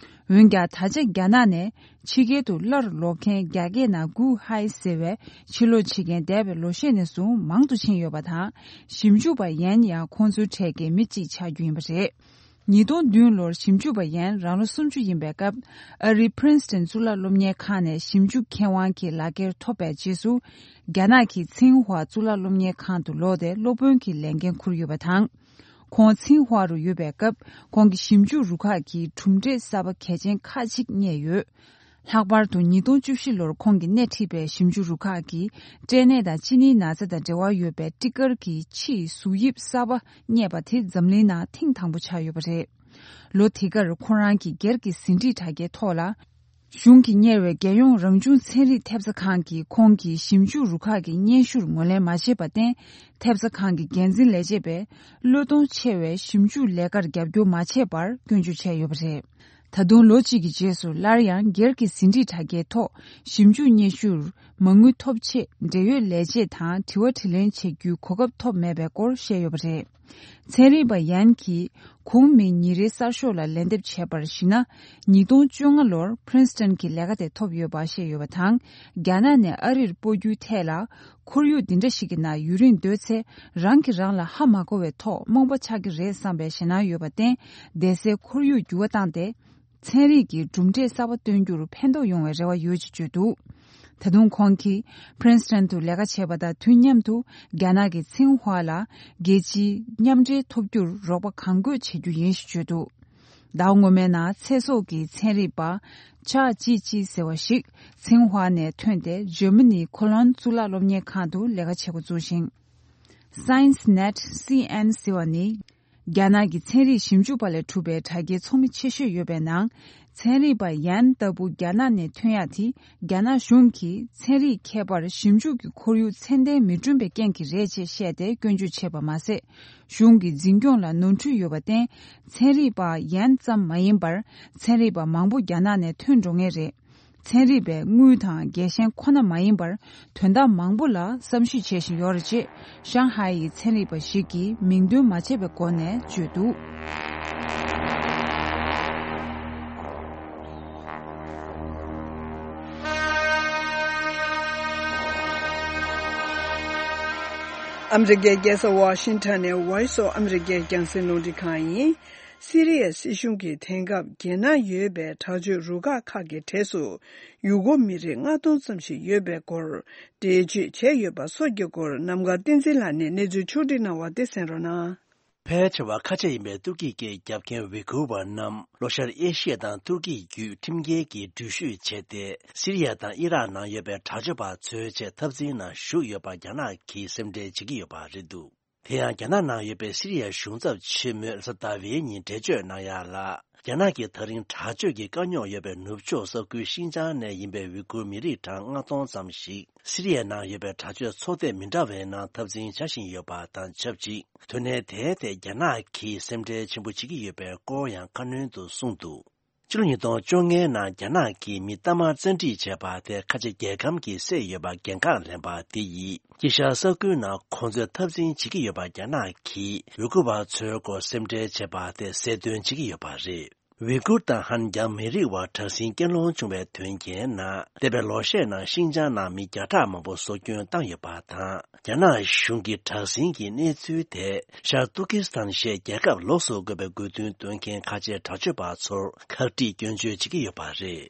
འོན་ཀྱང་ད་ཆ་རྒྱ་ནག་ནས་ཕྱི་རྒྱལ་དུ་སླར་ལོག་མཁན་རྒྱ་སྐད་ནང་གུའུ་ཧའི་ཟེར་བའི་ཕྱིར་ལོག་བྱེད་མཁན་འདས་པའི་ལོ་ཤས་ནས་བཟུང་མང་དུ་ཕྱིན་ཡོད་པ་དང་། ཞིབ་འཇུག་པ་ཡན་ཡང་ཁོང་ཚོའི་གྲས་ཀྱི་མི་གཅིག་ཆགས་རྒྱུ་ཡིན་པ་རེད། ཉིས་སྟོང་བདུན་ལོར་ཞིབ་འཇུག་པ་ཡན་རང་ལོ་སུམ་ཅུ་ཡིན་པའི་སྐབས། ཨ་རིའི་Princeton གཙུག་ལག་སློབ་གཉེར་ཁང་ནས་ཞིབ་འཇུག་མཁས་དབང་གི་ལག་འཁྱེར་ཐོབ་པའི་རྗེས་སུ། རྒྱ་ནག་གི་ཚིང་ཧྭ་གཙུག་ལག་སློབ་གཉེར་ཁང་དུ་ལོག་སྟེ་སློབ་དཔོན་གྱི་ལས་འགན་འཁུར་ཡོད་པ་དང་། ཁོང་ཚིང་ཧྭ་རུ་ཡོད་པའི་སྐབས། ཁོང་གི་ཞིབ་འཇུག་རུ་ཁག་གིས་གྲུབ་འབྲས་གསར་པ་གལ་ཆེན་ཁག་ཅིག་རྙེད་ཡོད། ལྷག་པར་དུ་ཉིས་སྟོང་བཅུ་བཞི་ལོར་ཁོང་གིས་སྣེ་ཁྲིད་པའི་ཞིབ་འཇུག་རུ་ཁག་གིས། སྐྲན་ནད་དང་གཅིན་སྙི་ན་ཚ་དང་འབྲེལ་བ་ཡོད་པའི་སྤྲི་དཀར་གྱི་ཕྱིའི་གཟུགས་དབྱིབས་གསར་པ་རྙེད་པ་དེ་འཛམ་གླིང་ནང་ཐེངས་དང་པོ་ཆགས་ཡོད་པ་རེད། ལོ་དེ་གར་ཁོ་རང་གིས་སྒེར་གྱི་ཟིན་བྲིས་དྲ་རྒྱའི་ཐོག་ལ། གཞུང་གིས་གཉེར་བའི་རྒྱལ་ཡོངས་རང་བྱུང་ཚན་རིག་ཐེབས་རྩ་ཁང་གིས་ཁོང་གི་ཞིབ་འཇུག་རུ་ཁག་གི་སྙན་ཞུར་ངོས་ལེན་མ་བྱས་པར་བརྟེན། ཐེབས་རྩ་ཁང་གི་འགན་འཛིན་ལས་བྱེད་པས་བློས་གཏོང་ཆེ་བའི་ཞིབ་འཇུག་ལས་ཀར་རྒྱབ་སྐྱོར་མ་བྱས་པར་སྐྱོན་བརྗོད་བྱས་ཡོད་པ་རེད། ད་དུང་ལོ་གཅིག་གི་རྗེས་སུ་སླར་ཡང་སྒེར་གྱི་ཟིན་བྲིས་དྲ་རྒྱའི་ཐོག་ཞིབ་འཇུག་སྙན་ཞུར་མ་དངུལ་ཐོབ་ཆེད་འབྲེལ་ཡོད་ལས་བྱེད་དང་དྲི་བ་དྲིས་ལན་བྱེད་རྒྱུའི་གོ་སྐབས་ཐོབ་མེད་པའི་སྐོར་བཤད་ཡོད་པ་རེད། ཚན་རིག་པ་ཡན་གྱིས་གོང་མའི་ཉིན་རེའི་གསར་ཤོག་ལ་ལན་འདེབས་བྱས་པར་གཞིགས་ན། ཉིས་སྟོང་བཅོ་ལྔ་ལོར་Princeton གྱི་ལས་ཀ་དེ་ཐོབ་ཡོད་པ་བཤད་ཡོད་པ་དང་། རྒྱ་ནག་ནས་ཨ་རིར་སྤོ་རྒྱུའི་ཐད་ལ། ཁོར་ཡུག་འདི་འདྲ་ཞིག་གི་ནང་ཡུན་རིང་སྡོད་ཚེ། རང་གིས་རང་ལ་ཧ་མ་གོ་བའི་ཐོག་རྨོངས་པ་ཆགས་ཀྱི་རེད་བསམ་པའི་ཞེད་སྣང་ཡོད་པར་བརྟེན། བསྡད་སའི་ཁོར་ཡུག་འགྱུར་བ་བཏང་སྟེ། ཚན་རིག་གི་གྲུབ་འབྲས་གསར་པ་སྟོན་རྒྱུར་ཕན་ཐོགས་ཡོང་བའི་རེ་བ་ཡོད་ཅེས་བརྗོད་འདུག་ད་དུང་ཁོང་གིས་Princeton དུ་ལས་ཀ་བྱས་པ་དང་དུས་མཉམ་དུ་རྒྱ་ནག་གི་ཚིང་ཧྭ་ལ་རྒྱལ་སྤྱིའི་མཉམ་འབྲེལ་ཐོབ་རྒྱུར་རོགས་པ་གང་དགོས་བྱེད་རྒྱུ་ཡིན་ཞེས་བརྗོད་འདུག་ཟླ་བ་སྔོན་མའི་ནང་ཚེ་སྲོག་གི་ཚན་རིག་པ་ཅཱ་ཅི་ཅི་ཟེར་བ་ཞིག་ཚིང་ཧྭ་ནས་ཐོན་ཏེ་འཇར་མ་ནིའི་ཁོ་ལོན་གཙུག་ལག་སློབ་གཉེར་ཁང་དུ་ལས་ཀ་བྱེད་འགོ་བཙུགས་ཤིང་། Science Net C N ཟེར་བ་ནི། རྒྱ་ནག་གི་ཚན་རིག་ཞིབ་འཇུག་པ་ལས་གྲུབ་པའི་དྲ་རྒྱའི་ཚོགས་མི་ཆེ་ཤོས་ཡོད་པའི་ནང་། ཚན་རིག་པ་ཡན་ལྟ་བུ་རྒྱ་ནག་ནས་ཐོན་ཡག་དེ་རྒྱ་ནག་གཞུང་གིས་ཚན་རིག་ཁྱད་པར་ཞིབ་འཇུག་གི་ཁོར་ཡུག་ཚད་ལྡན་མི་བསྐྲུན་པའི་རྐྱེན་གྱིས་རེད་ཅེས་བཤད་དེ་སྐྱོན་བརྗོད་བྱས་པ་མ་ཟད། གཞུང་གི་འཛིན་སྐྱོང་ལ་ནོར་འཁྲུལ་ཡོད་པར་བརྟེན། ཚན་རིག་པ་ཡན་ཙམ་མ་ཡིན་པར། ཚན་རིག་པ་མང་པོ་རྒྱ་ནག་ནས་ཐོན་འགྲོ་ངེས་རེད། ཚན་རིག་པའི་དངུལ་དང་རྒྱལ་ཞེན་ཁོ་ན་མ་ཡིན་པར། དོན་དག་མང་པོ་ལ་བསམ་གཞིག་བྱེད་བཞིན་ཡོད་རེད་ཅེས། ཤང་ཧའེ་ཡི་ཚན་རིག་པ་ཞིག་གིས་མིང་འདོན་མ་བྱས་པའི་སྒོ་ནས་བརྗོད་འདུག་ཨ་མི་རི་ཀའི་རྒྱལ་ས་ཝ་ཤིང་ཊོན་ནས་Voice of America རྒྱང་སྲིང་རླུང་འཕྲིན་ཁང་ཡིན། སི་རི་ཡའི་སྲིད་གཞུང་གིས་དེང་སྐབས་རྒྱལ་ནང་ཡོད་པའི་དྲག་སྤྱོད་རུ་ཁག་ཁག་གི་གྲས་སུ་ཡུ་གུར་མི་རིགས་ལྔ་སྟོང་ཙམ་ཞིག་ཡོད་པའི་སྐོར་འགྲེལ་བརྗོད་བྱས་ཡོད་པ་སོགས་ཀྱི་སྐོར་ནམ་མཁའ་བསྟན་འཛིན་ལགས་ནས་གནས་ཚུལ་ཕྱོགས་སྒྲིག་གནང་བ་དེ་གསན་རོགས་གནང་། ཕལ་ཆེ་བ་ཁ་ཆེ་ཡིན་པའི་ཏུར་ཀི་སྐད་རྒྱབ་མཁན་ཝི་གུར་བ་རྣམས་ལྷོ་ཤར་ཨེ་ཤི་ཡ་དང་ཏུར་ཀི་བརྒྱུད་ཁྲིམས་འགལ་གྱིས་འགྲུལ་བཞུད་བྱས་ཏེ། སི་རི་ཡ་དང་ཨི་རག་ནང་ཡོད་པའི་དྲག་སྤྱོད་པ་ཚོའི་ཆེད་འཐབ་འཛིང་ནང་ཞུགས་ཡོད་པ་རྒྱ་ནག་གིས་སེམས་ཁྲལ་བྱེད་ཀྱི་ཡོད་པ་རེད་འདུག་དེ་ཡང་རྒྱ་ནག་ནང་ཡོད་པའི་སི་རི་ཡའི་གཞུང་ཚབ་ཆེན་མོས་རེས་གཟའ་ཟླ་བའི་ཉིན་འགྲེལ་བརྗོད་གནང་ཡག་ལ། རྒྱ་ནག་གིས་ད་རིང་དྲག་སྤྱོད་ཀྱི་དཀའ་རྙོག་ཡོད་པའི་ནུབ་ཕྱོགས་ས་ཁུལ་ཤིན་ཅང་ནས་ཡིན་པའི་ཝི་གུར་མི་རིགས་གྲངས་ལྔ་སྟོང་ཙམ་ཞིག་སི་རི་ཡའི་ནང་ཡོད་པའི་དྲག་སྤྱོད་ཚོགས་སྡེ་མི་འདྲ་བའི་ནང་འཐབ་འཛིང་བྱ་བཞིན་ཡོད་པ་དང་ཆབས་ཅིག་དོན་གནད་དེའི་ཐད་རྒྱ་ནག་གིས་སེམས་ཁྲལ་ཆེན་པོ་བྱེད་ཀྱི་ཡོད་པའི་སྐོར་ཡང་ཁ་སྣོན་དུ་གསུངས་འདུག་ཕྱི་ལོ་ཉིས་སྟོང་བཅོ་ལྔའི་ནང་རྒྱ་ནག་གིས་མི་གཏའ་མར་བཙན་ཁྲིད་བྱས་པ་དེ་ཁ་ཆེ་རྒྱལ་ཁམས་ཀྱིས་བསད་ཡོད་པ་འགན་ཁག་ལེན་པ་དེ་ཡིས་དཀྱིལ་ཤར་ས་ཁུལ་ནང་ཁོང་ཚོས་འཐབ་འཛིང་བྱེད་ཀྱི་ཡོད་པ་རྒྱ་ནག་གིས་ཝི་གུར་བ་ཚོའི་སྐོར་སེམས་ཁྲལ་བྱས་པ་དེ་གསལ་སྟོན་བྱེད་ཀྱི་ཡོད་པ་རེད། ཝི་གུར་དང་ཧན་རྒྱ་མི་རིགས་བར་དྲག་ཟིང་སྐྱེལ་སློང་བྱུང་བའི་དོན་རྐྱེན་ནང་འདས་པའི་ལོ་ཤས་ནང་ཤིན་ཅང་ནང་མི་བརྒྱ་ཕྲག་མང་པོ་སྲོག་སྐྱོན་བཏང་ཡོད་པ་དང་། རྒྱ་ནག་གཞུང་གི་དྲག་ཟིང་གི་གནས་ཚུལ་དེ་ཤར་ཏུར་ཀི་སི་ཐན་ཞེས་རྒྱལ་ཁབ་ལོགས་སུ་བཀོད་པའི་དགོས་འདུན་འདོན་མཁན་ཁ་ཆེའི་དྲག་སྤྱོད་པ་ཚོར་ཁག་དཀྲིས་སྐྱོན་བརྗོད་བྱེད་ཀྱི་ཡོད་པ་རེད།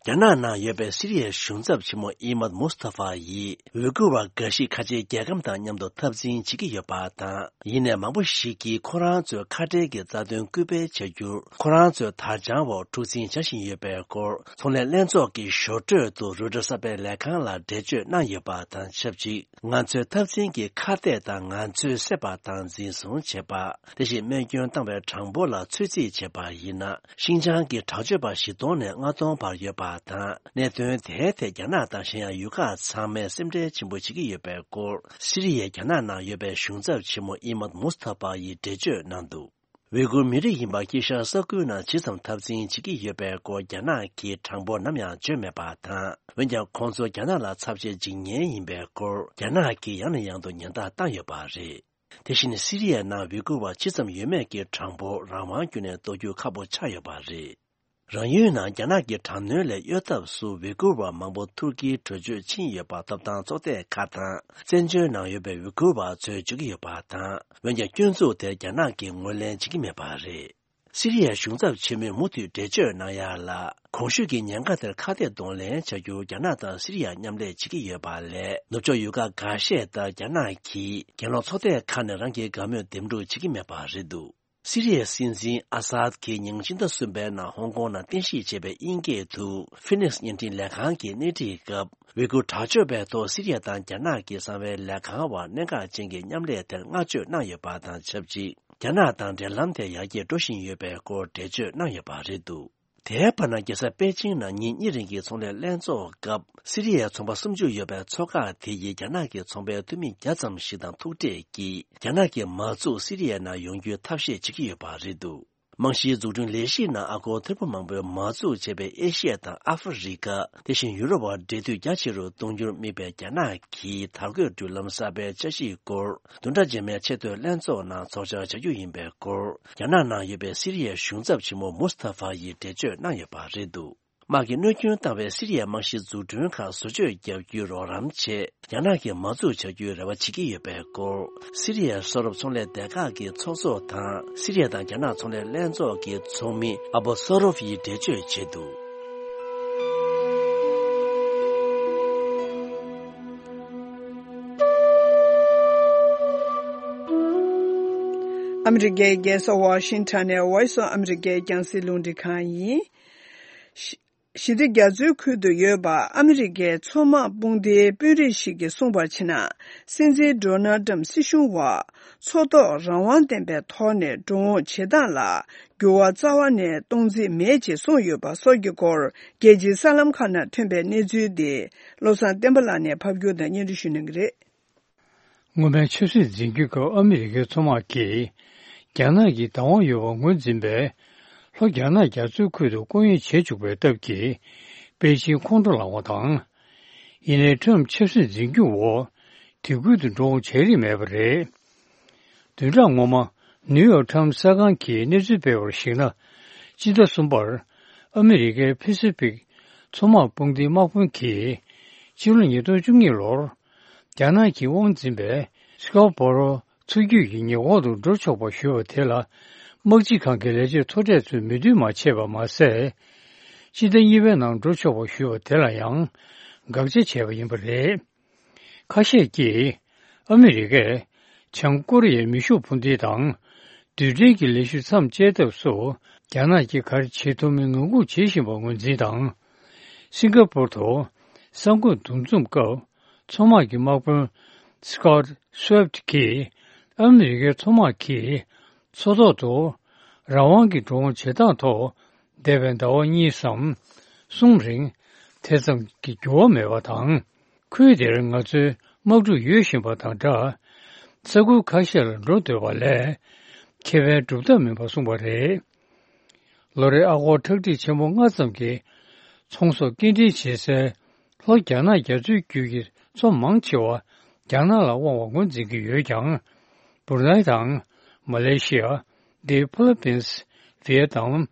རྒྱ་ནག་ནང་ཡོད་པའི་སི་རི་ཡའི་གཞུང་ཚབ་ཆེན་མོ་ཨི་མད་མུ་སྟ་ཧྥ་ཡིས་ཝི་གུར་བ་འགའ་ཞིག་ཁ་ཆེའི་རྒྱལ་ཁམས་དང་མཉམ་དུ་འཐབ་འཛིང་བྱེད་ཀྱི་ཡོད་པ་དང་། ཡིན་ནའི་མང་པོ་ཞིག་གིས་ཁོ་རང་ཚོའི་ཁ་བྲལ་གྱི་རྩ་དོན་སྐུལ་སྤེལ་བྱ་རྒྱུར་ཁོ་རང་ཚོའི་དར་འཆང་འོག་འཁྲུག་འཛིང་བྱ་བཞིན་ཡོད་པའི་སྐོར་ཚོང་ལས་ལྷན་ཚོགས་ཀྱི་ཞོར་འཕྲོས་དུ་རོའི་ཊར་གསར་པའི་ལས་ཁང་ལ་འགྲེལ་བརྗོད་གནང་ཡོད་པ་དང་ཆབས་ཅིག་ང་ཚོའི་འཐབ་འཛིང་གི་ཁ་གཏད་དང་ང་ཚོས་བསད་པ་དང་འཛིན་བཟུང་བྱེད་པ། དེ་བཞིན་རྨས་སྐྱོན་བཏང་བའི་གྲངས་འབོར་ལ་ཚོད་རྩིས་བྱས་པ་ཡིན་ན། ཤིན་ཅང་གི་དྲག་སྤྱོད་པ་བཞི་སྟོང་ནས་ལྔ་སྟོང་བར་ཡོད་པ་དང་། གནད་དོན་དེའི་ཐད་རྒྱ་ནག་དང་གཞན་ཡང་ཡུལ་ཁག་ཚང་མས་སེམས་ཁྲལ་ཆེན་པོ་བྱེད་ཀྱི་ཡོད་པའི་སྐོར། སི་རི་ཡའི་རྒྱ་ནག་ནང་ཡོད་པའི་གཞུང་ཚབ་ཆེན་མོ་ཨི་མད་མུ་སྟ་ཧྥ་ཡིས་འགྲེལ་བརྗོད་གནང་འདུག་ཝེ་གུར་མི་རིགས་ཡིན་པ་དཀྱིལ་ཤར་ས་ཁུལ་ནང་ཇི་ཙམ་འཐབ་འཛིང་བྱེད་ཀྱི་ཡོད་པའི་སྐོར་རྒྱ་ནག་གིས་དྲང་པོ་ནམ་ཡང་བརྗོད་མེད་པ་དང་། འོན་ཀྱང་ཁོང་ཚོ་རྒྱ་ནག་ལ་ཚབས་ཆེའི་འཇིགས་ཉེན་ཡིན་པའི་སྐོར་རྒྱ་ནག་གིས་ཡང་ནས་ཡང་དུ་ཉེན་བརྡ་བཏང་ཡོད་པ་རེད། དེ་བཞིན་སི་རི་ཡའི་ནང་ཝི་གུར་བ་ཇི་ཙམ་ཡོད་མེད་ཀྱི་གྲངས་འབོར་རང་དབང་བརྒྱུད་ནས་རྟོགས་རྒྱུ་ཁག་པོ་ཆགས་ཡོད་པ་རེད། རང་ཡུལ་ནང་རྒྱ་ནག་གི་དྲག་གནོན་ལས་གཡོལ་ཐབས་སུ་ཝི་གུར་བ་མང་པོ་ཐུར་ཀིའི་བྲོས་བྱོལ་ཕྱིན་ཡོད་པ་ཐོབ་ཐང་ཚོགས་སྡེ་ཁག་དང་བཙན་བྱོལ་ནང་ཡོད་པའི་ཝི་གུར་བ་ཚོས་བརྗོད་ཀྱི་ཡོད་པ་དང་། འོན་ཀྱང་སྐྱོན་འཛུགས་དེ་རྒྱ་ནག་གིས་ངོས་ལེན་བྱེད་ཀྱི་མེད་པ་རེད། སི་རི་ཡའི་གཞུང་ཚབ་ཆེན་མོས་མུ་མཐུད་འགྲེལ་བརྗོད་གནང་ཡ་ལ། གོང་ཞུས་ཀྱི་ཉེན་ཁ་དེར་ཁ་གཏད་གདོང་ལེན་བྱ་རྒྱུར་རྒྱ་ནག་དང་སི་རི་ཡ་མཉམ་ལས་བྱེད་ཀྱི་ཡོད་པ་ལས། ནུབ་ཕྱོགས་ཡུལ་ཁག་འགའ་ཤས་ལྟར་རྒྱ་ནག་གིས་གྱེན་ལོག་ཚོགས་སྡེ་ཁག་ནས་རང་གི་དགའ་མོས་འདེམས་སྒྲུག་བྱེད་ཀྱི་མེད་པ་རེད་འདུག་སི་རི་ཡའི་སྲིད་འཛིན་ཨ་སཱད་ཀྱིས་ཉིན་ཕྱི་ཟླ་གསུམ་པའི་ནང་ཧོང་ཀོང་ནང་རྟེན་གཞི་བྱས་པའི་དབྱིན་སྐད་དུ་Phoenix་བརྙན་འཕྲིན་ལས་ཁང་གི་སྣེ་ཁྲིད་སྐབས། ཝི་གུར་དྲག་སྤྱོད་པའི་ཐོག་སི་རི་ཡ་དང་རྒྱ་ནག་གི་གསང་བའི་ལས་ཁང་བར་གནད་འགག་ཅན་གྱི་མཉམ་ལས་དེར་བསྔགས་བརྗོད་གནང་ཡོད་པ་དང་ཆབས་ཅིག་རྒྱ་ནག་དང་འབྲེལ་ལམ་དེ་ཡར་རྒྱས་འགྲོ་བཞིན་ཡོད་པའི་སྐོར་འགྲེལ་བརྗོད་གནང་ཡོད་པ་རེད་འདུག་དེའི་བར་ན་རྒྱལ་ས་པེ་ཅིང་ནང་ཉིན་གཉིས་རིང་གི་ཚོང་ལས་ལྷན་ཚོགས་སྐབས། སི་རི་ཡའི་ཚོང་པ་སུམ་ཅུ་ཡོད་པའི་ཚོགས་ཁག་དེ་ཡིས་རྒྱ་ནག་གི་ཚོང་པའི་འཐུས་མི་བརྒྱ་ཙམ་ཞིག་དང་ཐུག་འཕྲད་ཀྱིས། རྒྱ་ནག་གི་མ་འཛུགས་སི་རི་ཡའི་ནང་ཡོང་རྒྱུའི་ཐབས་ཤེས་བྱེད་ཀྱི་ཡོད་པ་རེད་འདུག་རྨང་གཞིའི་འཛུགས་སྐྲུན་ལས་གཞིའི་ནང་ཨ་སྒོར་ཐེར་འབུམ་མང་པོའི་མ་འཛུགས་བྱས་པའི་ཨེ་ཤི་ཡ་དང་ཨ་ཧྥེ་རི་ཁ། དེ་བཞིན་ཡུ་རོབ་བར་འབྲེལ་མཐུད་རྒྱ་ཆེ་རུ་གཏོང་རྒྱུར་དམིགས་པའི་རྒྱ་ནག་གི་དར་གོས་འགྲུལ་ལམ་གསར་པའི་འཆར་གཞིའི་སྐོར། བདུན་ཕྲག་རྗེས་མའི་ཆེས་མཐོའི་ལྷན་ཚོགས་ནང་ཚོགས་བཅར་བྱ་རྒྱུ་ཡིན་པའི་སྐོར། རྒྱ་ནག་ནང་ཡོད་པའི་སི་རི་ཡའི་གཞུང་ཚབ་ཆེན་མོ་མུ་སྟ་ཧྥ་ཡིས་འགྲེལ་བརྗོད་གནང་ཡོད་པ་རེད་འདུག་དམག་གིས་གནོད་སྐྱོན་བཏང་བའི་སི་རི་ཡའི་རྨང་གཞིའི་འཛུགས་སྐྲུན་ཁག་བཟོ་བཅོས་བརྒྱབ་རྒྱུའི་རོགས་རམ་ཆེད། རྒྱ་ནག་གིས་མ་འཛུགས་བྱ་རྒྱུའི་རེ་བ་བྱེད་ཀྱི་ཡོད་པའི་སྐོར། སི་རི་ཡའི་ས་རོབ་ཚོང་ལས་སྡེ་ཁག་གི་ཚོགས་གཙོ་དང་། སི་རི་ཡ་དང་རྒྱ་ནག་ཚོང་ལས་ལྷན་ཚོགས་ཀྱི་ཚོགས་མི་ཨ་བོ་སོ་རོབ་ཡིས་འགྲེལ་བརྗོད་བྱས་འདུག་ཨ་མི་རི་ཀའི་རྒྱལ་ས་ཝ་ཤིང་ཊོན་ནས་Voice of America་རྒྱང་སྲིང་རླུང་འཕྲིན་ཁང་ཡིན། ཞི་བདེ་རྒྱ་མཚོའི་ཁུལ་དུ་ཡོད་པ་ཨ་མི་རི་ཀའི་མཚོ་དམག་དཔུང་སྡེའི་དཔོན་རིགས་ཤིག་གིས་གསུངས་པར་བྱས་ན། སྲིད་འཛིན་ཌོ་ནལ་ཊམ་སྲིད་གཞུང་བ་མཚོ་ཐོག་རང་དབང་ལྡན་པའི་ཐོག་ནས་འགྲོ་འོང་བྱེད་སྟངས་ལ་འགྱུར་བ་རྩ་བ་ནས་གཏོང་རྩིས་མེད་ཅེས་གསུངས་ཡོད་པ་སོགས་ཀྱི་སྐོར། རྒྱལ་སྤྱིའི་གསར་ལམ་ཁག་ནང་ཐོན་པའི་གནས་ཚུལ་དེ་བློ་བཟང་བསྟན་པ་ལགས་ནས་ཕབ་སྒྱུར་དང་སྙན་སྒྲོན་ཞུ་གནང་གི་རེད། སྔོན་མའི་ཆབ་སྲིད་འཛིན་སྐྱོང་སྐབས་ཨ་མི་རི་ཀའི་མཚོ་དམག་གིས་རྒྱ་ནག་གི་བདག་དབང་ཡོད་པ་ངོས་འཛིན་པའི་ལྷོ་རྒྱ་ནག་རྒྱ་མཚོའི་ཁུལ་དུ་སྐུ་ངལ་བྱེད་བཅུག་པའི་སྟབས་ཀྱིས་པེ་ཅིང་ཁོང་ཁྲོ་ལངས་པ་དང་། ཡིན་ནའི་ཊམ་ཆབ་སྲིད་འཛིན་སྐྱོང་འོག་དེ་ཁུལ་དུ་འགྲོ་འོང་བྱས་རིན་མེད་པ་རེད། བདུན་ཕྲག་སྔོན་མ་ནིའུ་ཡོག་ཊམ་གསར་ཁང་གིས་གནས་ཚུལ་སྤེལ་བར་གཞིགས་ན། སྤྱི་ཟླ་གསུམ་པར་ཨ་མི་རི་ཀའི་ཕེ་སི་ཕིག་མཚོ་དམག་དཔུང་སྡེའི་དམག་དཔོན་གྱིས་ཕྱི་ལོ་ཉིས་སྟོང་བཅུ་གཉིས་ལོར། རྒྱ་ནག་གིས་དབང་འཛིན་པའི་སི་ཀའོ་པོ་རོ་མཚོ་རྒྱུད་ཀྱི་ཉེ་འཁོར་དུ་འགྲོ་ཆོག་པ་ཞུས་པ་དེ་ལ་དམག་སྤྱི་ཁང་གི་ལས་བྱེད་མཐོ་གྲས་ཚོས་མོས་མཐུན་མ་བྱས་པ་མ་ཟད། སྤྱི་ཟླ་གཉིས་པའི་ནང་འགྲོ་ཆོག་པ་ཞུས་པ་དེ་ལ་ཡང་དགག་བྱ་བྱས་པ་ཡིན་པ་རེད། ཁ་ཤས་ཀྱིས་ཨ་མི་རི་ཀས་བྱང་ཀོ་རི་ཡའི་མེ་ཤུགས་འཕུར་མདེལ་དང་རྡུལ་ཕྲན་གྱི་ལས་ཞུགས་མཚམས་བཅད་ཐབས་སུ་རྒྱ་ནག་གིས་ག་རེ་བྱེད་ཐུབ་མིན་ངང་སྒུག་བྱེད་བཞིན་པ་ངོས་འཛིན་དང་། སིང་ག་པུར་དུ་གསར་འགོད་འདུ་འཛོམས་སྐབས། མཚོ་དམག་གི་དམག་དཔོན་Scott Swift་གྱིས་ཨ་མི་རི་ཀའི་མཚོ་དམག་གིས་མཚོ་ཐོག་ཏུ་རང་དབང་གི་འགྲོ་འོང་བྱེད་སྟངས་ཐོག་འདས་པའི་ཟླ་བ་གཉིས་སམ་གསུམ་རིང་དེ་ཙམ་གྱི་འགྱུར་བ་མེད་པ་དང་། ཁུལ་དེར་ང་ཚོའི་དམག་འཁྲུག་ཡོད་བཞིན་པ་དང་སྦྲགས། ས་ཁུལ་ཁ་ཤས་ལ་འགྲོ་འདོད་པ་ལས་ཁེ་ཕན་སྒྲུབ་ཐབས་མིན་པ་གསུངས་པ་རེད། ལོ་རེའི་ཨ་སྒོར་ཁྲག་ཁྲིག་ཆེན་པོ་ལྔ་ཙམ་གྱི་ཚོང་ཟོག་སྐྱེལ་འདྲེན་བྱེད་སའི་ལྷོ་རྒྱ་ནག་རྒྱ་མཚོའི་རྒྱུད་ཀྱི་མཚོ་མང་ཆེ་བ་རྒྱ་ནག་ལ་དབང་བ་ངོས་འཛིན་གྱི་ཡོད་ཀྱང་། སྦུར་ནའི་དང་མ་ལེ་ཤི་ཡ། The Philippines། ཝི་ཡེ་ནམ།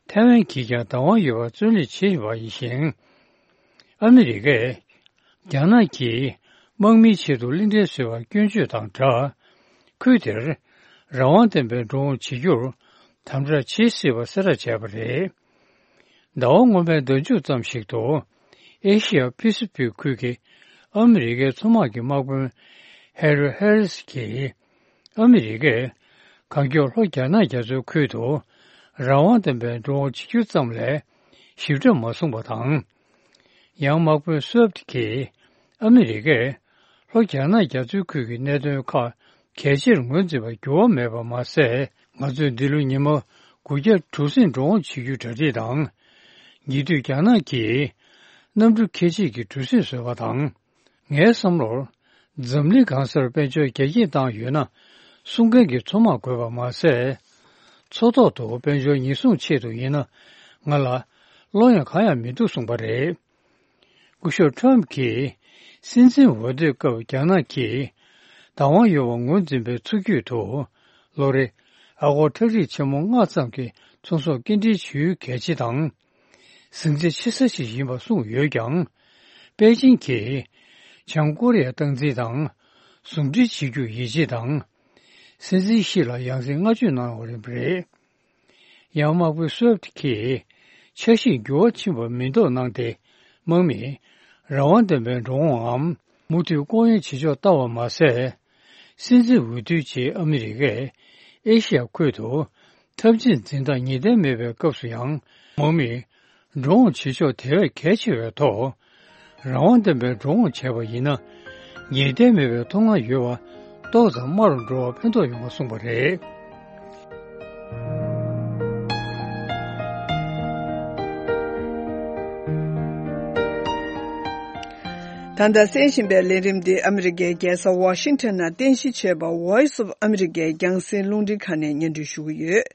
ཐའེ་ཝན་གྱིས་ཀྱང་བདག་དབང་ཡོད་པར་བརྩོན་ལེན་བྱེད་བཞིན་པ་ཡིན་ཞིང་། ཨ་མི་རི་ཀས་རྒྱ་ནག་གིས་དམག་མིའི་ཆེད་དུ་གླིང་ཕྲན་བཟོས་པར་སྐྱོན་བརྗོད་དང་སྦྲགས། ཁུལ་དེར་རང་དབང་ལྡན་པའི་འགྲོ་འོང་བྱེད་རྒྱུར་དམ་དྲག་བྱེད་སྲིད་པ་གསལ་བསྒྲགས་བྱས་པ་རེད། ཟླ་བ་སྔོན་མའི་ཟླ་མཇུག་ཙམ་ཞིག་ཏུ། ཨེ་ཤི་ཡ་པེ་སི་ཕིག་ཁུལ་གྱི་ཨ་མི་རི་ཀའི་མཚོ་དམག་གི་དམག་དཔོན་ཧེ་རི་ཧེ་རིས་ཀྱིས། ཨ་མི་རི་ཀས་གང་མགྱོགས་ལྷོ་རྒྱ་ནག་རྒྱ་མཚོའི་ཁུལ་དུ་རང་དབང་ལྡན་པའི་འགྲོ་འོང་བྱེད་རྒྱུ་ཙམ་ལས་ཞིབ་ཕྲ་མ་གསུངས་པ་དང་། ཡང་དམག་དཔོན་སུབ་ཀྱིས་ཨ་མི་རི་ཀས་ལྷོ་རྒྱ་ནག་རྒྱ་མཚོའི་ཁུལ་གྱི་གནད་དོན་ཁག་གལ་ཆེར་ངོས་འཛིན་པར་འགྱུར་བ་མེད་པ་མ་ཟད། ང་ཚོས་འདི་ལོའི་ཉི་མ་དགུ་བརྒྱ་གྲུ་གཟིངས་འགྲོ་འོང་བྱེད་རྒྱུའི་གྲ་སྒྲིག་དང་། ཉེ་དུས་རྒྱ་ནག་གིས་གནམ་གྲུ་ཁྱད་ཆོས་ཀྱི་གྲུ་གཟིངས་བཟོས་པ་དང་། ངའི་བསམ་བློར། འཛམ་གླིང་གང་སར་དཔལ་འབྱོར་རྒྱ་སྐྱེད་བཏང་ཡོད་ན། སྲུང་མཁན་གྱི་མཚོ་དམག་དགོས་པ་མ་ཟད། མཚོ་ཐོག་ཏུ་དཔལ་འབྱོར་ཉེན་སྲུང་ཆེད་དུ་ཡིན་ན་ང་ལ་བློ་ཡང་གང་ཡང་མི་འདུག་གསུངས་པ་རེད། སྐུ་ཞབས་ཊམ་གྱིས་སྲིད་འཛིན་འོས་བསྡུའི་སྐབས་རྒྱ་ནག་གིས་བདག་དབང་ཡོད་པ་ངོས་འཛིན་པའི་ཚུལ་བརྒྱུད་དུ་ལོ་རེ་ཨ་སྒོར་ཁྲག་ཁྲིག་ཆེན་མོ་ལྔ་ཙམ་གྱི་ཚོང་ཟོག་སྐྱེལ་འདྲེན་བྱེད་ཡུལ་གལ་ཆེ་དང་། ཟིང་ཆ་ཆེ་ས་ཞིག་ཡིན་པ་གསུངས་ཡོད་ཀྱང་། པེ་ཅིང་གིས་བྱང་ཀོ་རི་ཡར་སྟངས་འཛིན་དང་ཟུང་འབྲེལ་བྱེད་རྒྱུར་ཡིད་ཆེས་དང་། སྲིད་འཛིན་ཞི་ལ་ཡང་སེ་བསྔགས་བརྗོད་གནང་བ་རེད་པ་རེད། ཡང་དམག་དཔོན་སུབ་ཀྱིས་འཆར་གཞིར་འགྱུར་བ་ཕྱིན་པ་མི་འདུག་གནང་སྟེ། དམག་མིས་རང་དབང་ལྡན་པའི་འགྲོ་འོང་ངམ་མུ་མཐུད་ལྐོག་གཡེང་བྱེད་ཕྱོགས་ལྟ་བ་མ་ཟད། སྲིད་འཛིན་འོས་བསྡུའི་རྗེས་ཨ་མི་རི་ཀས་ཨེ་ཤི་ཡ་ཁུལ་དུ་འཐབ་ཇུས་འཛིན་སྟངས་ངེས་གཏན་མེད་པའི་སྐབས་སུ་ཡང་དམག་མིས་འགྲོ་འོང་བྱེད་ཕྱོགས་དེ་བས་གལ་ཆེ་བའི་ཐོག་རང་དབང་ལྡན་པའི་འགྲོ་འོང་བྱས་པ་ཡིན་ན། ངེས་གཏན་མེད་པའི་མཐོང་སྣང་ཡོད་པ་ཏོག་ཙམ་དམའ་རུ་འགྲོ་བར་ཕན་ཐོགས་ཡོང་བ་གསུངས་པ་རེད། ད་ལྟ་གསན་བཞིན་པའི་ལས་རིམ་འདི་ཨ་མི་རི་ཀའི་རྒྱལ་ས་ཝ་ཤིང་ཊོན་ནང་རྟེན་གཞི་བྱས་པ་Voice of America རྒྱང་སྲིང་རླུང་འཕྲིན་ཁང་ནས་སྙན་སྒྲོན་ཞུ་གི་ཡོད།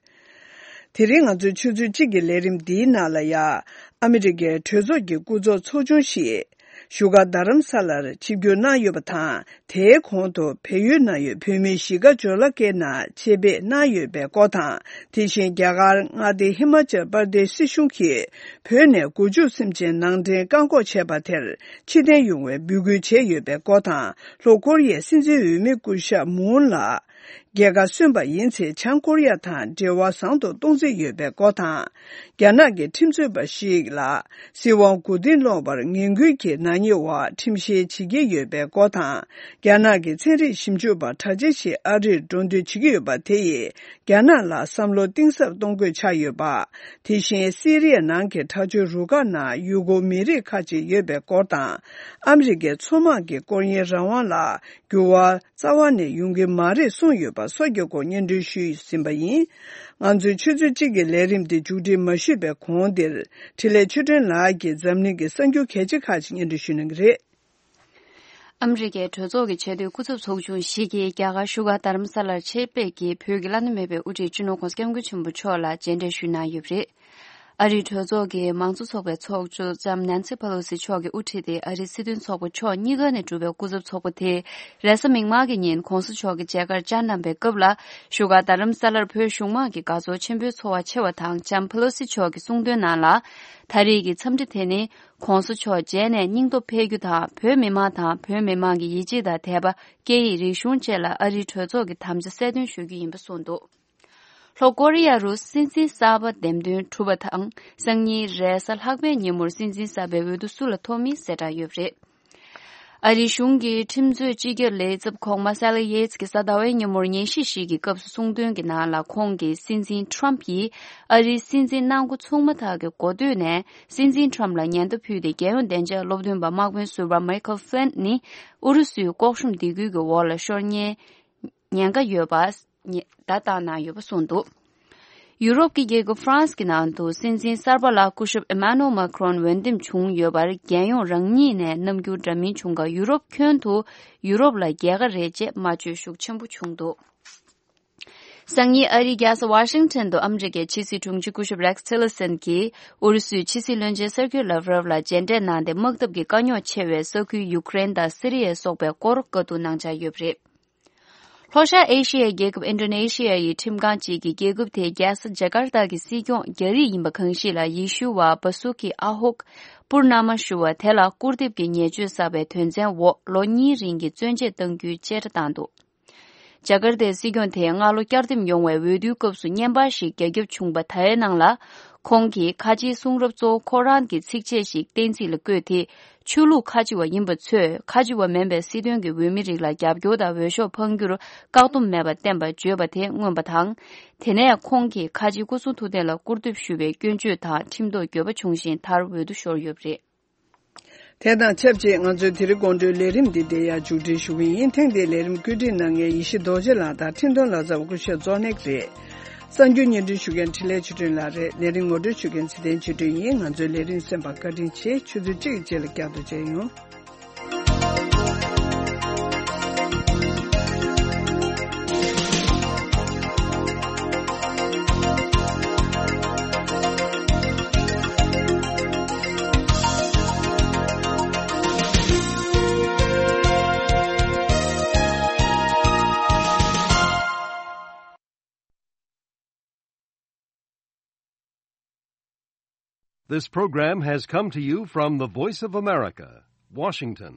དེ་རིང་ང་ཚོའི་ཆུ་ཚོད་གཅིག་གི་ལས་རིམ་འདིའི་ནང་ལ་ཡ། ཨ་མི་རི་ཀའི་གྲོས་ཚོགས་ཀྱི་སྐུ་ཚབ་ཚོགས་ཆུང་ཞིག་བཞུགས་སྒར་རྡ་རམ་ས་ལར་ཆིབས་བསྒྱུར་གནང་ཡོད་པ་དང་། དེའི་གོང་དུ་བལ་ཡུལ་ནང་ཡོད་བོད་མིའི་གཞིས་ཀ་ཇོ་ལ་ཀེ་ནང་ཆེད་ཕེབས་གནང་ཡོད་པའི་སྐོར་དང་། དེ་བཞིན་རྒྱ་གར་མངའ་སྡེ་ཧི་མ་ཅལ་པར་དེཤ་སྲིད་གཞུང་གིས་བོད་ནས་མགོ་མཇུག་སེམས་ཅན་ནང་འདྲེན་བཀག་འགོག་བྱས་པ་དེར་ཕྱིར་འཐེན་ཡོང་བའི་འབོད་སྐུལ་བྱས་ཡོད་པའི་སྐོར་དང་། ལྷོ་ཀོ་རི་ཡའི་སྲིད་འཛིན་འོས་མི་སྐུ་ཞབས་མུན་ལགས། རྒྱལ་ཁ་སོན་པ་ཡིན་ཚེ་བྱང་ཀོ་རི་ཡ་དང་འབྲེལ་བ་བཟང་དུ་གཏོང་རྩིས་ཡོད་པའི་སྐོར་དང་། རྒྱ་ནག་གི་ཁྲིམས་རྩོད་པ་ཞིག་ལ་སྲིད་དབང་མགོ་རྟིང་སློག་པར་ངན་སྐུལ་གྱི་ནག་ཉེས་འོག་ཁྲིམས་བཤེར་བྱེད་ཀྱི་ཡོད་པའི་སྐོར་དང་། རྒྱ་ནག་གི་ཚན་རིག་ཞིབ་འཇུག་པ་གྲགས་ཅན་ཞིག་ཨ་རིར་འགྲོ་འདོད་བྱེད་ཀྱི་ཡོད་པ་དེ་ཡིས་རྒྱ་ནག་ལ་བསམ་བློ་གཏིང་ཟབ་གཏོང་དགོས་ཆགས་ཡོད་པ། དེ་བཞིན་སི་རི་ཡ་ནང་གི་དྲག་སྤྱོད་རུ་ཁག་ནང་ཡུལ་སྐོར་མི་རིགས་ཁག་ཅིག་ཡོད་པའི་སྐོར་དང་། ཨ་མི་རི་ཀའི་མཚོ་དམག་གི་སྐོར་གཡེང་རང་དབང་ལ་འགྱུར་བ་རྩ་བ་ནས་ཡོང་གི་མ་རེད་གསུངས་ཡོད་པ་སོགས་ཀྱི་སྐོར་སྙན་སྒྲོན་ཞུས་ཟིན་པ་ཡིན། ང་ཚོའི་ཆུ་ཚོད་གཅིག་གི་ལས་རིམ་འདི་མཇུག་སྒྲིལ་མ་ཞུས་པའི་གོང་འདིར་འཕྲིན་ལས་ཆོས་སྒྲོན་ལགས་ཀྱིས་འཛམ་གླིང་གི་གསར་འགྱུར་གལ་ཆེ་ཁག་ཅིག་སྙན་སྒྲོན་ཞུ་གནང་གི་རེད། ཨ་མི་རི་ཀའི་གྲོས་ཚོགས་ཀྱི་ཆེས་མཐོའི་སྐུ་ཚབ་ཚོགས་ཆུང་ཞིག་གིས་རྒྱ་གར་བཞུགས་སྒར་རྡ་རམ་ས་ལར་ཆེད་ཕེབས་ཀྱིས་བོད་ཀྱི་བླ་ན་མེད་པའི་དབུ་ཁྲིད་སྤྱི་ནོར་༧གོང་ས་༧སྐྱབས་མགོན་ཆེན་པོ་མཆོག་ལ་མཇལ་འཕྲད་ཞུས་གནང་ཡོད་པ་རེད། ཨ་རིའི་གྲོས་ཚོགས་ཀྱི་མང་གཙོ་ཚོགས་པའི་ཚོགས་གཙོ་ལྕམ་ནན་སི་ཕེ་ལོ་སི་མཆོག་གིས་དབུ་ཁྲིད་དེ་ཨ་རིའི་སྲིད་དོན་ཚོགས་པ་ཕྱོགས་གཉིས་ཀ་ནས་གྲུབ་པའི་སྐུ་ཚབ་ཚོགས་པ་དེས་རེས་གཟའ་མིག་དམར་གྱི་ཉིན་གོང་ས་མཆོག་གི་མཇལ་ཁར་བཅར་གནང་པའི་སྐབས་ལ། བཞུགས་སྒར་རྡ་རམ་ས་ལར་བོད་གཞུང་དམངས་ཀྱི་དགའ་ཚོར་ཆེན་པོའི་ཚོར་བ་ཆེ་བ་དང་། ལྕམ་ཕེ་ལོ་སི་མཆོག་གིས་གསུངས་དོན་ནང་ལ། ད་རེས་ཀྱི་འཚམས་འདྲི་དེ་ནི། གོང་ས་མཆོག་མཇལ་ནས་སྙིང་སྟོབས་འཕེལ་རྒྱུ་དང་། བོད་མི་མང་དང་བོད་མི་མང་གི་ཡིད་ཆེས་དང་དད་པ། སྐད་ཡིག་རིག་གཞུང་བཅས་ལ་ཨ་རིའི་གྲོས་ཚོགས་ཀྱི་དམ་བཅའ་གསལ་སྟོན་ཞུ་རྒྱུ་ཡིན་པ་གསུངས་འདུག་ལྷོ་ཀོ་རི་ཡ་རུ་སྲིད་འཛིན་གསར་པ་འདེམས་ཐོན་གྲུབ་པ་དང་། སང་ཉིན་རེས་གཟའ་ལྷག་པའི་ཉིན་མོར་སྲིད་འཛིན་གསར་པའི་འོས་བསྡུ་སུ་ལ་ཐོབ་མིན་གསལ་བསྒྲགས་ཡོད་པ་རེད། ཨ་རིའི་གཞུང་གི་ཁྲིམས་རྩོད་སྤྱི་ཁྱབ་ལས་ཚབ་གོང་མ་སེ་ལི་ཡེ་ཚི་གིས་གཟའ་ཟླ་བའི་ཉིན་མོར་ཉན་ཞིབ་ཞིག་གི་སྐབས་སུ་གསུངས་དོན་གྱི་ནང་ལ། ཁོང་གིས་སྲིད་འཛིན་ཊམ་ཕ་ཡིས་ཨ་རིའི་སྲིད་འཛིན་གནང་འགོ་ཚུགས་མ་ཐག་གི་འགོ་སྟོད་ནས་སྲིད་འཛིན་ཊམ་ཕ་ལ་ཉེན་བརྡ་ཕུལ་ཏེ། རྒྱལ་ཡོངས་བདེ་འཇགས་སློབ་སྟོན་པ་དམག་དཔོན་ཟུར་པ་མའི་ཁལ་ཕི་ལིན་ནི་ཨུ་རུ་སུའི་ལྐོག་ཤུམ་སྡིགས་སྐུལ་གྱི་འོག་ལ་ཤོར་ཉེན། ཉེན་ཁ་ཡོད་པ་བརྡ་བཏང་གནང་ཡོད་པ་གསུངས་འདུག་ཡུ་རོབ་ཀྱི་རྒྱལ་ཁབ་ཧྥ་རན་སི་གི་ནང་དུ་སྲིད་འཛིན་གསར་པ་ལ་སྐུ་ཞབས་ཨེ་མ་ནུ་ཨེལ་མཱ་ཁི་རོན་འོས་འདེམས་བྱུང་ཡོད་པར། རྒྱལ་ཡོངས་རང་ཉིད་ནས་རྣམ་འགྱུར་འདྲ་མིན་བྱུང་ཁར། ཡུ་རོབ་ཁྱོན་དུ་ཡུ་རོབ་ལ་རྒྱལ་ཁ་རེད་ཅེས་སྨྲ་བརྗོད་ཤུགས་ཆེན་པོ་བྱུང་འདུག་སང་ཉིན་ཨ་རིའི་རྒྱལ་ས་ཝ་ཤིང་ཊོན་དུ་ཨ་མི་རི་ཀའི་ཕྱི་སྲིད་དྲུང་ཆེ་སྐུ་ཞབས་རེག་སི་ཊི་ལར་སན་གྱིས་ཨུ་རུ་སུའི་ཕྱི་སྲིད་བློན་ཆེན་སེར་ཁེ་ལཱབ་རོབ་ལ་མཇལ་འཕྲད་གནང་སྟེ། དམག་འཐབ་ཀྱི་དཀའ་རྙོག་ཆེ་བའི་ས་ཁུལ་ཡུ་ཀེ་རེན་དང་སི་རི་ཡ་སོགས་པའི་སྐོར་བཀའ་བསྡུར་གནང་འཆར་ཡོད་པ་རེད། ལྷོ་ཤར་ཨེ་ཤི་ཡའི་རྒྱལ་ཁབ་ཨིན་ཌོ་ནེ་ཤི་ཡ་ཡི་ཁྲིམས་ཁང་གཅིག་གིས་རྒྱལ་ཁབ་དེའི་རྒྱལ་ས་ཇ་ཀར་ཏ་གི་སྲིད་སྐྱོང་རྒྱ་རིགས་ཡིན་པ་གང་ཞིག་ལ་ཡེ་ཤུ་བ་བ་སུ་ཁི་ཨ་ཧོག་པུར་ན་མ་ཞུ་བ་དེ་ལ་སྐུར་འདེབས་ཀྱི་ཉེས་སྤྱོད་བསགས་པའི་དོན་ཚན་འོག་ལོ་གཉིས་རིང་གི་བཙོན་འཇལ་གཏང་རྒྱུའི་བཅད་ཁྲ་བཏང་འདུག་ཇ་ཀར་ཏའི་སྲིད་སྐྱོང་དེས་སྔ་ལོ་བསྐྱར་འདེམས་ཡོང་བའི་འོས་བསྡུའི་སྐབས་སུ་བརྙན་པར་ཞིག་རྒྱ་ཁྱབ་བྱུང་བ་དེའི་ནང་ལ། ཁོང་གིས་ཁ་ཆེའི་གསུང་རབ་གཙོ་བོ་ཁོ་རང་གི་ཚིགས་བཅད་ཞིག་བསྟན་ཚིག་ལ་བཀོད་དེ། ཆོས་ལུགས་ཁ་ཆེ་བ་ཡིན་པ་ཚོས་ཁ་ཆེ་བ་མིན་པའི་སྲིད་དོན་གྱི་འོས་མི་རིགས་ལ་རྒྱབ་སྐྱོར་དང་འོས་ཤོག་འཕང་རྒྱུར་བཀག་སྡོམ་མེད་པར་བསྟན་པ་བརྗོད་པ་དེ་མངོན་པ་དང་། དེ་ནས་ཁོང་གིས་ཁ་ཆེ་སྐུ་སྲུང་ཐུབ་བསྟན་ལ་སྐུར་འདེབས་ཞུ་བའི་སྐྱོན་བརྗོད་དང་ཁྲིམས་ཐོག་འགྱོད་པ་བྱུང་ཞིང་། མཐར་འོས་བསྡུ་ཤོར་ཡོད་པ་རེད། དེ་དང་ཆབས་ཅིག་ང་ཚོའི་དེ་རིང་དགོང་དྲོའི་ལས་རིམ་འདི་འདིར་ཡང་མཇུག་སྒྲིལ་ཞུ་གི་ཡིན། ཐེངས་འདིའི་ལས་རིམ་བཀོད་སྒྲིག་གནང་མཁན་ཡེ་ཤེས་རྡོ་རྗེ་ལགས་དང་འཕྲིན་གཏོང་ལག་རྩལ་བ་སྐུ་ཞབས་ཛོ་ནེག་རེད། གསར་འགྱུར་སྙན་སྒྲོན་ཞུ་མཁན་འཕྲིན་ལས་ཆོས་སྒྲོན་ལགས་རེད། ལས་རིམ་ངོ་སྤྲོད་ཞུ་མཁན་ཚེ་བརྟན་ཆོས་སྒྲོན་ཡིན། ང་ཚོའི་ལས་རིམ་གསན་པར་བཀའ་དྲིན་ཆེ། ཆུ་ཚོད་གཅིག་གི་རྗེས་ལ་བསྐྱར་དུ་མཇལ་ཡོང་། This program has come to you from the Voice of America, Washington.